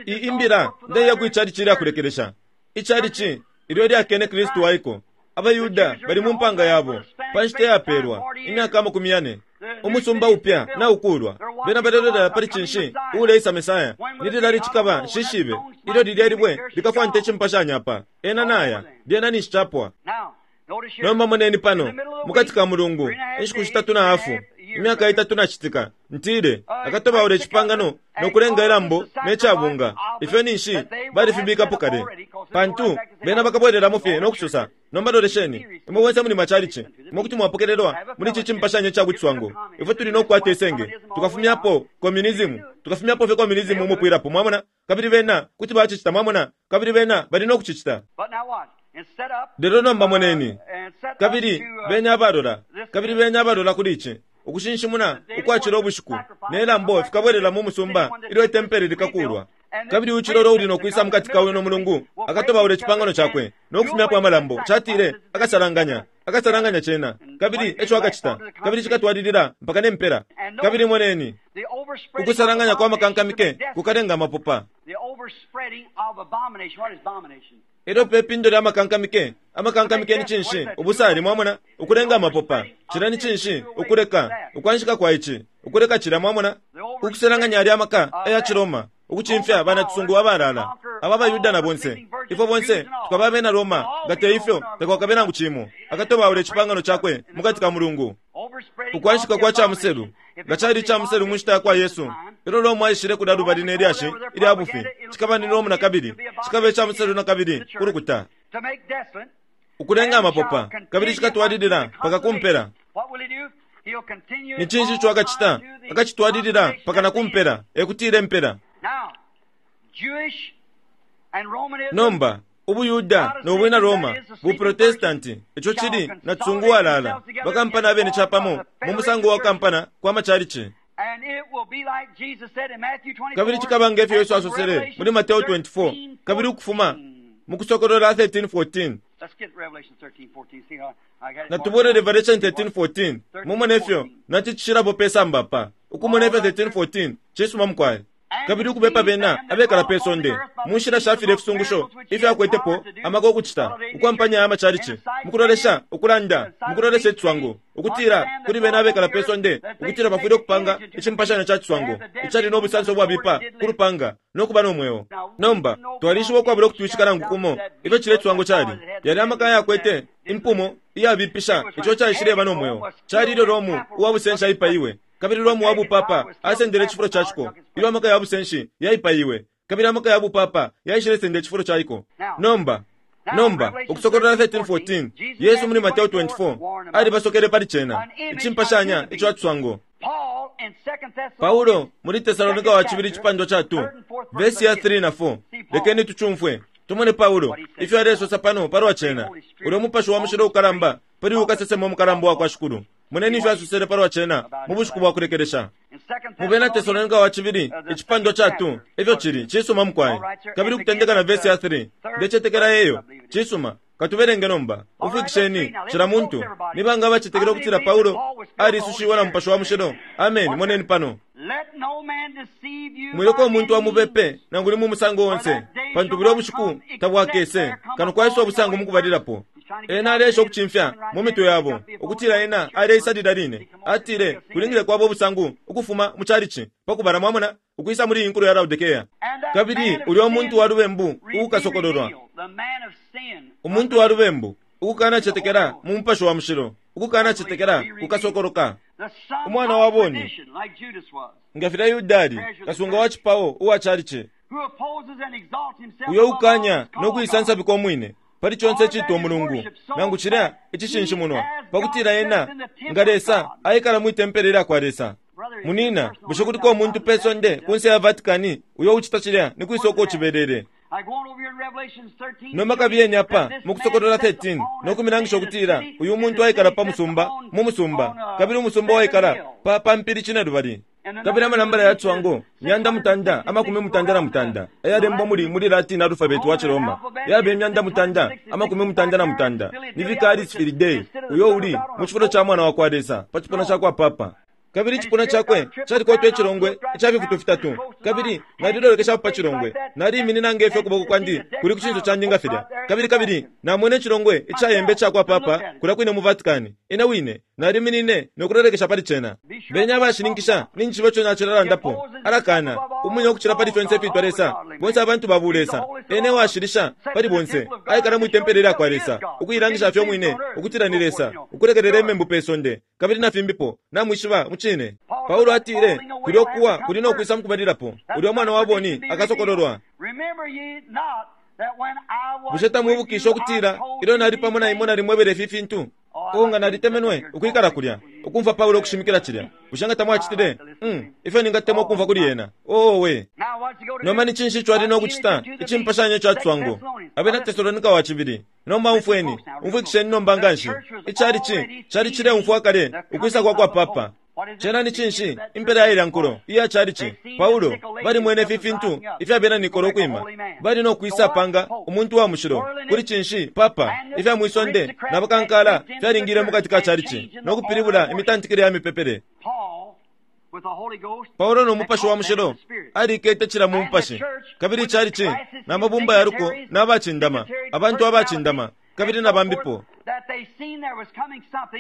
Imbila ndeya ku icalici ilyakulekelesha icalici ilyo lyakene Kristu waiko. AbaYuda bali mu mpanga yabo pa nshita yapelwa imyaka amakumi yane umusumba upya na ukulwa bena balelolera pali cinshi uleisa Mesaya nililali cikaba nshishibe ilyo lilya libwe likafwante icimpashanya pa ena naya lyena ninshi capwa. Nomba moneni pano mukati ka mulungu inshiku shitatu na hafu imyaka itatu na citika ntile akatobaula icipangano nokulenga ilambo necabunga ifyo ninshi balifibikapo kale pantu bena bakabwereramo fye nokusosa. Nomba lolesheni imwe bonse muli macalici imwe kuti mwapokelelwa muli ici cimpashanyo ca bucwango ifwe tuli nokukwata isenge tukafumyapo communism tukafumyapo fye communism umupwilapo mwamona. Kabili bena kuti bacicita mwamona kabili bena bali nokucicita. Lelo nomba moneni kabili benya abalola kabili benya abalola kuli ici ukushinshimuna ukwacila ubushiku nelambo fikabwerera mu musumba ilyo itempele likakulwa. Kabili uchilolo uli nokwisa mukati kawe no mulungu akatobaula icipangano cakwe nokufumyapo amalambo catile akasalanganya akasalanganya cena kabili eco akacita kabili cikatwalilila mpaka nempela. Kabili moneni ukusalanganya kwa makankamike kukalenga amapopa. Elyo pe pindo lya makankamike amakankamike ni cinshi ubusali mwamona ukulenga amapopa cila ni cinshi ukuleka ukwanshika kwa ici ukuleka cila mwamona ukusalanganya ali amaka aya Ciroma ukucimfya bana tusungu abalala aba abaYuda na bonse Ifwe bonse tukaba abena Roma, nga te ifyo takwakabe nangu cimo. Akatobaula icipangano cakwe mukati ka mulungu. Ukwanshika kwa chamuselu nga cali icamuselu mu nshita ya kwa Yesu, ilyo Roma aishile kulya lubali ne lyashi ilya bufi, cikaba ni Roma nakabili, cikaba icamuselu nakabili ku lukuta, ukulenga amapopa, kabili cikatwalilila paka kumpela. Ni cinshi ico akacita? Akacitwalilila paka na kumpela, ekutila impela. Nomba ubuYuda no bwina Roma, buProtestanti, ico cili na tsungu walala, bakampana abene capamo mu musango wa kampana kwa machalichi. Kabili cikaba nge fyo Yesu asosele muli Mateo twenty-four, kabili ukufuma mu Kusokolola thirteen fourteen. Natubone Revelation thirteen fourteen, mumone fyo naticishirapo pe samba pa ukumona ifyo thirteen fourteen cisuma mukwai. Kabili ukubepa bena abekala pe sonde mu nshila shafile ifisungusho ifyo akwetepo amaka okucita ukwampanya amachalichi mukulolesha ukulanda mukulolesha icitswango ukutila kuli bena abekala pe sonde ukutila bafwile okupanga icimpashanya ca citswango icali n'obusanso bwabipa ku lupanga n'okuba n'omweo. Nomba twalishiba okwabula okutwishika nangu kumo ifyo cile icitswango cali yali amaka yakwete impumo iyabipisha ico caishileba n'omweo cali ilyo Romu uwa busenshi aipaiwe. Kabili Romu wa bupapa asendele icifulo ca ciko ilyo amaka ya busenshi yaipaiwe, kabili amaka ya bupapa yaishilesenda icifulo ca iko. Nomba nomba Ukusokolola thirteen fourteen, Yesu muli Mateo twenty-four alibasokele pali cena icimpashanya ico atswango. Paulo muli Tesalonika wa cibili icipandwa ca two vesi ya three na four, lekeni tucumfwe tumone Paulo ifyo alesosa pano palwa cena ulyo mupashi wa mushilo ukalamba pali ukasesema umukalamba wa kwa Shikulu. Moneni ifyo asosele palwa cena mu bushiku bwa kulekelesha. Mu bena Tesalonika wa cibili icipandwa ca two ifyo cili cisuma mukwai, kabili ukutendeka na vesi ya three ndecetekela eyo cisuma. Katuberenge nomba umfwikisheni cila muntu nibanga abacetekela ukutila Paulo alisushiwe na mupashi wa mushilo. Amen. Moneni pano, mwileko omuntu amubepe nangu ni mu musango onse, pantu bulyo bushiku tabwakese kano kwaisa obusango mukubalilapo. Ena alesha okucimfya mu mitwe yabo ukutila ena aleisalila line atile kulingile kwabo obusangu ukufuma mu chalichi pakubala mwamona ukwisa muli inkulu ya Laodikea. Kabili ulyo omuntu wa lubembu ukukasokololwa, umuntu wa lubembu ukukana cetekela mu mupashi wa mushilo, ukukana cetekela kukasokoloka. Umwana wa boni nga filya Yuda ali kasunga wa cipawo uwa chalichi, uyo ukanya nokuisansabika omwine pali conse icitwa omulungu nangu cilya icishinshimunwa pakutila ena nga Lesa aikala mwitempele lya kwa Lesa. Munina, bushe kuliko omuntu pe sonde kunse ya Vatikani uyo ucita cilya ni kwisa uko cibelele? Nomba kabiyeni apa mu Kusokolola thirteen nokumilangisha okutila uyu muntu aikala pa musumba mu musumba, kabili umusumba waikala pa pampili cine lubali, kabili amanambala ya tswango myanda mutanda amakumi mutanda na mutanda ayalembwa muli muli Latin alphabet wa Chiroma yabe myanda mutanda amakumi mutanda na mutanda ni Vicaris Filii, uyo uli mu cifulo ca mwana wa kwa Lesa pa cipuna ca kwa Papa. Kabili icipuna cakwe calikwatwa icilongwe ica fifutu fitatu, kabili nalilolekeshapo pa cilongwe naliiminina ngefyo ukuboko kwandi kuli ku cinso candi nga filya, kabili kabili namwene icilongwe icayembe ica kwa Papa kulya kwine mu Vatikani. Ine wine naliminine nokulolekesha pali cena. Benya abashininkisha nincishiba ico nacilalandapo. Alakana umwine ukucila pali fyonse ifitwa Lesa, bonse abantu babu Lesa ene washilisha pali bonse aikala mwitempele lya kwa Lesa ukuilangisha fye umwine ukutila ni Lesa, ukulekelela imembu pe sonde kabili na fimbipo namwishiba mucine. Paulo atile kulyo kuwa kuli nokwisa mukubalilapo ulyo mwana wa boni akasokololwa. Bushe tamwibukisha ukutila ilyo nali pamo na imwe nalimwebele ifi fintu? Nga nalitemenwe ukwikala kulya ukumva Paulo okushimikila cilya. Bushe nga tamwacitile? Mm, ifyo ningatemwa ukumva kuli yena. Owe nomba ni cinshi ico ali nokucita icimpashanya ico atswango? Abena Tesalonika wa cibili. Nomba umfweni, umfwikisheni nomba nganshi. Icalichi cali cileumfwa kale ukwisa kwa kwa Papa. Cena ni cinshi impela ya ilya iya chalichi? Paulo balimwene ifi fintu ifyabena Nikolo kwima bali nokwisa panga umuntu wa mushilo kuli cinshi Papa ifya mwisonde na bakankala fyalingile mukati ka chalichi nokupilibula imitantikile ya mipepele. Paulo no mupashi wa mushilo alikete cila mu mupashi, kabili chalichi na mabumba yaruko n'abacindama abantu abacindama kabili na bambipo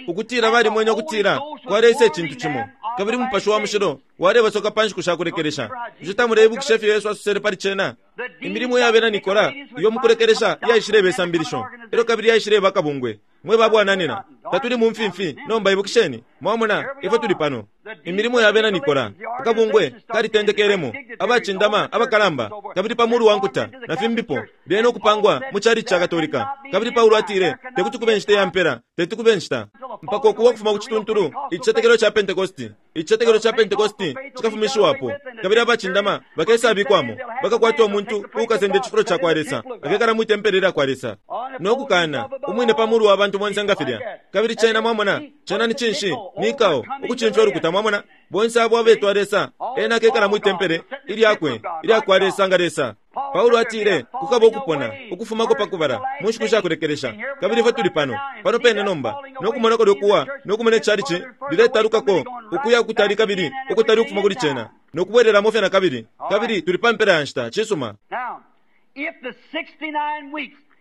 Ukutila balimwene ukutila kwaleisa icintu cimo, kabili Mupashi wa Mushilo walebasoka pa nshiku shakulekelesha. Bushe tamuleibukisha ifyo Yesu asosele pali cena? Imilimo ya bena Nikola iyo mukulekelesha yaishileba isambilisho, elyo kabili yaishileba akabungwe. Mwe babwananina, tatuli mu mfimfi nomba, ibukisheni. Mwamona ifwe tuli pano. Imilimo ya bena Nikola, akabungwe kalitendekelemo, abacindama abakalamba, kabili pa mulu wa nkuta na fimbipo, lyena ukupangwa mu chalichi ca Katolika. Kabili Paulo atile tekuti kube nshita ya mpela, tekuti kube nshita mpaka ukuwa kufuma ku cituntulu icicetekelo ca Pentecosti. Icicetekelo ca Pentecosti cikafumishiwapo, kabili abacindama bakesabikwamo, bakakwata umuntu uukasenda icifulo ca kwa Lesa, akekala mwi tempele lya kwa Lesa no kukana umwine pa mulu wa bantu bonse nga filya. Kabili cena, mwamona, cena ni cinshi? Nikao ukucimfya ulukuta. Mwamona, bonse abo abetwa Lesa, ena akekala mwi tempele ilyakwe ilya kwa Lesa nga Lesa. Paulo atile kukaba ukupona ukufumako pakubala mu nshiku shakulekelesha, kabili ifwe tuli pano pano pene nomba no kumona kulyo kuwa no kumona icalici liletalukako ukuya ukutali kabili ukutali ukufuma kuli cena no kubwerelamo fye na kabili, kabili tuli pa mpela ya nshita. Cisuma.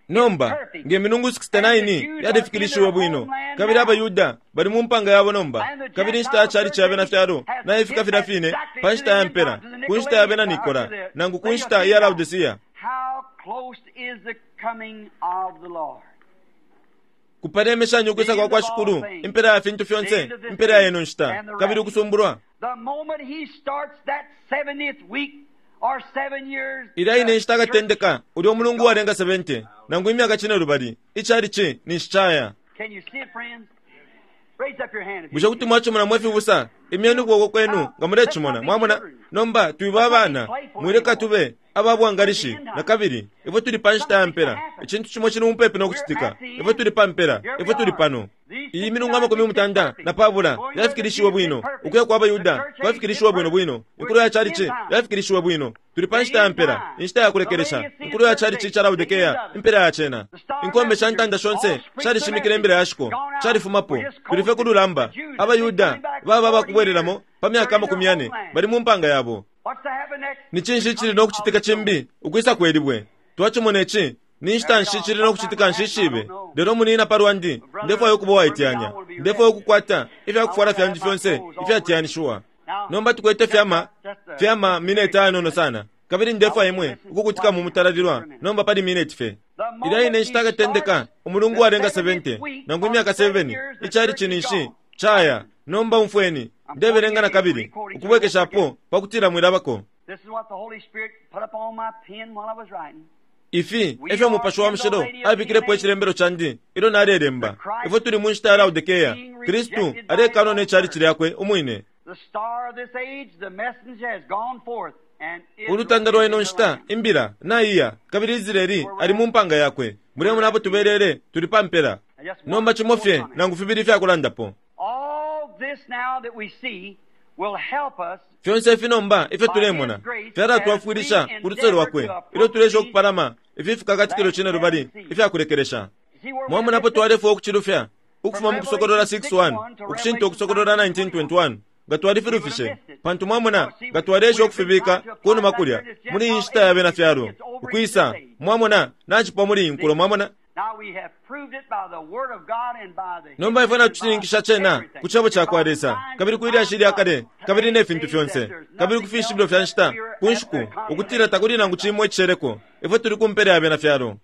Nomba nge milungu sixty-nine yalifikilishiwe bwino, kabili abaYuda bali mu mpanga yabo nomba, kabili inshita ya chalichi ya bena fyalo naifika filya fine pa nshita ya mpela, ku nshita ya bena Nikola nangu ku nshita ya Laodicea. Kupalemeshanya ukwisa kwa kwa Shikulu, impela ya fintu fyonse, impela ya ino nshita, kabili ukusumbulwa. Ilya ine nshita akatendeka ulya umulungu walenga seventy nangu imyaka cine lubali, ichalichi ninshi caya. Bushe kuti mwachimona mwe fibusa? Imyeni ukuboko kwenu nga mulecimona. Mwamona? Nomba twiba abana, mwileka tube ababwangalishi na kabili. Ifwe tuli pa nshita ya mpela, icintu cimo cili mupepi no kucitika. Ifwe tuli pa mpela, ifwe tuli pano. Iyi milungu amakumi mutanda na pabula yafikilishiwe bwino, ukuya kwa abaYuda kwafikilishiwe bwino bwino, inkulo ya chalichi yafikilishiwe bwino. Tuli pa nshita ya mpela, inshita ya kulekelesha, inkulo ya chalichi ca Laodikea, impela ya cena. Inkombe sha ntanda shonse shalishimikila imbila ya shiko, shalifumapo. Tuli fye ku lulamba. AbaYuda baba abakubwerelamo pa myaka amakumi yane, bali mu mpanga yabo. Ni cinshi cili no kucitika cimbi ukwisa kwelibwe? Twacimona ici. Ni nshita nshi cili no kucitika nshishibe? Lelo munina pa lwandi, ndefwayo ukuba uwaiteyanya, ndefwayo ukukwata ifyakufwala fyandi fyonse ifyatiyanishiwa. Nomba tukwete fyama fyama mineti ayanono sana, kabili ndefwaya imwe ukukutika mu mutalalilwa nomba pali mineti fye. Ilya ine nshita akatendeka umulungu walenga seventy nangu imyaka seven, ichalichi ninshi caya. Nomba umfweni, ndebelenga na kabili ukubwekeshapo pakutila mwilabako. Ifi efyo Mupashi wa Mushilo abikilepo icilembelo candi ilyo nalelemba. Ifwe tuli mu nshita ya Laodikea, Kristu alekanwa ne chalichi lyakwe umwine. Ulutanda lwa ino nshita, imbila naiya, kabili Israeli ali mu mpanga yakwe. Mulemona apo tubelele, tuli pa mpela. Nomba cimo fye nangu fibili ifyakulandapo. Fyonse ifi nomba ifyo tulemona fyalatwafwilisha ku luse lwakwe ilyo tulesha ukupalama ifi fikakatikilo cine lubali ifyakulekelesha. Mwamonapo twalefwa ukucilufya ukufuma mu Kusokolola six one ukushinta Ukusokolola nineteen twenty-one, nga twalifilufishe, pantu mwamona nga twalesha ukufibika kunuma kulya muli iyi nshita ya bena fyalo ukwisa. Mwamona nacipwa muli iyi nkulo. Mwamona nomba ifwe natushininkisha cena ku cebo ca kwa Lesa, kabili ku ilyashi lya kale, kabili ne fintu fyonse, kabili ku fishibilo fya nshita ku nshiku, ukutila takuli nangu cimo icisheleko. Ifwe tuli ku mpela ya bena fyalo.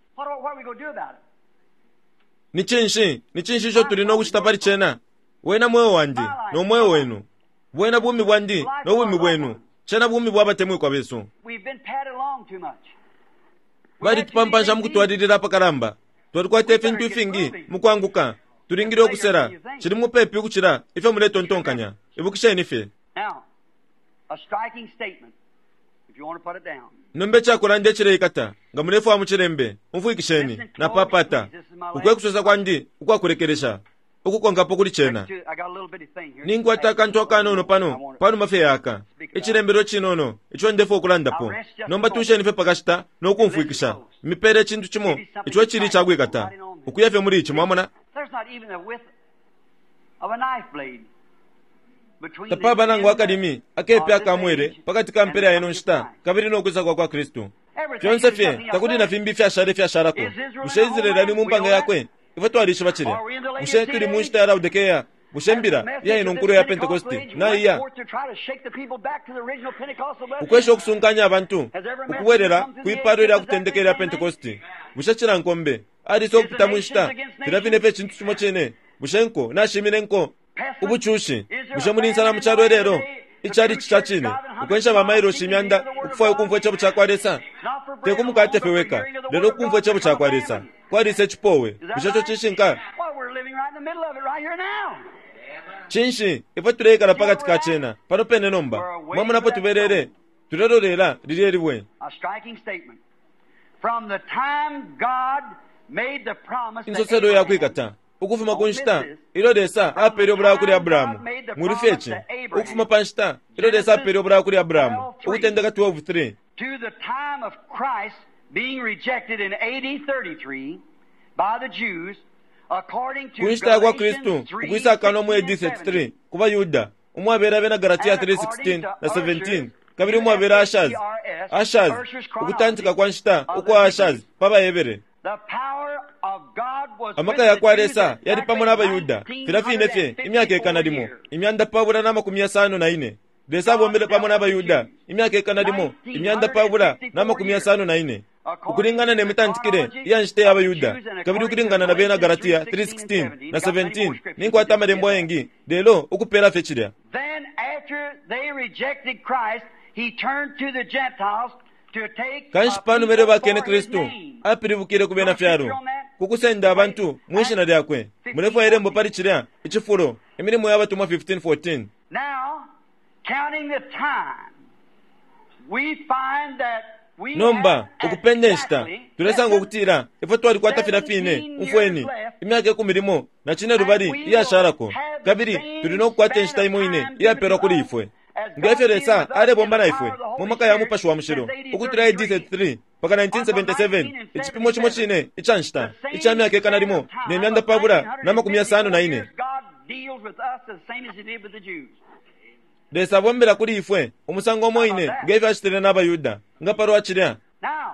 Ni cinshi ni cinshi ico tuli no kucita pali cena? Wena mweo wandi no mweo wenu, bwena bumi bwandi no bumi bwenu, cena bumi bwa batemwikwa besu. Balitupampansha mukutwalilila apakalamba. Twalikwata ifintu ifingi mukwanguka, tulingile ukusela, cili mupepi ukucila ifyo muletontonkanya. Ibukisheni fye. Nomba icakulanda icileikata, nga mulefwaya mucilembe, umfwikisheni na papata ukwe kusosa kwandi ukwakulekelesha ukukonkapo kuli cena. Ninkwata akantu akanono pano panuma fye yaka, icilembelo cinono ico ndefwa ukulandapo. Nomba tusheni fye pakashita no kumfwikisha. Mipele icintu cimo ico cili icakwikata ukuya fye muli ici. Mwamona tapaba nangu akalimi akepe akamwele pakati ka mpela ya ino nshita kabili no kwisa kwa kwa Kristu. Fyonse fye takuli na fimbi ifyashala ifyashalako. Bushe Israeli ali mu mpanga yakwe? Ifwe twalishiba cilya. Bushe tuli mu nshita ya Laodikea? Bushe mbila iya ino nkulo ya Pentecosti naiya ukwesha ukusunkanya abantu ukubwelela kwipalo ilya kutendeka ilya Pentecosti? Bushe cila nkombe alisa ukupita mu nshita filya fine fye cintu cimo cine? Bushe nko nashimine nko ubucushi? Bushe muli nsala mu calo ilelo? Icalici ca cine ukwensha ba mailoshi imyanda ukufwaya ukumfwa icebo ca kwa Lesa, te kumukate fye weka, lelo ukumfwa icebo ca kwa Lesa. Kwalisa icipowe. Bushe ico cishinka? Cinshi ifwe tuleikala pakati ka cena pano pene nomba? Mwamonapo tubelele tulelolela lilye libwe. Insoselo ya kwikata ukufuma ku nshita ilyo Lesa apele obulayo kuli Abrahamu. Muli fye ici ukufuma pa nshita ilyo Lesa apele obulayo kuli Abrahamu, Ukutendeka twelve three, to the time of Christ being rejected in A D thirty-three by the Jews, according to ku nshita ya kwa Kristu Galatians three, ukwisakana mu A D sixteen and thirty-three ku baYuda, umwabela abena Galatia three sixteen na seventeen, kabili umwabela Ashaz, Ashaz ukutantika kwa nshita ukwa Ashaz pa baHebere. The power of God was Amaka with ya kwa the Jews Lesa yali pamo n'abaYuda filya fine fye imyaka ikana limo imyanda pabula na makumi yasano na ine. Lesa abombele pamo n'abaYuda imyaka ikana limo imyanda pabula na makumi yasano na ine, ukulingana ne mitantikile iya nshita ya baYuda, kabili ukulingana na bena Galatia three sixteen na seventeen. Ninkwata amalembo ayengi lelo ukupela fye cilya. Then after they rejected Christ, he turned to the Gentiles to take Kanshi a panuma ilyo people bakene for his Kristu name. apilibukile ku bena fyalo kukusenda abantu mwishina lyakwe. Mulefwaya ilembo pali cilya icifulo, Imilimo ya Batumwa fifteen fourteen. Now, counting the time, we find that we Nomba have ukupenda inshita exactly tulesanga ukutila ifwe twalikwata filya fine umfweni imyaka ikumi limo na cine lubali iyashalako, kabili tuli no kukwata inshita imo ine iyapelwa kuli ifwe ngefyo Lesa alebomba na ifwe mu maka ya Mupashi wa Mushilo ukutula A D thirty-three mpaka nineteen seventy-seven, icipimo cimo cine ica nshita ica myaka ikana limo ne myanda pabula na makumi yasano na ine. God deals with us the same as he did with the Jews. Lesa abombela kuli ifwe umusango umo ine ngefyo acitile n'abaYuda nga palwa cilya. Now,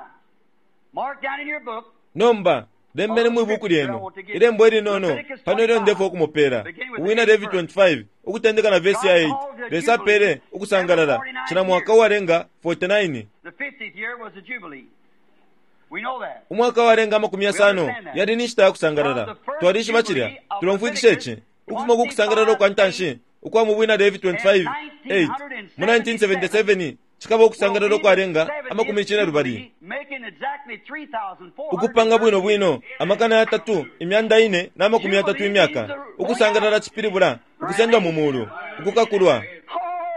mark down in your book Nomba lembeni mwi buku lyenu ilembo ilinono pano ilyo ndefwa ukumupela, Ubwina Levi twenty-five ukutendeka na vesi ya eight. Lesa apele ukusangalala cila mwaka uwalenga forty-nine. the fiftieth year was the Jubilee. We know that. Umwaka walenga amakumi yasano yali ni nshita ya kusangalala. Twalishiba cilya, tulomfwikisha ici ukufuma ku kusangalala ukwa ntanshi ukwa mu Bwina Levi twenty-five eight mu nineteen seventy-seven cikaba ukusangalala ukwalenga amakumi cine lubali, Making exactly three thousand four hundred ukupanga bwino bwino amakana yatatu imyanda ine na makumi yatatu imyaka. Ukusangalala cipilibula ukusendwa mu mulu, ukukakulwa.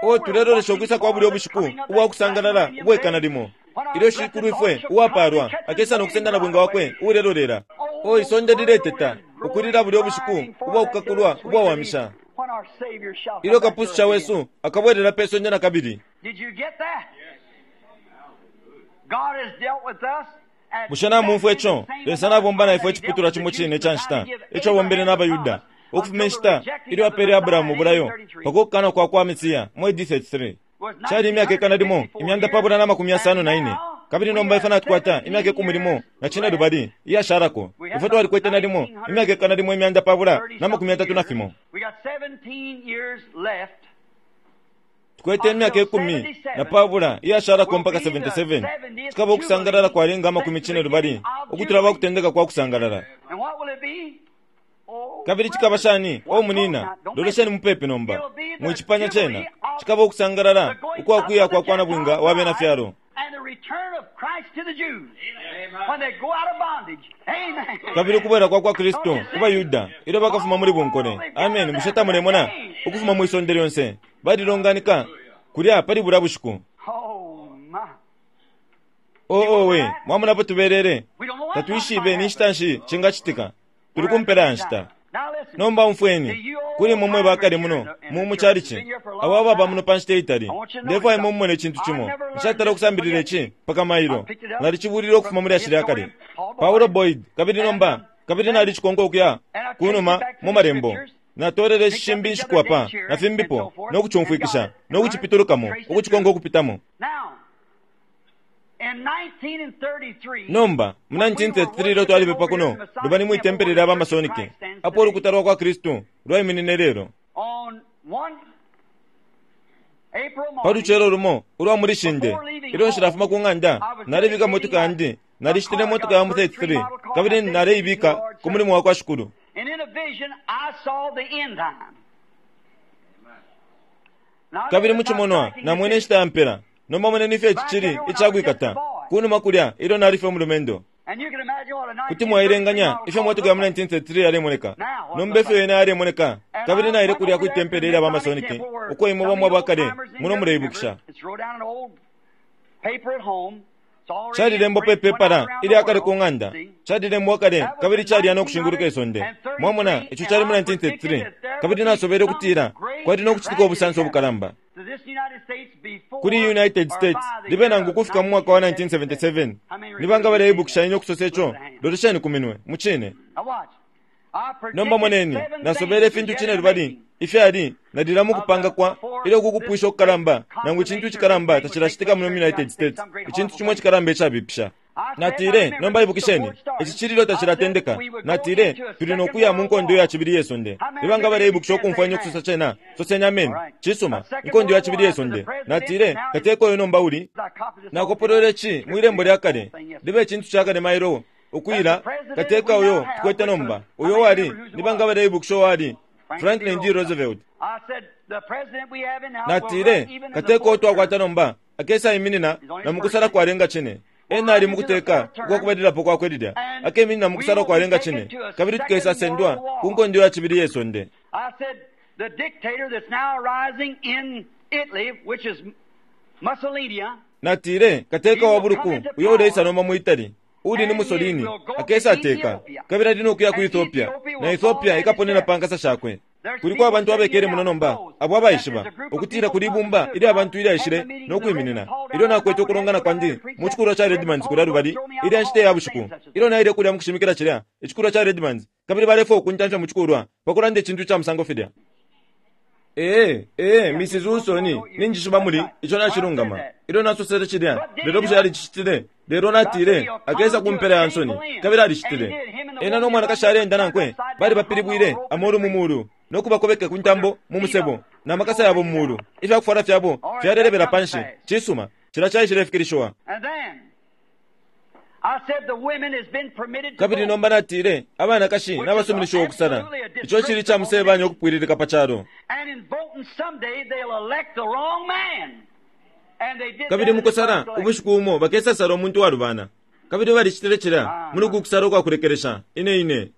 O tulelolesha ukwisa kwa bulyo bushiku ubwa kusangalala ubwekana limo ilyo shikulu ifwe uwapalwa akesa no kusenda na bwinga wakwe ulelolela. O isonde lileteta ukulila bulyo bushiku ubwa kukakulwa ubwawamisha When our Savior shall ilyo come back to kapususha us wesu again. akabwelela pe sonde na kabili. Did you get that? God has dealt with us at Bushe namumfwa exactly ico? the same Lesa nabomba na ifwe amount of time iciputulwa that he cimo dealt cine with ica the nshita Jews to ico give abombele Abraham n'abaYuda the promise ukufuma until inshita the rejecting ilyo of the apele Abrahamu Messiah in ubulayo thirty-three. pakukana kwa kwa Mesiya mu A D thirty-three. Cali imyaka ikana limo imyanda pabula na makumi yasano na ine, kabili nomba ifwe natukwata imyaka ikumi limo na cine lubali iyashalako. Ifwe twalikwete na limo imyaka ikana limo imyanda pabula na makumi yatatu na fimo. We got seventeen years left. Tukwete imyaka ikumi na pabula iyashalako mpaka seventy-seven. Cikaba ukusangalala kwalenga amakumi cine lubali ukutula pa kutendeka kwa kusangalala. And what will it be? Oh, Kabili cikaba shani o munina, lolesheni mupepi nomba mwicipanya cena cikaba ukusangalala ukwakuya kwa kwa nabwinga wa bena fyalo And the return of Christ to the Jews when they go out of bondage. Amen. kabili ukubwela kwa kwa Kristu ku baYuda ilyo bakafuma muli bunkole. Amen. Bushe tamulemona ukufuma mwi sonde lyonse balilonganika kulya pali bulya bushiku. Oh my. Oo we mwamonapo tubelele We don't know what tatwishibe ni nshita nshi cingacitika, tuli kumpela ya nshita. Now listen. Nomba umfweni kuli imwe mwe bakale muno mu mucalici abo ababa muno pa nshita itali, ndefwaya imwe mumone icintu cimo. Nshatala ukusambilila ici mpaka mailo nalicibulile ukufuma muli ashili akale Paulo Boyd, kabili nomba kabili nalicikonka ukuya kunuma mu malembo. Natolele shimbi nshiku apa na fimbipo no kucumfwikisha no kucipitulukamo ukucikonka ukupitamo. Now, Nomba mu nineteen thirty-three ilyo twalipepa kuno lubali mwi tempele lya bamasonike apo ulukuta lwa kwa Kristu lwaiminine lelo. Pa lucelo lumo ulwa muli shinde ilyo nshilafuma ku ng'anda nalebika motoka yandi nalishitile motoka ya mu thirty-three kabili naleibika ku mulimo wa kwa Shikulu. Kabili muchimonwa namwene nshita ya mpela nomba moneni ifyo ici cili icakwikata kunuma kulya ilyo nalife umulumendo. Kuti mwailenganya ifyo motoka ya mu nineteen thirty-three yalemoneka nomba ifyo yena yalemoneka. Kabili naile kulya kwi tempele ilya bamasonike uko imwe bamwe abakale muno muleibukisha. Calilembwa pe pepala ilyakale ku ng'anda calilembwa kale kabili calya nokushinguluka isonde. Mwamona ico cali mu nineteen thirty-three kabili nasobele ukutila kwali nokucitika ubusanso obukalamba kuli United States libe nangu kufika mu mwaka wa nineteen seventy-seven. Nibanga baleibukisha ine okusosa ico lolesheni ku minwe mucine. Nomba moneni nasobele ifintu cine lubali ifyali nalila mukupanga kwa ilyo kukupwisha okukalamba nangu icintu icikalamba tacilacitika muno United States icintu cimo icikalamba icabipisha. Natile nomba ibukisheni ici cililo tacilatendeka. Natile tuli nokuya mu nkondo ya cibili yesonde. Nibanga baleibukisha okumfwa ine okusosa cena soseni ameni. Cisuma inkondo ya cibili yesonde. Natile kateka oyo nomba uli nakopolole ci mwilembo lya kale libe icintu cakale mailo ukwila kateka oyo tukwete nomba oyo wali nibanga baleibukisha wali Franklin D. Roosevelt. Natile kateka oyo twakwata nomba akesa iminina na mukusala kwalenga chine ena ali mukuteka ukwakubalilapo kwakwelilya akeminina mukusala kwalenga chine kabili tukesa sendwa ku nkondo ya cibili yesonde. Natile kateka wa buluku uyo uleisa nomba mu Italy uli ni Mussolini akesa ateka kabili ali nokuya ku Ethiopia na Ethiopia ikaponena pankasa shakwe. Kuliko abantu abekele muno nomba abo abaishiba ukutila kuli ibumba ili abantu ilyaishile nokwiminina ilyo nakwete okulongana kwandi mu chikulwa cha Redmans kulya lubali ilya nshita ya bushiku ilyo naile kulya mukushimikila chilya ichikulwa cha Redmans kabili balefwa okuntamfya mu chikulwa pakulanda ichintu cha musango filya. Ee ee Missus Wilson ninjishiba muli icho nachilungama ilyo nasosele chilya lelo bushe yalicicitile lelo natile akesa kumpela ya nsoni kabili alicitile. Ena nomwanakashi alenda nankwe bali bapilibwile amolu mu mulu nokubakobeka ku ntambo mu musebo na makasa yabo mu mulu ifyakufwala fyabo fyalelebela panshi. Cisuma cila caishilefikilishiwa. Kabili nomba natile abanakashi nabasuminishiwa okusala ico cili ca musebanya okupwililika pa calo. Kabili mukusala ubushiku umo bakesasala omuntu walubana kabili balicitile cila muli kukusala okwakulekelesha ine ine.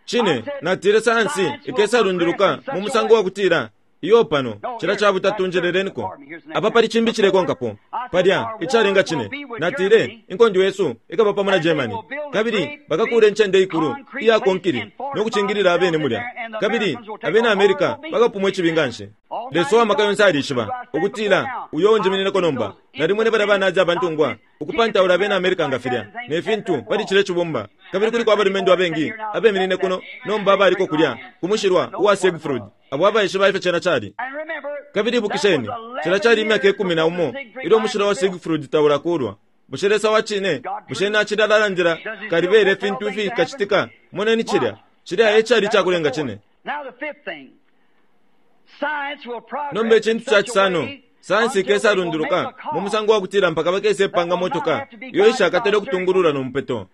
Chine natile sayansi ikesalunduluka mu musango wa kutila iyo pano cila cabutatu njelelenikwo apa pali chimbi chilekonkapo palya icalenga chine. Natile inkondo yesu ikaba pamo na Germany kabili bakakula encende ikulu iya konkili nokuchingilila abene mulya kabili abena America bakapumwa icibinganshi. Leso wamaka yonse alishiba ukutila uyo njiminинeko nomba nalimwene bali abanazi abantungwa ukupantaula abena America nga filya ne fintu pali chile chibumba kabili kuliko abalumendo abengi abeminine kuno nomba abaliko kulya kumushilwa uwa Siegfried abo abaishiba ifyo cena cali. Kabili ibukisheni cila cali imyaka ikumi na umo ilyo umushilwa wa Siegfried taulakulwa. Bushe Lesa wa cine bushe nacilalandila kalibele fintu ifikacitika moneni cilya cilya ecali cakulenga cine. Nomba icintu ca cisano sayansi ikesalunduluka mu musango wa kutila mpaka bakesepanga motoka iyo ishakatele okutungulula nomupeto.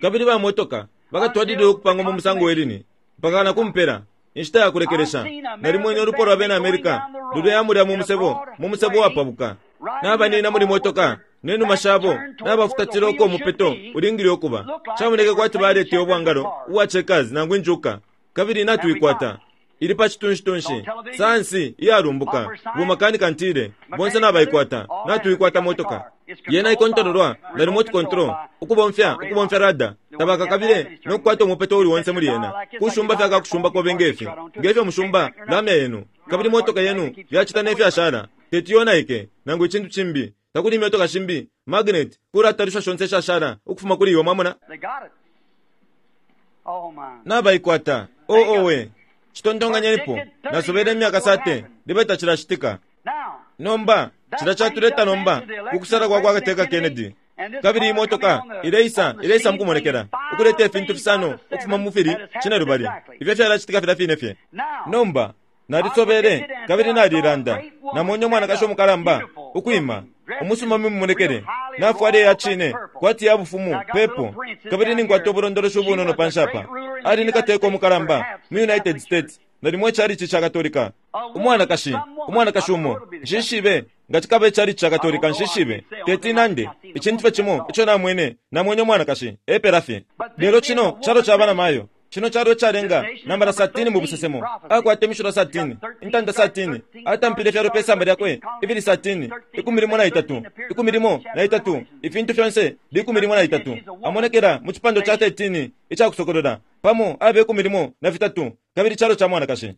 Kabili bamotoka bakatwalilile okupanga mu musango welini mpaka nakumpela inshita ya kulekelesha. Nalimwene olupo lwa bena America luleyamulya mu musebo mu musebo wapabuka nabanina muli motoka nenuma shabo nabafutatile oko omupeto ulingile okuba camoneke kwati balete obwangalo ubwa checkers nangu injuka kabili natuikwata ili pa chitunshi-tunshi sayansi iyalumbuka bumakanika ntile bonse nabaikwata natuikwata motoka yena ikontrolwa na remote control ukubomfya ukubomfya rada tabakakabile nokukwata omupeto uli wonse muli yena kushumba fyakakushumba kobe ngefi ngefyo mushumba lamya yenu kabili motoka yenu yacita nefyashala teti yonaike nangu ichintu chimbi takuli imyotoka shimbi magnet kulatalisha shonse shashala ukufuma kuli iwe mwamona nabaikwata oo we chitontonganyenipo nasobele imyaka sate libe tacilacitika. Nomba cilya catuleta nomba kukusala kwa kwa Kateka Kennedy. Kabili imotoka ileisa ileisa mukumonekela ukuleta ifintu fisano ukufuma mu fili cinelubali ifyo fyalacitika filya fine fye. Nomba nalisobele kabili nalilanda namwene umwanakashi umukalamba ukwima umusuma mimumonekele nafwale ya cine kwati ya bufumu pepo kabili ninkwata ubulondoloshi ubunono panshapa. Ali ni kateka umukalamba mu United States nalimo icalici ca Katolika. Umwanakashi umwanakashi umo nshishibe nga cikaba icalici ca Katolika nshishibe teti nande icintu fye cimo ico namwene namwene umwanakashi epela fye. Lelo cino calo ca bana mayo cino calo calenga nambala satini mu busesemo akwata imishilo satini intanda satini atampile fyalo pe samba lyakwe ibili satini ikumi limo na itatu ikumi limo na itatu ifintu fyonse likumi limo na itatu amonekela mu cipando ca thirteen icakusokolola pamo abe ikumi limo na fitatu kabili calo ca mwanakashi.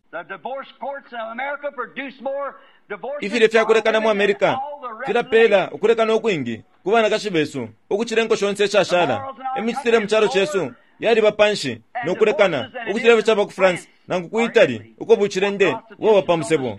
Ifilye fyakulekana mu Amerika filapela ukulekana ukwingi ku banakashi besu ukucila inko shonse ishashala. Imicitile mu calo cesu yaliba panshi nokulekana ukucila caba ku France nangu ku Italy uko bucilende bwaba pa musebo.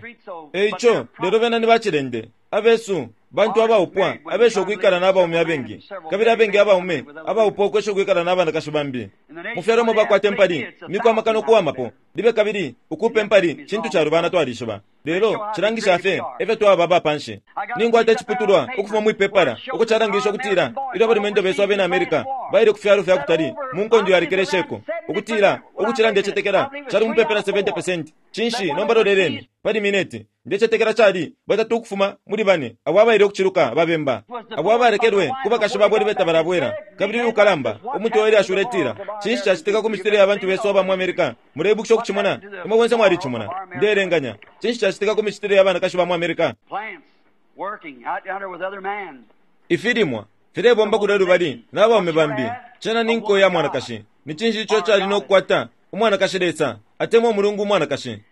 Eico lelo bena ni bacilende abesu bantu abaupwa abesha ukwikala n'abaume abengi kabili abengi abaume abaupwa ukwesha ukwikala n'abanakashi bambi. Mu fyalo mo bakwata empali miku amakana okuwamapo libe kabili ukupa empali cintu calubana twalishiba lelo cilangisha fye efyo twaba abapanshi. Ninkwata iciputulwa ukufuma mwipepala uko calangisha ukutila ilyo abalumendo besu abena Amerika baile ku fyalo fya kutali mu nkondo yalekelesheko ukutila ukucila ndecetekela cali mupepela seventy percent. Cinshi nomba loleleni pali mineti ndecetekela cali batatu ukufuma muli bane abo abaile ukuciluka babemba abo abalekelwe ku bakashi babo libeta balabwela kabili ukalamba umutwe wele ashuletila. Cinshi cacitika ku micitile ya bantu besu aba mu Amerika? Muleibukisha ukucimona imwe bonse mwalicimona ndeelenganya. Cinshi cacitika ku micitile ya banakashi ba mu Amerika? Ifilimwa filebomba kulya lubali n'abaume bambi cena ni nko ya mwanakashi. Ni cinshi ico cali nokukwata umwanakashi Lesa atemwa umulungu umwanakashi?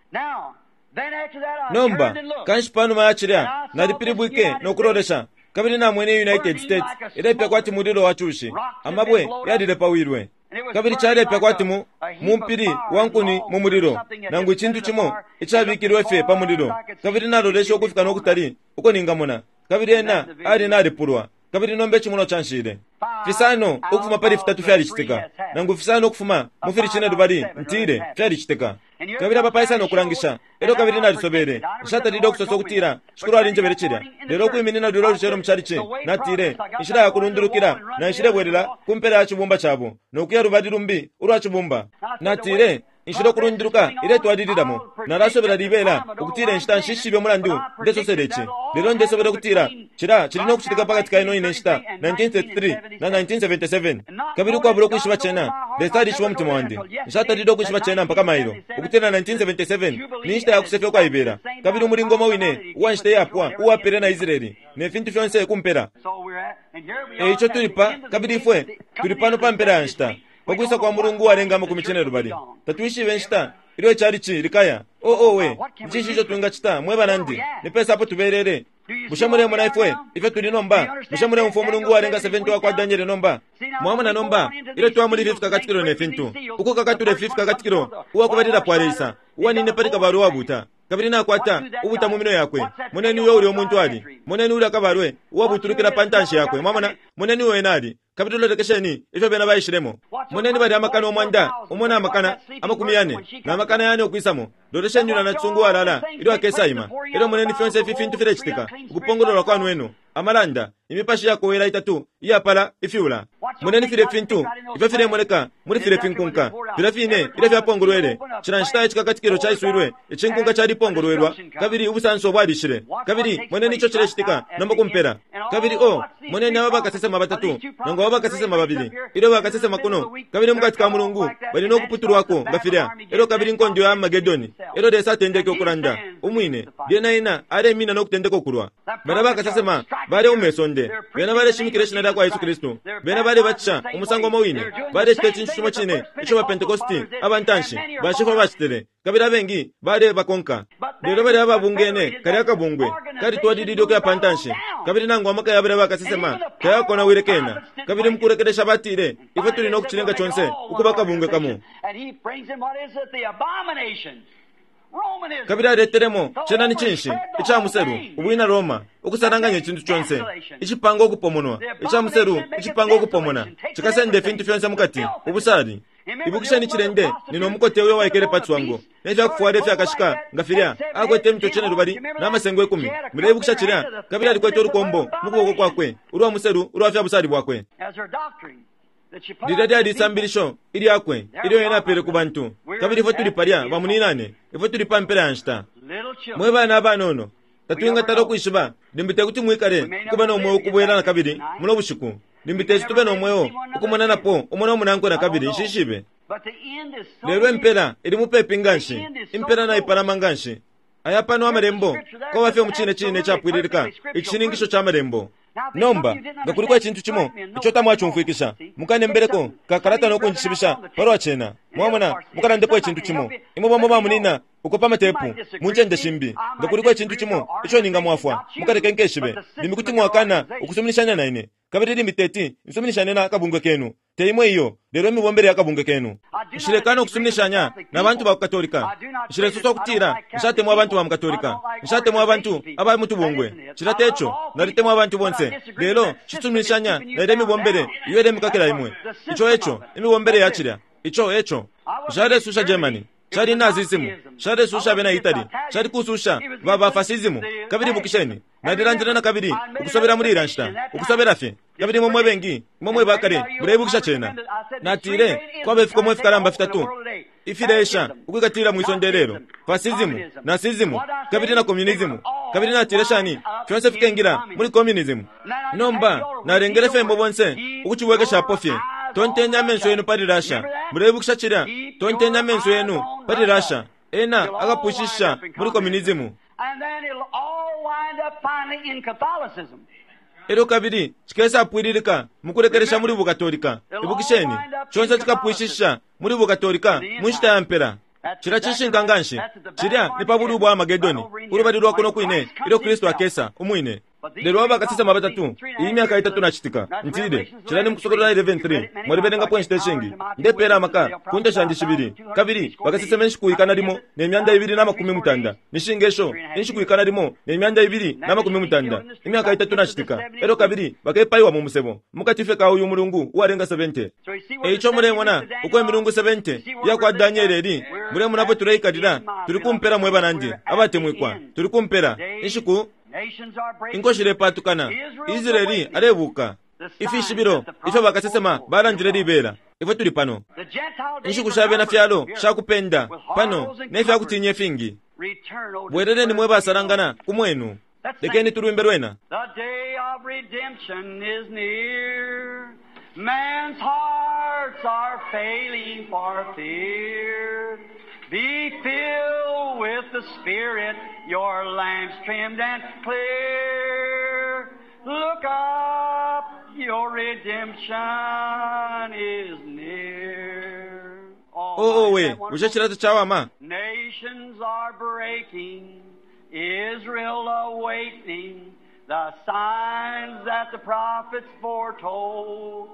Nomba kanshi panuma ya cilya nalipilibwike nokulolesha kabili namwene United States ilepya kwati mulilo wa cushi amabwe yalilepawilwe kabili calepya kwati mu mumpili wa nkuni mu mulilo nangu icintu cimo icabikilwe fye pa mulilo kabili nalolesha ukufika nokutali uko ningamona kabili ena ali nalipulwa kabili nomba icimuno canshile. Fisano ukufuma pali fitatu fyalicitika nangu fisano ukufuma mu fili cinelubali ntile fyalicitika kabili apapaisana okulangisha elyo kabili nalisobele nshatalile okusosa okutila shikulu alinjebele cilya lelo okwiminina lulya olucelo mu calici natile inshila yakulundulukila na nshilebwelela ku mpela ya cibumba cabo nokuya lubali lumbi ulwa cibumba. Natile inshila okulunduluka iletwalililamo nalasobela libela ukutila inshita nshishibe mulandu ndesosela ici lelo ndesobela ukutila cila cili nokucitika pakati ka ino ine nshita nineteen thirty-three na nineteen seventy-seven kabili ukwabula ukwishiba cena Lesa alishiba umutima wandi nshatalile ukwishiba cena mpaka mailo ukutila nineteen seventy-seven ni nshita yakusefya ukwaibela kabili umulingo umo wine uwa nshita iyapwa uwapele na Israeli ne fintu fyonse kumpela. Eico tuli pa kabili ifwe tuli pano pa mpela ya nshita pakwisa kwa mulungu walenga amakumi cinelubali tatwishibe nshita ilyo icalici likaya. Oo we ncinshi ico twingacita mwe banandi ni pesa apo tubelele? Bushe mulemona ifwe ifyo tuli nomba? Bushe muleumfwa umulungu walenga seventy wa kwa Daniele nomba? Mwamona nomba ilyo twamuli ifi fikakatikilo ne fintu ukukakatula ifi fikakatikilo uwakubalilapo aleisa uwanine pali kabalwe uwabuta kabili nakwata ubuta mu minwe yakwe. Moneni uyo uli umuntu ali moneni uli akabalwe uwabutulukila pa ntanshi yakwe. Mwamona moneni uyo ena ali kabili lolekesheni ifyo bena baishilemo. Moneni bali amakana omwanda umo na amakana amakumi yane na amakana yane okwisamo. Lolesheni yula nacisungu walala ilyo akesaima. Elyo moneni fyonse ifi fintu filecitika ukupongololwa kwa nwenu amalanda imipashi yakowela itatu iyapala ifyula. Moneni file fintu ifyo filemoneka muli file finkunka filya fine ilyo fyapongolwele cila nshita icikakatikilo caiswilwe icinkunka calipongolwelwa kabili ubusanso bwalishile kabili moneni ico cilecitika nomba kumpela. Kabili o moneni aba bakasesema batatu nangu aba bakasesema babili ilyo bakasesema kuno kabili mukati ka mulungu bali nokuputulwako nga filya elyo kabili nkondo ya Armageddon elyo Lesa atendeke okulanda umwine lyena ena alemina nokutendeka okulwa. Bana bakasesema bale umesonde bena baleshimikila ishina lya kwa Yesu Kristu bena balebatisha umusango umo wine balecita icintu cimo cine ico ba Pentekosti abantanshi bashifwa bacitile kabili abengi balebakonka. Lelo bali ababungene kali akabungwe kalitwalilile ukuya pa ntanshi kabili nangu amaka ya balya bakasesema tayakonawile kena kabili mukulekelesha batile ifwe tuli nokucilenga conse ukuba akabungwe kamo. Romanism. Kabili aletelemo cena ni cinshi ica muselu ubwina Roma ukusalanganya icintu conse icipanga ukupomonwa ica muselu icipanga ukupomona cikasenda ifintu fyonse mukati ubusali. Ibukisheni cilende nino mukote uyo waikele pa cwango nefyakufwala ifyakashika nga filya akwete imitwe cene lubali n'amasengo ikumi. Muleibukisha cilya? Kabili alikwete ulukombo mu kuboko kwakwe ulwa muselu ulwa fya busali bwakwe. As her doctrine that she put Lilya out to lyali the people. isambilisho ilyakwe ilyo ena apele ku bantu. Kabili ifwe tuli palya bamuninane, ifwe tuli pa mpela ya nshita. Little children. Mwe bana abanono, tatwingatala ukwishiba limbi tekuti mwikale kuba no mweo ukubwela na kabili muno bushiku. Limbi teti tube no mweo ukumonanapo umo no munankwe na kabili nshishibe. But the end is so Lelo near. impela ili mupepi nganshi, impela naipalama nganshi. Aya pano amalembo kwaba fye mu cine cine icapwililika icishininkisho ca malembo. Nomba nga kuliko icintu cimo ico tamwacumfwikisha, mukanembeleko kakalata no kunjishibisha palwa cena. Mwamona, mukalandepo icintu cimo. Imwe bamo bamunina uko pa matepu mu ncende shimbi. Nga kuliko icintu cimo ico ningamwafwa, mukaleke nkeshibe. Limbi kuti mwakana ukusuminishanya na ine, kabili limbi teti nsuminishane na kabungwe kenu. Te imwe iyo, lelo imibombele ya kabungwe kenu. Nshilekana ukusuminishanya na bantu ba ku Katolika. Nshilesosa ukutila nshatemwa abantu ba mu Katolika, nshatemwa abantu aba mu tubungwe. Cilya teco, nalitemwa abantu bonse, lelo nshisuminishanya na ilya imibombele iyo ilemikakila imwe. Ico eco, imibombele ya cilya. Ico eco. Nshalesusha Germany, cali Nazism, nshalesusha abena Italy, cali kususha ba ba fascism. Kabili ibukisheni, nalilandile na kabili ukusobela muli ilya nshita, ukusobela fye. Kabili imwe mwe bengi, imwe mwe bakale, muleibukisha cena. Natile kwaba ifikomo ifikalamba fitatu ifileesha ukwikatilila mwi sonde lelo: fascism, nazism, kabili na communism. Kabili natile shani fyonse fikengila muli communism. Nomba nalengele fye imwe bonse ukucibwekeshapo fye. Tonteni amenso yenu pali Russia. Muleibukisha cilya? Tonteni amenso yenu pali Russia. Ena akapwishisha muli communism. And then it'll all wind up finally in Catholicism. Elyo kabili cikesapwililika mukulekelesha muli bukatolika. Ibukisheni, conse cikapwishisha muli bukatolika mu nshita ya mpela. Cilya cishinka nganshi. Cilya ni pa bulu bwa Amagedoni, ulubali lwa kuno kwine ilyo Kristu akesa umwine. Lelo aba bakasesema batatu, iyi myaka itatu nacitika, ntile cilya ni Mukusokolola eleven three. Mwalibelengapo inshita ishingi. Ndepeela amaka ku nte shandi shibili, kabili bakasesema inshiku ikana limo ne myanda ibili na makumi mutanda. Nishinga isho inshiku ikana limo ne myanda ibili na makumi mutanda, imyaka itatu nacitika. Elyo kabili bakepaiwa mu musebo mukati fye ka uyu mulungu uwalenga seventy. So you see where Eico the mulemona seventy uko Daniel imilungu seventy iya kwa Danieli eli. Mulemona apo tuleikalila, tuli kumpela mwe banandi abatemwikwa, tuli kumpela inshiku. Nations are breaking. Inko shilepatukana, Israeli alebuka. Ifishibilo ifyo bakasesema balandile libela, ifwe tuli pano. The Gentile days Inshiku are sha bena numbered. fyalo Here. sha kupenda With pano horrors and ne fya kutinya comforts. ifingi. Return, O Bweleleni mwe dispersed basalangana ku mwenu. Lekeni tulwimbe lwena. The day of redemption is near. Man's hearts are failing for fear. Be filled with the Spirit, your lamps trimmed and clear. Look up, your redemption is near. Oh, Oo my, we, that bushe wonderful? cilya tacawama? Nations are breaking, Israel awakening, the signs that the prophets foretold.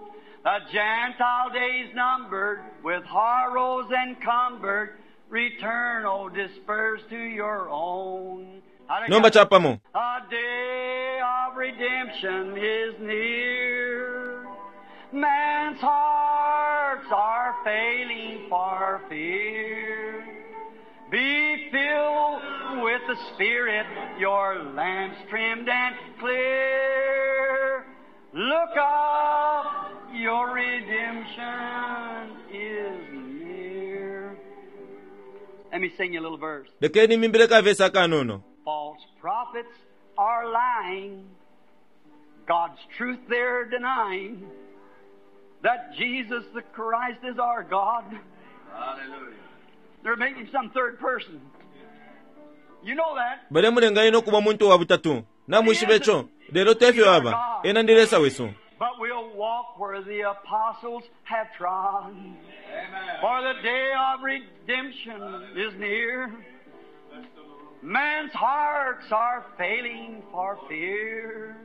The Gentile days numbered, with horrors encumbered, return, O dispersed to your own. Nomba capamo. A day of redemption is near. Man's hearts are failing for fear. Be filled with the Spirit, your lamps trimmed and clear. Look up, your redemption is near. Let me sing you a little verse. Lekeni mimbile ka vesi akanono. False prophets are lying. God's truth they're denying. That Jesus the Christ is our God. Hallelujah. They're making some third person. You know that. Balemulenga ine ukuba umuntu wa butatu. Namwishiba ico, lelo tefyo aba. Ena ndi Lesa wesu. But we'll walk where the apostles have trod. Amen. For the day of redemption is near. Man's hearts are failing for fear.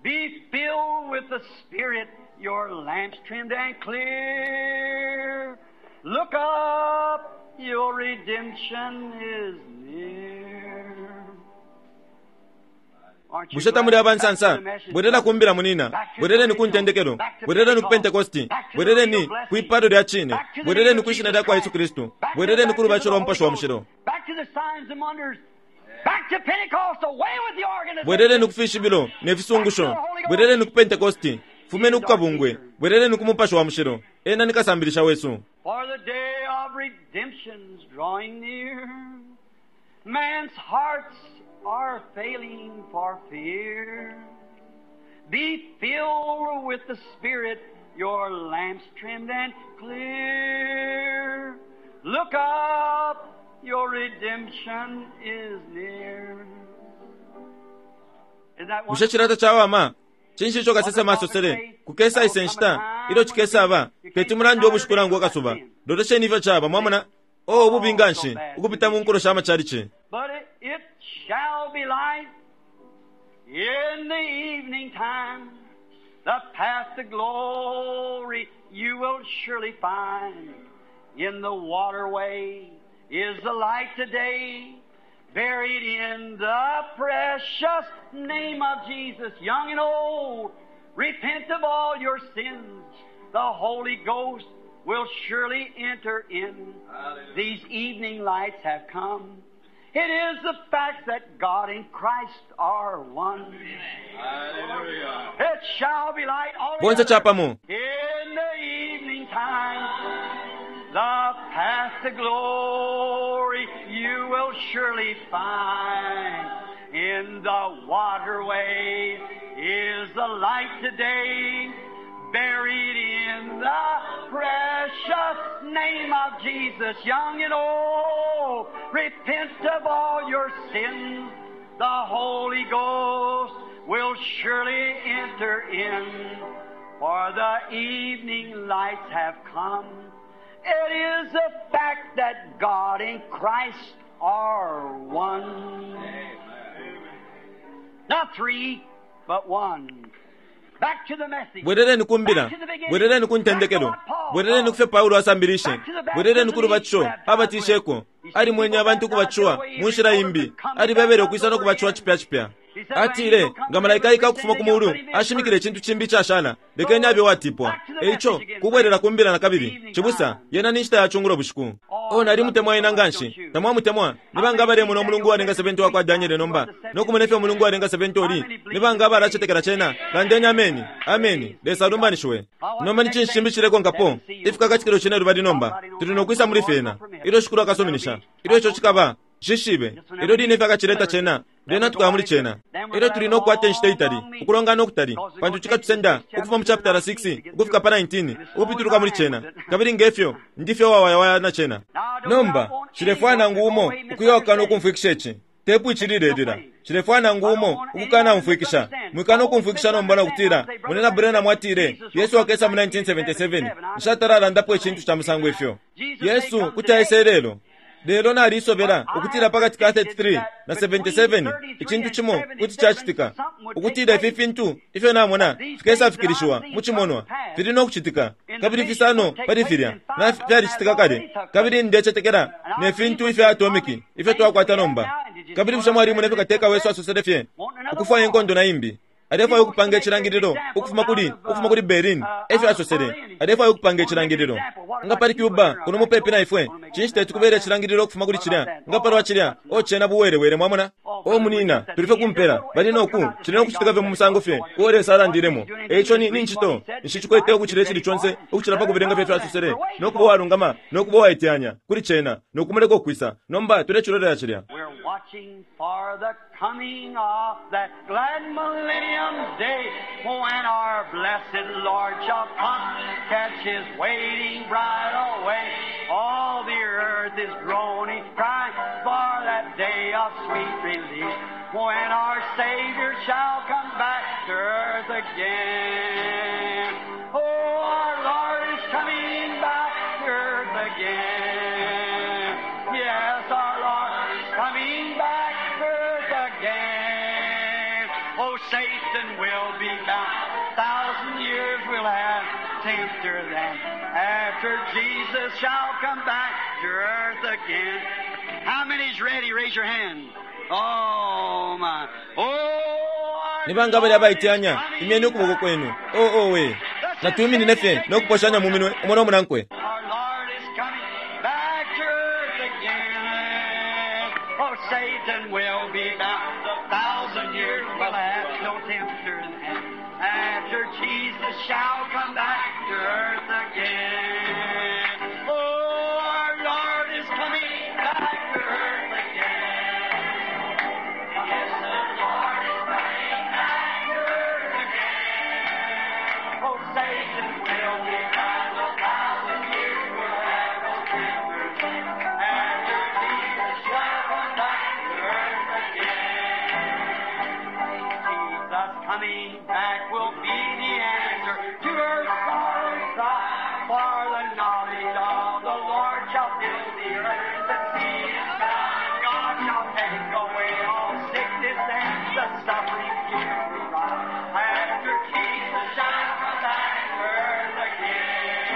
Be filled with the Spirit, your lamps trimmed and clear. Look up, Your redemption is near. Aren't you Bushe tamuli glad? abansansa? Back to the message. Bwerera kumbila munina, bwerereni ku ntendekelo, bwerereni ku Pentekosti, bwerereni kwipalo lya chine, bwerereni ku ishina lya kwa Yesu Kristu, bwerereni ku lubatisho lwa Mupashi wa Mushilo, Back to the signs and wonders. Back to Pentecost, away with the organization. bwerereni ku fishibilo ne fisungusho, bwerereni ku Pentekosti, fumeni ku kabungwe, bwerereni ku Mupashi wa Mushilo. Ena ni kasambilisha wesu. For the day of redemption's drawing near. Man's hearts are failing for fear. Be filled with the Spirit, your lamps trimmed and clear. Look up, your redemption is near. Isn't that Bushe chilata chawama? Chinshi icho kasesema asosele kukesa ise nshita ilyo chikesaba teti mulandi obushiku akasuba lolesheni ifyo chaba mwamona o obubi nganshi ukupita mu nkulo sha machalichi. But it, it shall be light in the evening time. The path to glory you will surely find. In the waterway is the light today, buried in the precious name of Jesus. Young and old, repent of all your sins. The Holy Ghost will surely enter in. These evening lights have come. It is the fact that God and Christ are one. Hallelujah. It shall be light all Bonse together. chapamo. In the evening time, the path to glory you will surely find. In the waterway is the light today, buried in the precious name of Jesus. Young and old, repent of all your sins. The Holy Ghost will surely enter in, for the evening lights have come. It is a fact that God and Christ are one. Not three, but one. Back to the message. Bwerereni kumbila, bwerereni ku ntendekelo, bwerereni kufyo Paulo asambilishe, bwerereni ku lubatisho abatisheko ali mwenye abantu kubatishiwa mu nshila imbi, ali bebele ukwisa no kubatishiwa chipya chipya. Atile nga malaika aika ukufuma ku mulu ashimikile icintu chimbi ichashala, lekeni abe watipwa. Eicho kubwerera kumbila na kabili chibusa yena ni nshita ya chungulo bushiku. O nali mutemwa ena nganshi tamwamutemwa nibanga abalemona omulungu walenga seventy wakwa Daniele nomba nokumona ifyo omulungu walenga seventy oli nibanga abalachetekela chena landeni ameni ameni Lesa alumbanishiwe. Nomba ni chinshi chimbi chilekonkapo ifika kachikilo chine lubali nomba tuli nokwisa muli fyena ilyo shikulu akasuminisha ilyo icho chikaba shishibe ilyo line ifyakachileta chena lyena tukaya muli chena ilyo tuli nokukwata inshita itali ukulongana okutali pantu chikatusenda ukufuma mu chapter six ukufika pa nineteen ukupituluka muli chena kabili ngefyo ndifyo wawayawaya na chena. Nomba chilefwana nangu umo ukuyokana ukumfwikisha ichi tepu ichililelila chilefwana nangu umo ukukana umfwikisha mwikana ukumfwikisha nomba nakutila munena Branham mwatile Yesu akesa mu nineteen seventy-seven nshatalalandapo ichintu cha musango ifyo Yesu kuti aise lelo lelo nalisobela ukutila pakati ka thirty-three na seventy-seven ichintu chimo kuti chachitika ukutila ifi fintu ifyo namona fikesafikirishiwa mu chimonwa fili nokuchitika kabili fisano pali filya na fyalichitika kale kabili ndechetekela ne fintu ifya atomiki ifyo twakwata nomba kabili bushe mwalimu nefyo kateka wesu asosele fye ukufwaya inkondo na imbi alefwaya ukupanga echilangililo ukufuma kuli ukufuma kuli Berlin efyo asosele alefwaya ukupanga echilangililo nga pali Cuba kuno mupepi na ifwe chinshi tetukubera echilangililo ukufuma kuli chilya nga palwa chilya ochena buwerewere mwamona o munina tulife kumpera bali noku chili nokuchitika fye mu musango fye uo Lesa alandilemo eicho ni ni nchito nshichikwete ukuchila echili chonse ukuchila pakubelenga fye asosele nokuba walungama nokuba waiteyanya kuli chena nokumuleka okwisa nomba tulechilolera chilya. We're watching for the coming of that glad millennium day when our blessed Lord shall come, catch his waiting bride away. All the earth is groaning, crying for that day of sweet release when our Savior shall come back to earth again. Oh, our Lord is coming back to earth again. Yes, our Lord is coming back to earth again. Oh, Satan will be bound. Thousand years we'll have tempter then. After Jesus shall come back back to earth again. How many's ready? Raise your hand. Oh my. Oh, our Ni banga bali abaiteyanya imyeni ukuboko kwenu. Oh oh we. Natwiminine fye no kuposhanya mu minwe umo no munankwe. Our Lord is coming back to earth again. Oh, Satan will be bound a thousand years will have no tempter then. After Jesus shall come back to earth again. Oh, our Lord is coming back to earth again. Yes, the Lord is coming back to earth again. Oh, Satan will be bound a thousand years will have no tempter then. After Jesus shall come back to earth again. Jesus coming back will be the answer to earth's sorrowing cry. For the knowledge of the Lord shall fill the earth, the sea and sky. God shall take away all sickness and the suffering here we cry. After Jesus shall come back to earth again.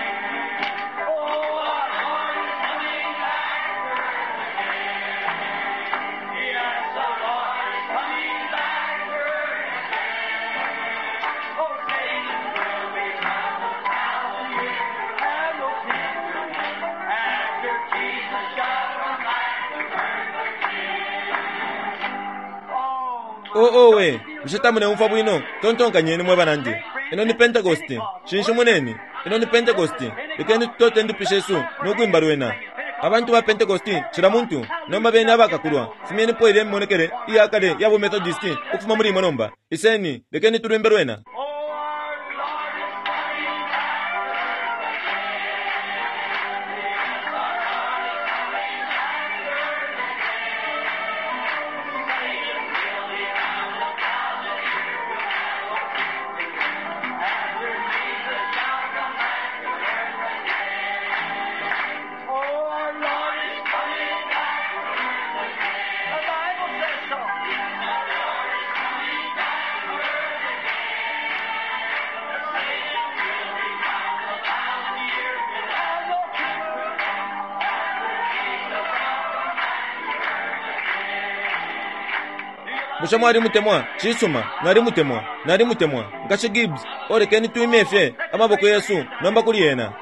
Oh, our Lord is coming back to earth again. Yes, the Lord is coming back to earth again. Oh, Satan will be bound a thousand years and no tempter after Jesus shall come back to earth again. Oh, my Oh oh we. Bushe tamuleumfwa bwino tontonkanyeni mwe banandi. Ino ni Pentecost. Shinshi muneni. Ino ni Pentecost. Lekeni tutote indupi shesu no kwimba lwena. Abantu ba Pentecost cila muntu nomba bene abakakulwa. Fumyenipo ile mimonekele iyakale ya bu Methodist ukufuma muli imwe nomba. Iseni lekeni tulwimbe lwena. Oh, our Lord is coming back to earth again. Yes, our Lord is coming back to earth again. Satan will be bound a thousand years will have no tempter. After Jesus shall come back to earth again. Oh, our Lord is coming back to earth again. The Bible says so. Our Lord is coming back to earth again. Satan will be bound a thousand years will have no tempter. After Jesus shall come back to earth again. Bushe mwali mutemwa cisuma nali mutemwa nali mutemwa nkashi Gibbs olekeni twimye fye amaboko yesu nomba kuli yena.